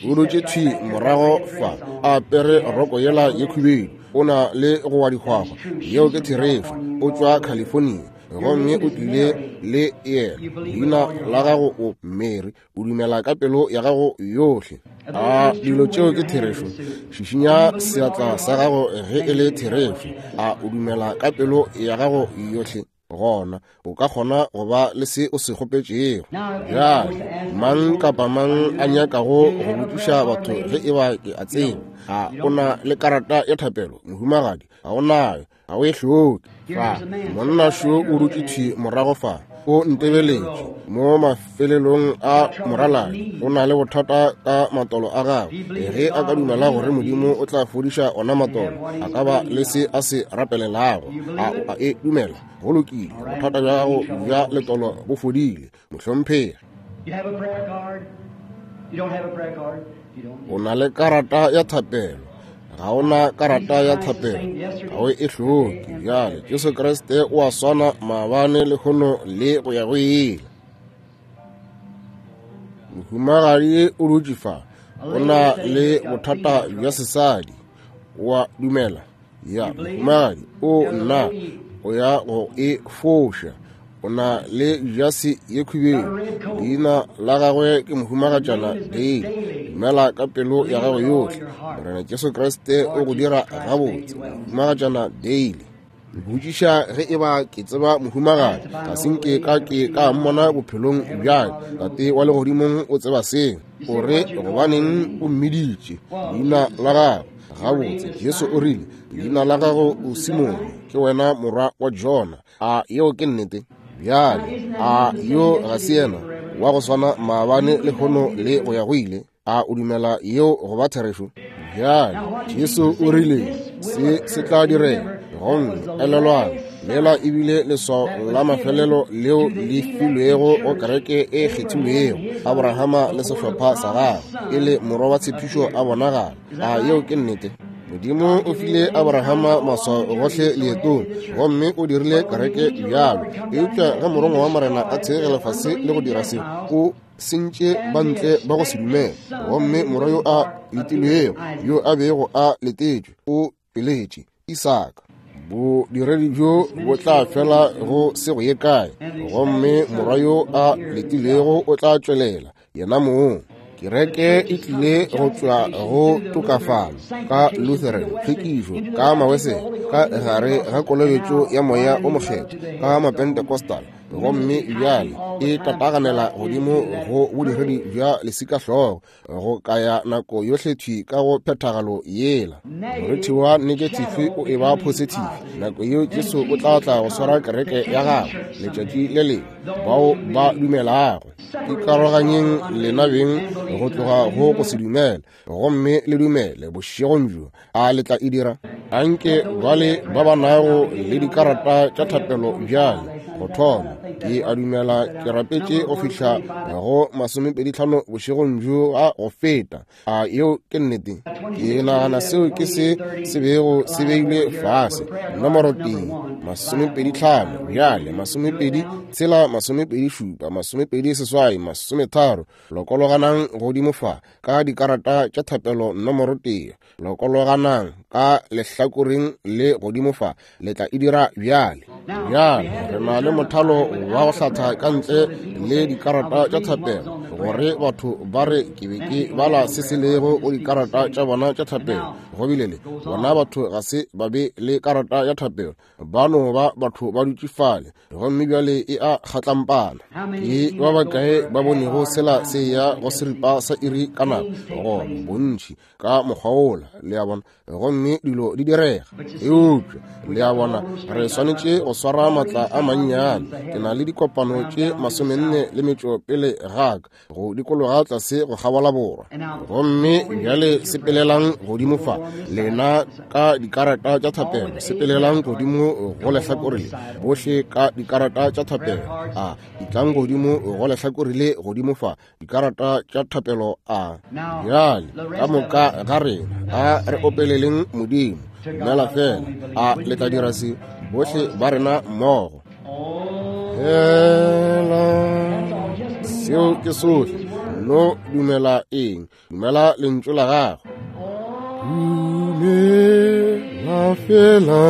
O dutše thwi morago fa, a apere roko yela ye khubedu, o na le go wa dihwahwa. Yeo ke therešo. O tšwa California, gomme o tlile le yena. Leina la gago o Mary. O dumela ka pelo ya gago yohle. A dilo tšeo ke therešo? Šišinya seatla sa gago ge e le therešo. A o dumela ka pelo ya gago yohle? Gona o ka kgona go ba le se o se kgopetšego. Bjale mang kapa mang a nyakago go botšiša batho ge e ba ke a tseba, ga o na le karata ya thapelo, mohumagadi? Ga o nayo? Ga o e hloke. Fa monna šo o dutše thwi morago fa, O ntebeletše mo mafelelong a moraladi. O na le bothata ka matolo a gagwe. Ge a ka dumela gore Modimo o tla fodiša ona matolo, a ka ba le se a se rapelelago. A o a e dumela? Go lokile, bothata bja gago bja letolo bo fodile, mohlomphegi. O na le karata ya thapelo. Ga o na karata ya thapelo, ga o e hloke. Bjale Jesu Kriste o a swana maabane, lehono le go ya go ile. Mohumagadi o dutše fa, o na le bothata bja sesadi. O a dumela? Ya, mohumagadi, o nna o ya go e foša. O na le jase ye khubedu. Leina la gagwe ke Mohumagatšana Dale. Dumela ka pelo ya gago yohle. Morena Jesu Kriste o go dira gabotse, Mohumagatšana Dale. Botšiša ge eba ke tseba mohumagadi. Ga se nke ka ke ka mmona bophelong bja ka. Tate wa legodimong o tseba seo. O re gobaneng o mmiditše leina la gagwe? Gabotse, Jesu o rile, leina la gago o Simone, ke wena morwa wa Jona. A yeo ke nnete? Bjale, a yo ga se yena wa go swana maabane, lehono le go ya go ile? A o dumela yeo go ba therešo? Bjale, Jesu o rile se se tla direga. Gomme elelwang, lela ebile leswao la mafelelo leo le filwego go kereke e kgethilwego, Abrahama le sehlopha sa gagwe, e le morwa wa tshepišo a bonagala. A yeo ke nnete? Modimo o file Abrahama maswao gohle leetong, gomme o dirile kereke bjalo. Eupša ge morongwa wa Morena a theegela fase le go dira se, o sentše bantle ba go se dumele. Gomme morwa yo a letilwego, yo a bego a letetšwe, o tšweletše Isaka. Bodiredi bjo bo tla fela go se go ye kae, gomme morwa yo a letilego o tla tšwelela yena mong. Kereke e tlile go tšwa go tokafalo ka Lutheran, tlhwekišo ka Mawesele, ka gare ga kolobetšo ya moya o mokgethwa ka Mapentecostal, gomme bjale e tataganela godimo go bodiredi bja lesikahlogo go kaya nako yohle thwi ka go phethagalo yela. Morithi wa negative o e ba positive. Nako yeo Jesu o tla tla go swara kereke ya gagwe letšatši le lengwe. Bao ba dumelago, ikaroganyeng lena beng go tloga go go se dumele, gomme le dumele bošegong bjo. A le tla e dira? Anke bale ba ba nago le dikarata tša thapelo bjale go thoma. Ke a dumela ke rapetše go fihla go masomepedi tlhano bošegong bjo a go feta. A yeo ke nnete? Ke nagana seo ke se se bego se beilwe fase. Nomoro tee, masomepedi tlhano, bjale masomepedi tshela, masomepedi šupa, masomepedi seswai, masometharo. Lokologanang godimo fa ka dikarata tša thapelo nomoro tee. Lokologanang ka lehlakoreng le godimo fa. Le tla e dira bjale. Bjale re na le mothalo wa go hlatha ka ntle le dikarata tša thapelo, gore batho ba re ke be ke bala se se lego go dikarata tša bona tša thapelo. Go bile le bona batho ga se ba be le karata ya thapelo, ba no ba batho ba dutše fale, gomme bjale e a kgatlampana. Ke ba bakae ba bonego sela se ya go seripa sa iri ka nako? Gona bontši ka mokgwa wola, le a bona, gomme dilo di direga. Eupša le a bona, re swanetše go swara matla a mannyane. Ke na le dikopano tše masomenne le metšo pele ga ka go dikologa tlase go kgabola borwa. Gomme bjale sepelelang godimo fa, lena ka dikarata tša thapelo, sepelelang godimo go lehlakore le, bohle ka dikarata tša thapelo. A ditlang godimo go lehlakore le godimo fa, dikarata tša thapelo. A bjale ka moka ga rena a re opeleleng Modimo. Dumela fela. A le tla dira se bohle ba rena mmogo? Fela seo ke sohle. No dumela eng? Dumela lentšu la gagwe. Dumela fela,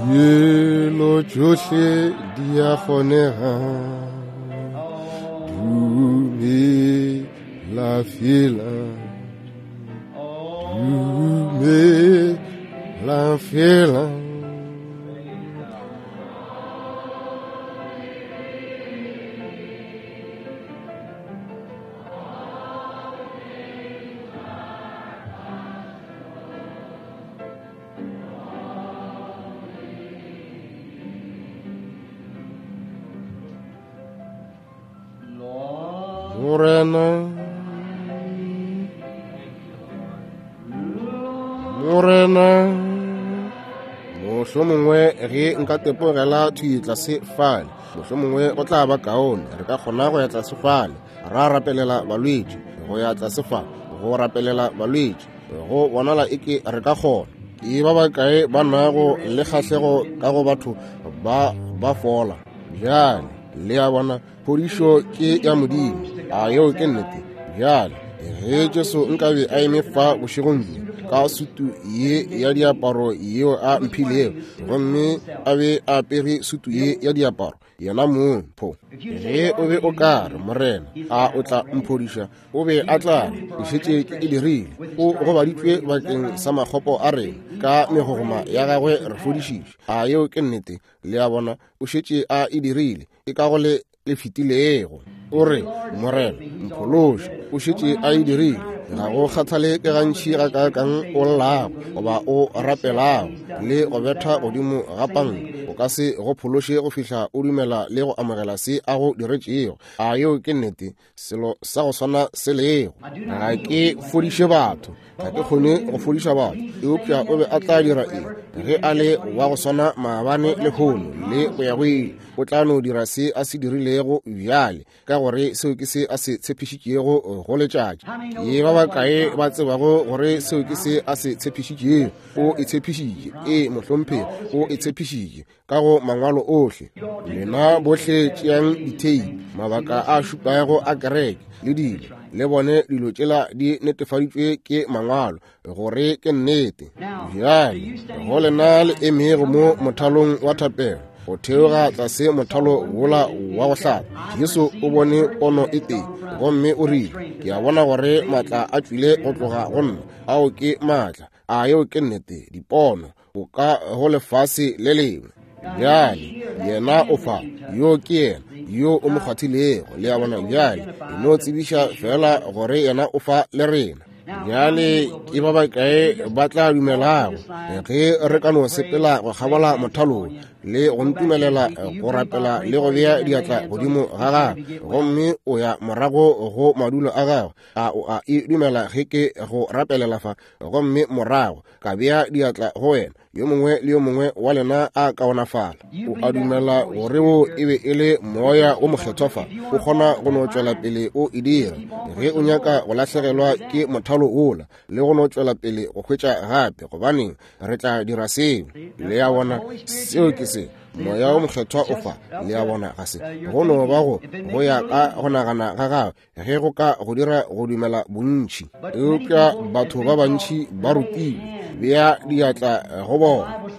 dilo tšohle di a kgonega. Dumela fela, dumela fela. Morena, Morena, mohlomongwe ge nka tepogela thwi tlase fale, mohlomongwe go tla ba kaone. Re ka kgona go ya tlase fale ra rapelela balwetši, go ya tlase fa go rapelela balwetši, go bonala eke re ka kgona. Ke ba bakae ba nago le kgahlego ka go batho ba ba fola? Bjale le a bona, phodišo ke ya Modimo. A yeo ke nnete? Bjale ge Jesu nkabe a eme fa bošegong bjo ka sutu ye ya diaparo yeo a mphilego, gomme a be a apere sutu ye ya diaparo yena mong, pho ge o be o ka re, Morena, a o tla mphodiša? O be a tla re, ke šetše ke e dirile. O gobaditšwe bakeng sa makgopo a rena, ka megogoma ya gagwe re fodišitšwe. A yeo ke nnete? Le a bona, o šetše a e dirile. E ka go le le fetilego. O re, Morena, mphološe. O šetše a e dirile. Ga go kgathale ke gantši ga kaakang o llago goba o rapelago le go betha godimo ga panka, o ka se go phološe go fihla o dumela le go amogela se a go diretšego. A yeo ke nnete? Selo sa go swana se lego. Ga ke fodiše batho, ga ke kgone go fodiša batho, eupša o be a tla dira eng ge a le wa go swana maabane le lehono le go ya go ile? O tla no dira se a se dirilego bjale, ka gore seo ke se a se tshepišitšego go letšatši. Ke ba bakae ba tsebago gore seo ke se a se tshepišitšego? O e tshepišitše. Ee, mohlomphegi, o e tshepišitše ka go mangwalo ohle. Lena bohle tšeang ditheipi, mabaka a šupago a kereke le dilo, le bone dilo tšela di netefaditšwe ke mangwalo gore ke nnete. Bjale go lena le emego mo mothalong wa thapelo, go theoga tlase mothalo wola wa go hlapa, Jesu o bone pono e tee gomme o rile, ke a bona gore maatla a tšwile go tloga go nna. Ao ke maatla. A yeo ke nnete? Dipono o ka go lefase le lengwe. Bjale yena o fa, yo ke yena yo o mo kgwathilego. Le a bona? Bjale e no tsebiša fela gore yena o fa le rena. Bjale ke ba bakae ba tla dumelago ge re ka no sepela go kgabola mothalong le go ntumelela go rapela le go bea diatla godimo ga gagwe, gomme o ya morago go madulo a gagwe? A o a e dumela ge ke go rapelela fa, gomme morago ka bea diatla go wena? Yo mongwe le yo mongwe wa lena a kaonafala. O a dumela gore wo e be e le moya o mokgethwa fa? O kgona go no tšwela pele o e dira. Ge o nyaka go lahlegelwa ke mothalo wola le go no tšwela pele go hwetša gape, gobaneng re tla dira seo. Le a bona, seo ke se moya o mokgethwa o fa. Le a bona, ga se go no ba go go ya ka go nagana ga gagwe ge go ka go dira go dumela bontši. Eupša batho ba bantši ba rutilwe, bea diatla go bona.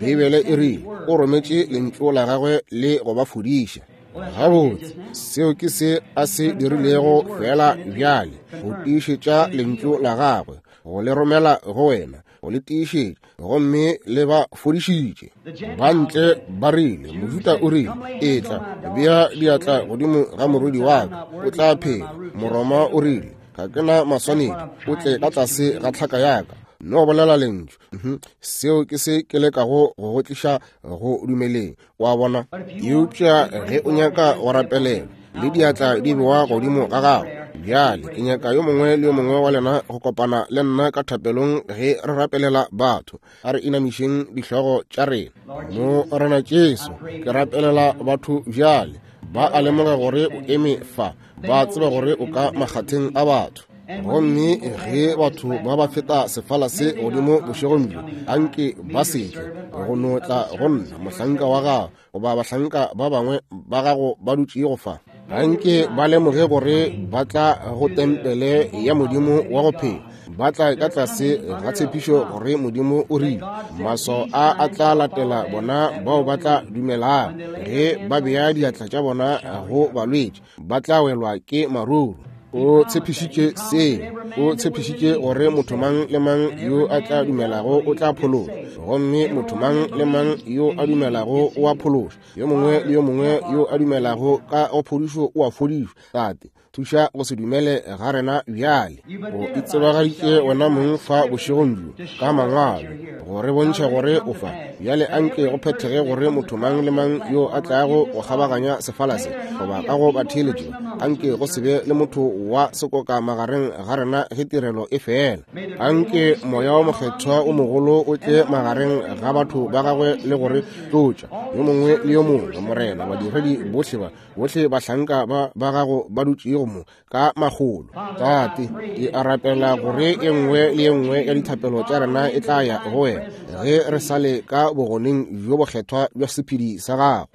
Beibele e rile o rometše lentšu la gagwe le go ba fodiša. Gabotse, seo ke se a se dirilego fela bjale, go tiišetša lentšu la gagwe, go le romela go wena, go le tiišetša, gomme le ba fodišitše. Ba ntle ba rile, Mojuda o rile, etla bea diatla godimo ga morwedi wa ka, o tla phela. Moroma o rile, ga ke na maswanedi, o tle ka tlase ga tlhaka ya ka, no bolela lentšu. Seo ke se ke lekago go go tliša go dumeleng, wa bona. Eupša ge o nyaka go rapelela le diatla di bewa godimo ga gago, bjale ke nyaka yo mongwe le yo mongwe wa lena go kopana le nna ka thapelong ge re rapelela batho. A re inamišeng dihlogo tša rena. Morena Jesu, ke rapelela batho bjale. Ba a lemoga gore o eme fa, ba tseba gore o ka makgatheng a batho. Gomme ge batho ba ba feta sefala se godimo bošegong bjo, anke ba se tle go no tla go nna mohlanka wa gago goba bahlanka ba bangwe ba gago ba dutšego fa. Anke ba lemoge gore ba tla go tempele ya Modimo wa go phela, ba tla ka tlase ga tshepišo gore Modimo o rile maswao a a tla latela bona bao ba tla dumelago. Ge ba bea diatla tša bona go balwetši, ba tla welwa ke maruru. O tshepišitše seo. O tshepišitše gore motho mang le mang yo a tla dumelago o tla phološwa, gomme motho mang le mang yo a dumelago o a phološwa. Yo mongwe le yo mongwe yo a dumelago ka go phodišo o a fodišwa. Tate, Thuša go se dumele ga rena bjale. O itsebagaditše wena mong fa bošegong bjo ka mangwalo go re bontšha gore o fa. Bjale anke go phethege gore motho mang le mang yo a tlago go kgabaganya sefala se goba ka go batheeletši, anke go se be le motho wa sekoka magareng ga rena ge tirelo e fela. Anke moya wa mokgethwa o mogolo o tle magareng ga batho ba gagwe le gore tlotša yo mongwe le yo mongwe, Morena, badiredi bohle ba bohle bahlanka ba ba gago ba dutšego mo ka makgolo. Tate, ke a rapela gore e nngwe le e nngwe ya dithapelo tša rena e tla ya go wena ge re sa le ka bogoneng bjo bokgethwa bja sephedi sa gago.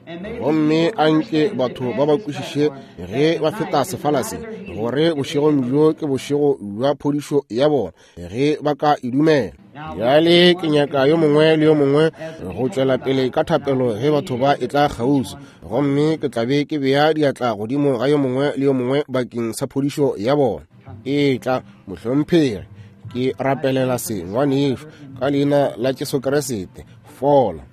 Gomme anke batho ba ba kwešiše ge ba feta sefala se gore bošegong bjo ke bošego bja phodišo ya bona ge ba ka e dumela. Bjale ke nyaka yo mongwe le yo mongwe go tšwela pele ka thapelo ge batho ba e tla kgauswi, gomme ke tla be ke bea diatla godimo ga yo mongwe le yo mongwe bakeng sa phodišo ya bona. E tla, mohlomphegi, ke rapelela se ngwanešu ka leina la Jesu Kriste, fola.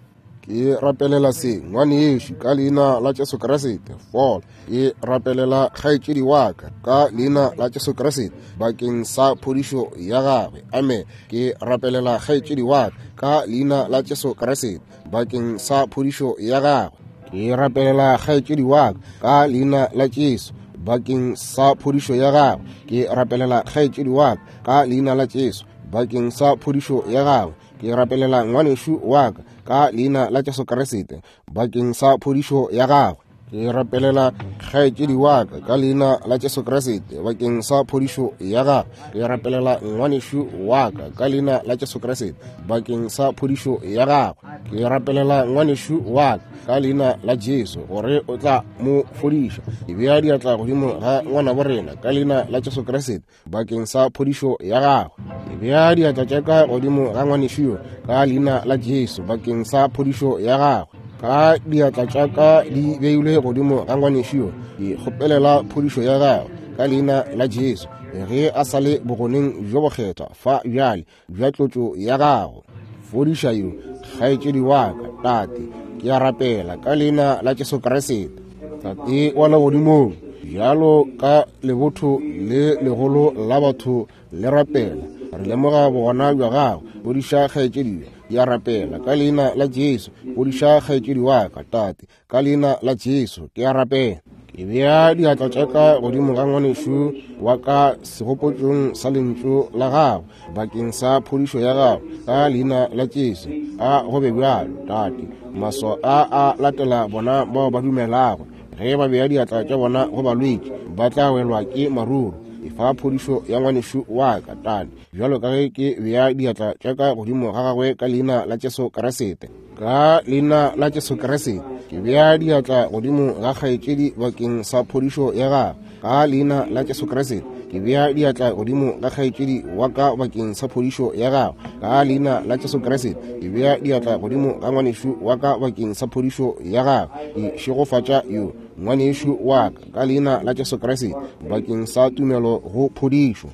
Ke rapelela se ngwanešu ka leina la Jesu Kriste, fola. Ke rapelela kgaetšedi wa ka ka leina la Jesu Kriste bakeng sa phodišo ya gagwe. Amen. Ke rapelela kgaetšedi wa ka ka leina la Jesu Kriste bakeng sa phodišo ya gagwe. Ke rapelela kgaetšedi wa ka ka leina la Jesu bakeng sa phodišo ya gagwe. Ke rapelela kgaetšedi wa ka ka leina la Jesu bakeng sa phodišo ya gagwe. Ke rapelela ngwanešu wa ka ka leina la Jesu Kriste bakeng sa phodišo ya gagwe. Ke rapelela kgaetšedi wa ka ka leina la Jesu Kriste bakeng sa phodišo ya gagwe. Ke rapelela ngwanešu wa ka ka leina la Jesu Kriste bakeng sa phodišo ya gagwe. Ke rapelela ngwanešu wa ka ka leina la Jesu gore o tla mo fodiša. Ke bea diatla godimo ga ngwanabo rena ka leina la Jesu Kriste bakeng sa phodišo ya gagwe. Ke bea diatla tša ka godimo ga ngwanešu yo ka leina la Jesu bakeng sa phodišo ya gagwe. Ka diatla tša ka di beilwe godimo ga ngwanešu yo, ke kgopelela phodišo ya gagwe ka leina la Jesu ge a sa le bogoneng bjo bokgethwa fa bjale bja tlotšo ya gago. Fodiša yo kgaetšedi wa ka, Tate, ke a rapela ka leina la Jesu Kriste. Tate wa legodimong, bjalo ka lebotho le legolo la batho le rapela, re lemoga bogona bja gago. Fodiša kgaetšedi yo, ke a rapela ka leina la Jesu. Fodiša kgaetšedi wa ka, Tate, ka leina la Jesu, ke a rapela. Ke bea diatla tša ka godimo ga ngwanešu wa ka segopotšong sa lentšu la gago bakeng sa phodišo ya gago ka leina la Jesu. A go be bjalo, Tate. Maswao a a latela bona bao ba dumelago. Ge ba bea diatla tša bona go balwetši, ba tla welwa ke maruru. Efa phodišo ya ngwanešu wa ka, Tate, bjalo ka ge ke bea diatla tša ka godimo ga gagwe ka leina la Jesu Kriste. Ka leina la Jesu Kriste ke bea diatla godimo ga kgaetšedi bakeng sa phodišo ya gagwe. Ka leina la Jesu Kriste ke bea diatla godimo ga kgaetšedi wa ka bakeng sa phodišo ya gagwe. Ka leina la Jesu Kriste ke bea diatla godimo ga ngwanešu wa ka bakeng sa phodišo ya gagwe. Ke šegofatša yo ngwanešu wa ka ka leina la Jesu Kriste bakeng sa tumelo go phodišo.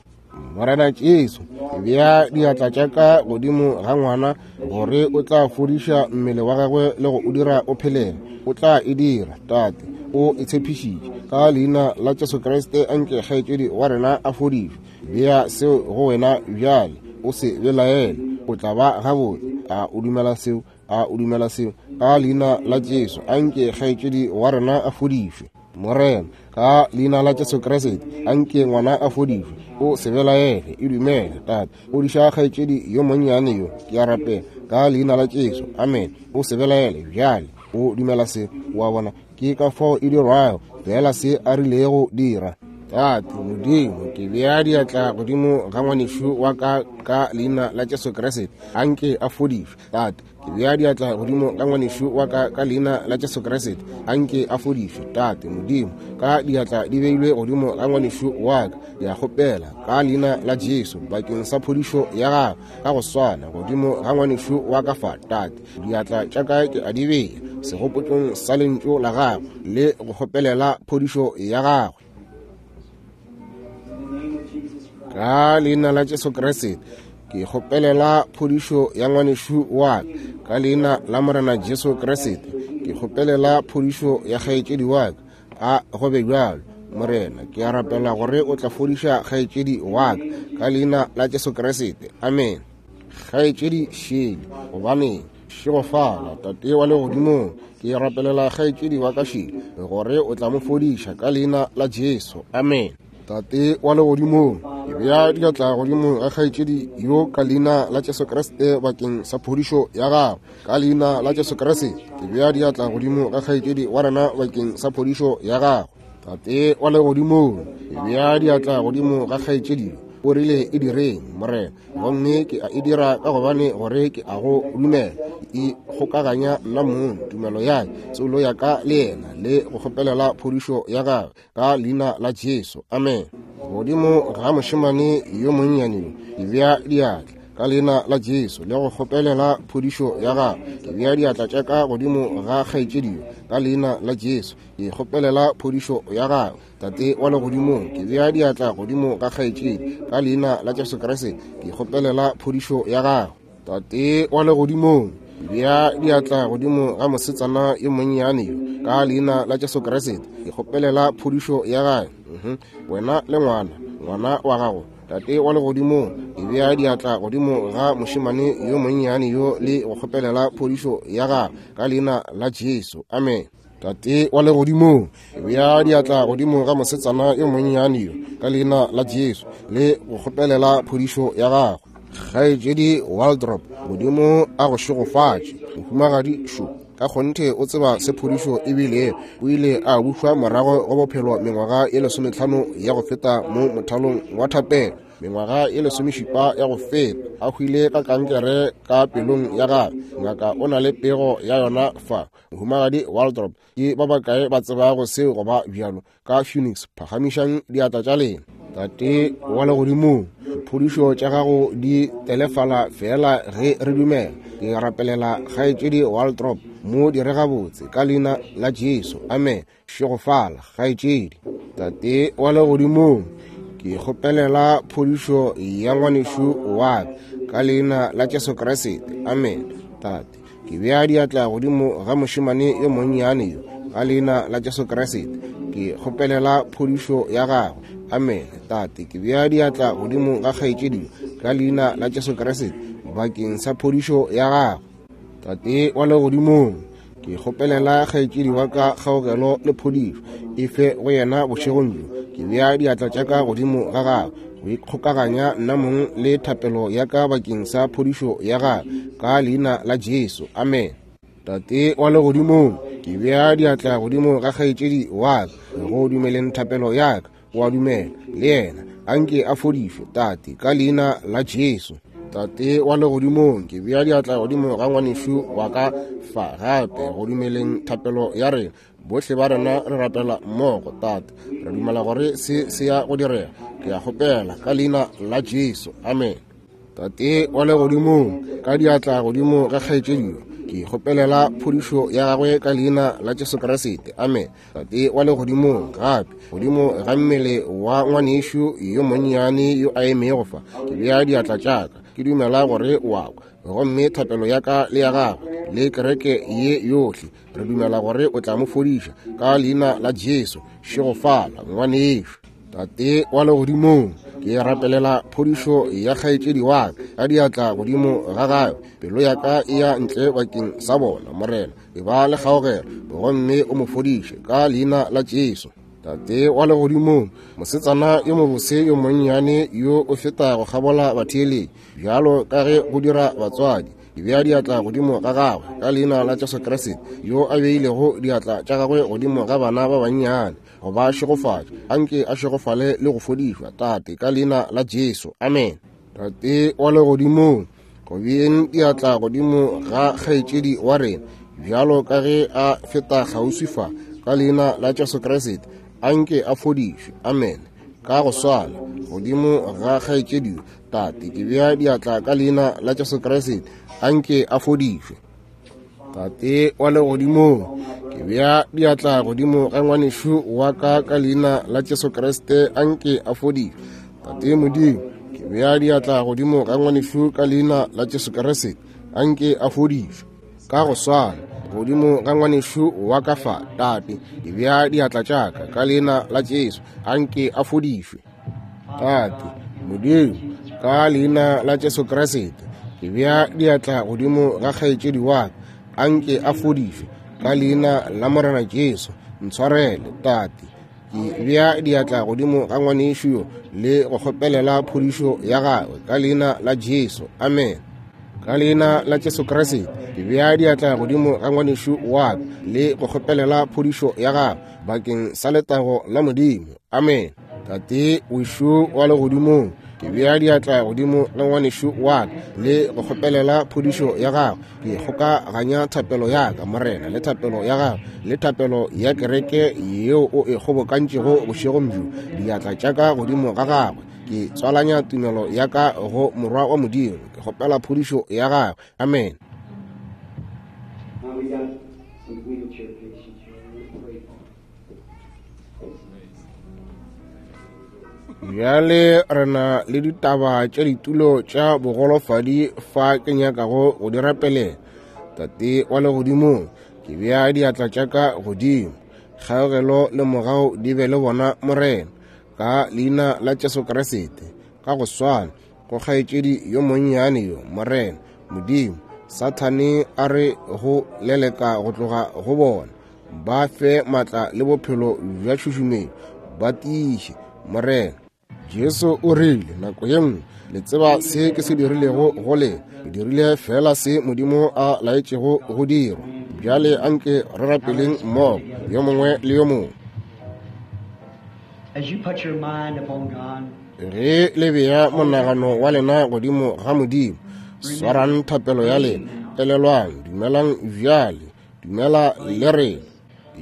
Morena Jesu, ke bea diatla tša ka godimo ga ngwana gore o tla fodiša mmele wa gagwe le go o dira o phelele. O tla e dira, Tate, o e tshepišitše. Ka leina la Jesu Kriste anke kgaetšedi wa rena a fodišwe. Bea seo go wena bjale, o se belaele, o tla ba gabotse. A o dumela seo? A o dumela seo? Ka leina la Jesu anke kgaetšedi wa rena a fodišwe. Morena, ka leina la Jesu Kriste anke ngwana a fodišwe. O se belaele, e dumele, Tate. Fodiša kgaetšedi yo monnyane yo, ke a rapela ka leina la Jesu. Amen. O se belaele bjale, o dumela se, wa bona ke ka fao e dirwago, fela se a rilego dira. Tate Modimo, ke bea diatla godimo ga ngwanešu wa ka ka leina la Jesu Kriste anke a fodišwe. Tate, ke bea diatla godimo ga ngwanešu wa ka ka leina la Jesu Kriste anke a fodišwe. Tate Modimo, ka diatla di beilwe godimo ga ngwanešu wa ka, ke a kgopela ka leina la Jesu bakeng sa phodišo ya gagwe ka go swana godimo ga ngwanešu wa ka fa. Tate, diatla tša ka ke a di bea segopotšong sa lentšu la gagwe le go kgopelela phodišo ya gagwe. Ka leina la Jesu Kriste ke kgopelela phodišo ya ngwanešu wa ka. Ka leina la Morena Jesu Kriste ke kgopelela phodišo ya kgaetšedi wa ka. A go be bjalo, Morena, ke a rapela gore o tla fodiša kgaetšedi wa ka ka leina la Jesu Kriste. Amen. Kgaetšedi Shirley, gobaneng šegofala Tate wa legodimong, ke rapelela kgaetšedi wa ka Shirley gore o tla mo fodiša ka leina la Jesu. Amen. Tate wa legodimong, ke bea diatla godimo ga kgaetšedi yo ka leina la Jesu Kriste bakeng sa phodišo ya gagwe. Ka leina la Jesu Kriste ke bea diatla godimo ga kgaetšedi wa rena bakeng sa phodišo ya gagwe. Tate wa legodimong, ke bea diatla godimo ga kgaetšedi yo, o rile e direng, Morena, gomme ke a e dira ka gobane gore ke a go dumela. E kgokaganya nna mong, tumelo ya ka, tsolo ya ka le yena, le go kgopelela phodišo ya gagwe ka leina la Jesu. Amen. Godimo ga mošemane yo monnyane yo, ke bea diatla ka leina la Jesu le go kgopelela phodišo ya gagwe. Ke bea diatla tša ka godimo ga kgaetšedi yo ka leina la Jesu, ke kgopelela phodišo ya gagwe. Tate wa legodimong, ke bea diatla godimo ga kgaetšedi ka leina la Jesu Kriste, ke kgopelela phodišo ya gagwe. Tate wa legodimong, ke bea diatla godimo ga mosetsana yo monnyane yo ka leina la Jesu Kriste, ke kgopelela phodišo ya gagwe. Mhm. Wena le ngwana, ngwana wa gago. Tate wa legodimong, ke bea diatla godimo ga mošemane yo monnyane yo le go kgopelela phodišo ya gagwe ka leina la Jesu. Amen. Tate wa legodimong, ke bea diatla godimo ga mosetsana yo monnyane yo ka leina la Jesu le go kgopelela phodišo ya gagwe. Kgaetšedi Waldrop, Modimo a go šegofatše. Mohumagadi šo ka kgonthe o tseba se phodišo ebile o ile a bušwa morago go bophelo mengwaga ye lesometlhano ya go feta mo mothalong wa thapelo. Mengwaga ye lesomešupa ya go feta a hwile ka kankere ka pelong ya gagwe. Ngaka o na le pego ya yona fa. Mohumagadi Waldrop, ke ba bakae ba tsebago seo go ba bjalo ka Phoenix? Phagamišang diatla tša lena. Tate wa legodimong, phodišo tša gago di telefala fela ge re dumela. Ke rapelela kgaetšedi Waldrop, mo dire gabotse ka leina la Jesu. Amen. Šegofala kgaetšedi. Tate wa legodimong, ke kgopelela phodišo ya ngwanešu wa ka ka leina la Jesu Kriste. Amen. Tate, ke bea diatla godimo ga mošemane yo monnyane yo ka leina la Jesu Kriste, ke kgopelela phodišo ya gagwe. Amen. Tate, ke bea diatla godimo ga kgaetšedi yo ka leina la Jesu Kriste bakeng sa phodišo ya gagwe. Tate wa legodimong, ke kgopelela kgaetšedi wa ka kgaogelo le phodišo e fe go yena bošegong bjo. Ke bea diatla tša ka godimo ga gagwe go ikgokaganya nna mong le thapelo ya ka bakeng sa phodišo ya gagwe ka leina la Jesu. Amen. Tate wa legodimong, ke bea diatla godimo ga kgaetšedi wa ka go dumeleng thapelo ya ka. O a dumela le yena, anke a fodišwe, Tate, ka leina la Jesu. Tate wa legodimong, ke bea diatla godimo ga ngwanešu wa ka fa gape go dumeleng thapelo ya rena. Bohle ba rena re rapela mmogo, Tate. Re dumela gore se se ya go direga. Ke a kgopela ka leina la Jesu. Amen. Tate wa legodimong, ka diatla godimo ga kgaetšedi yo, ke kgopelela phodišo ya gagwe ka leina la Jesu Kriste. Amen. Tate wa legodimong, gape godimo ga mmele wa ngwanešu yo monnyane yo a emego fa, ke bea diatla tša ka, ke dumela gore o a kwa, gomme thapelo ya ka le ya gagwe le kereke ye yohle, re dumela gore o tla mo fodiša ka leina la Jesu. Šegofala ngwanešu. Tate wa legodimong, ke rapelela phodišo ya kgaetšedi wa ka ka diatla godimo ga gagwe. Pelo ya ka e ya ntle bakeng sa bona, Morena, e ba le kgaogelo gomme o mo fodiše ka leina la Jesu. Tate wa legodimong, mosetsana yo mobose yo monnyane yo o feta go kgabola batheeletši bjalo ka ge go dira batswadi, ke bea diatla godimo ga gagwe ka leina la Jesu Kriste, yo a beilego diatla tša gagwe godimo ga bana ba bannyane go ba šegofatša. Anke a šegofale le go fodišwa, Tate, ka leina la Jesu. Amen. Tate wa legodimong, go beeng diatla godimo ga kgaetšedi wa rena bjalo ka ge a feta kgauswi fa ka leina la Jesu Kriste, anke a fodišwe. Amen. Ka go swana godimo ga kgaetšedi, Tate, ke bea diatla ka leina la Jesu Kriste, anke a fodišwe. Tate wa legodimong, ke bea diatla godimo ga ngwanešu wa ka ka leina la Jesu Kriste, anke a fodišwe. Tate Modimo, ke bea diatla godimo ga ngwanešu ka leina la Jesu Kriste, anke a fodišwe. Ka go swana godimo ga ngwanešu wa ka fa, Tate. Ke bea diatla tša ka ka leina la Jesu, anke a fodišwe. Tate Modimo, ka leina la Jesu Kriste, ke bea diatla godimo ga kgaetšedi wa ka, anke a fodišwe ka leina la Morena Jesu. Ntshwarele, Tate. Ke bea diatla godimo ga ngwanešu yo le go kgopelela phodišo ya gagwe ka leina la Jesu. Amen. Ka leina la Jesu Kriste, ke bea diatla godimo ga ngwanešu wa ka le go kgopelela phodišo ya gagwe bakeng sa letago la Modimo. Amen. Tate wešo wa legodimong, ke bea diatla godimo ga ngwanešu wa ka le go kgopelela phodišo ya gagwe. Ke kgokaganya thapelo ya ka, Morena, le thapelo ya gagwe le thapelo ya kereke yeo o e kgobokantšego bošegong bjo. Diatla tša ka godimo ga gagwe, ke tswalanya tumelo ya ka go Morwa wa Modimo. Ke kgopela phodišo ya gagwe. Amen. Now we got some wheelchair patients here. We're gonna pray for them. Bjale re na le ditaba tša ditulo tša bogolofadi fa ke nyakago go di rapelela. Tate wa legodimong, ke bea diatla tša ka godimo. Kgaogelo le mogau di be le bona, Morena, ka leina la Jesu Kriste. Ka go swana go kgaetšedi yo monnyane yo, Morena Modimo, Sathane a re go leleka go tloga go bona. Ba fe maatla le bophelo bja tšhušumetšo, ba tiiše, Morena. Jesu o rile nako ye nngwe, le tseba se ke se dirilego go lena, ke dirile fela se Modimo a laetšego go dirwa. Bjale anke re rapeleng mmogo, yo mongwe le yo mongwe. As you put your mind upon God, Ge le bea monagano wa lena godimo ga Modimo, swarang thapelo ya lena, elelwang, dumelang bjale, dumela le rena.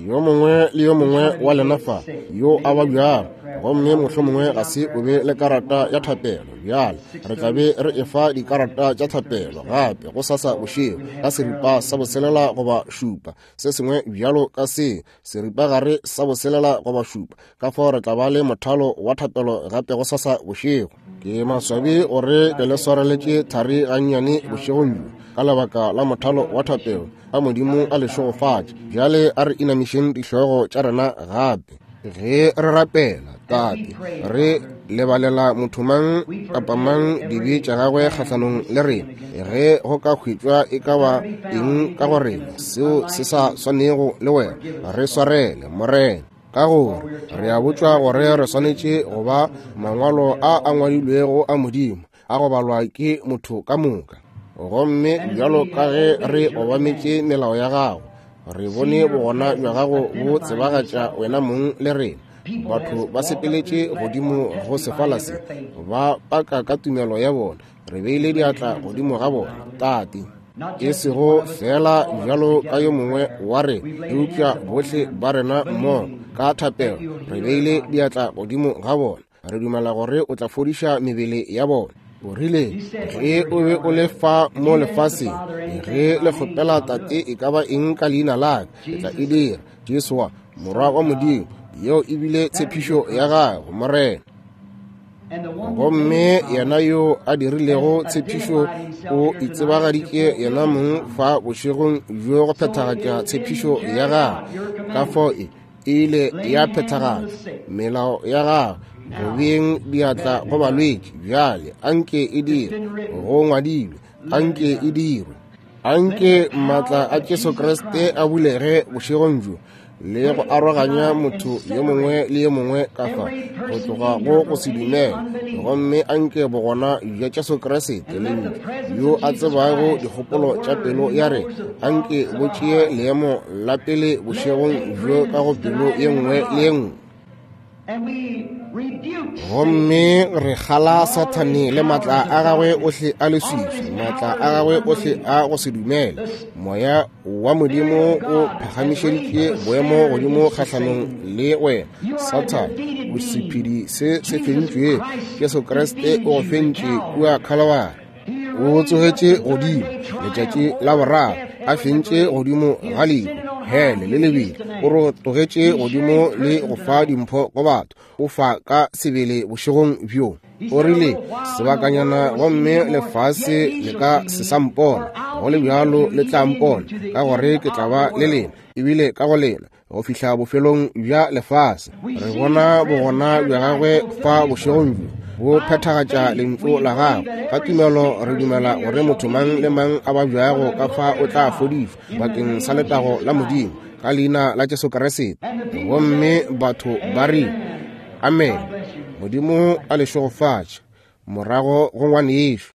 Yo mongwe le yo mongwe wa lena fa yo a babjago, gomme mohlomongwe ga se o be le karata ya thapelo, bjale re tla be re efa dikarata tša thapelo gape go sasa bošego ka seripa sa boselela goba šupa, se sengwe bjalo ka se, seripagare sa boselela goba šupa. Ka fao re tla ba le mothalo wa thapelo gape go sasa bošego. Ke maswabi gore ke le swareletše thari gannyane bošegong bjo ka lebaka la mothalo wa thapelo. A Modimo a le šegofatše. Bjale a re inamišeng dihlogo tša rena gape ge re rapela. Tate, re lebalela motho mang kapa mang dibe tša gagwe kgahlanong le rena, ge go ka hwetšwa e ka ba eng ka go rena seo se sa swanego le wena, re swarele, Morena. Ka gore re a botšwa gore re swanetše go ba mangwalo a a ngwadilwego a Modimo, a go balwa ke motho ka moka. Gomme bjalo ka ge re obametše melao ya gago, re bone bogona bja gago bo tsebagatša wena mong le rena. Batho ba sepeletše godimo go sefala se, ba paka ka tumelo ya bona. Re beile diatla godimo ga bona, Tate, e sego fela bjalo ka yo mongwe wa rena, eupša bohle ba rena mmogo ka thapelo re beile diatla godimo ga bona. Re dumela gore o tla fodiša mebele ya bona. O rile ge o be o le fa mo lefaseng, ge le kgopela Tate e ka ba eng ka leina la ka, ke tla e dira. Jesu wa Morwa wa Modimo, yeo e bile tshepišo ya gago, Morena. Gomme yena yo a dirilego tshepišo o itsebagaditše yena mong fa bošegong bjo go phethagatša tshepišo ya gagwe. Ka fao e ile ya phethagatšwa melao ya gagwe go beeng diatla go balwetši. Bjale anke e dirwe, go ngwadilwe, anke e dirwe. Anke maatla a Jesu Kriste a bulege bošegong bjo le go aroganya motho yo mongwe le yo mongwe ka fa go tloga go go se dumele. Gomme anke bogona bja Jesu Kriste Lentšu yo a tsebago dikgopolo tša pelo ya rena, anke bo tšee leemo la pele bošegong bjo ka go pelo ye nngwe le ye nngwe. And we rebuke Gomme re kgala Sathane le maatla a gagwe ohle a leswiswi, maatla a gagwe ohle a go se dumele. Moya wa Modimo o phagamišeditše boemo godimo kgahlanong le wena, Sathane. O sephedi se se fentšwego. Jesu Kriste o go fentše kua Calvary. O tsogetše godimo letšatši la boraro, a fentše godimo ga lehu, hele le lebile. O rotogetše godimo le go fa dimpho go batho. O fa ka sebele bošegong bjo. O rile sebakanyana gomme lefase le ka se sa mpona, Go le bjalo le tla mpona, ka gore ke tla ba le lena, ebile ka go lena, go fihla bofelong bja lefase. Re bona bogona bja gagwe fa bošegong bjo, bo phethagatša lentšu la gagwe. Ka tumelo re dumela gore motho mang le mang a babjago ka fa o tla fodišwa bakeng sa letago la Modimo, ka leina la Jesu Kriste. Gomme batho ba re amen. Modimo a le šegofatše. Morago go ngwanešu.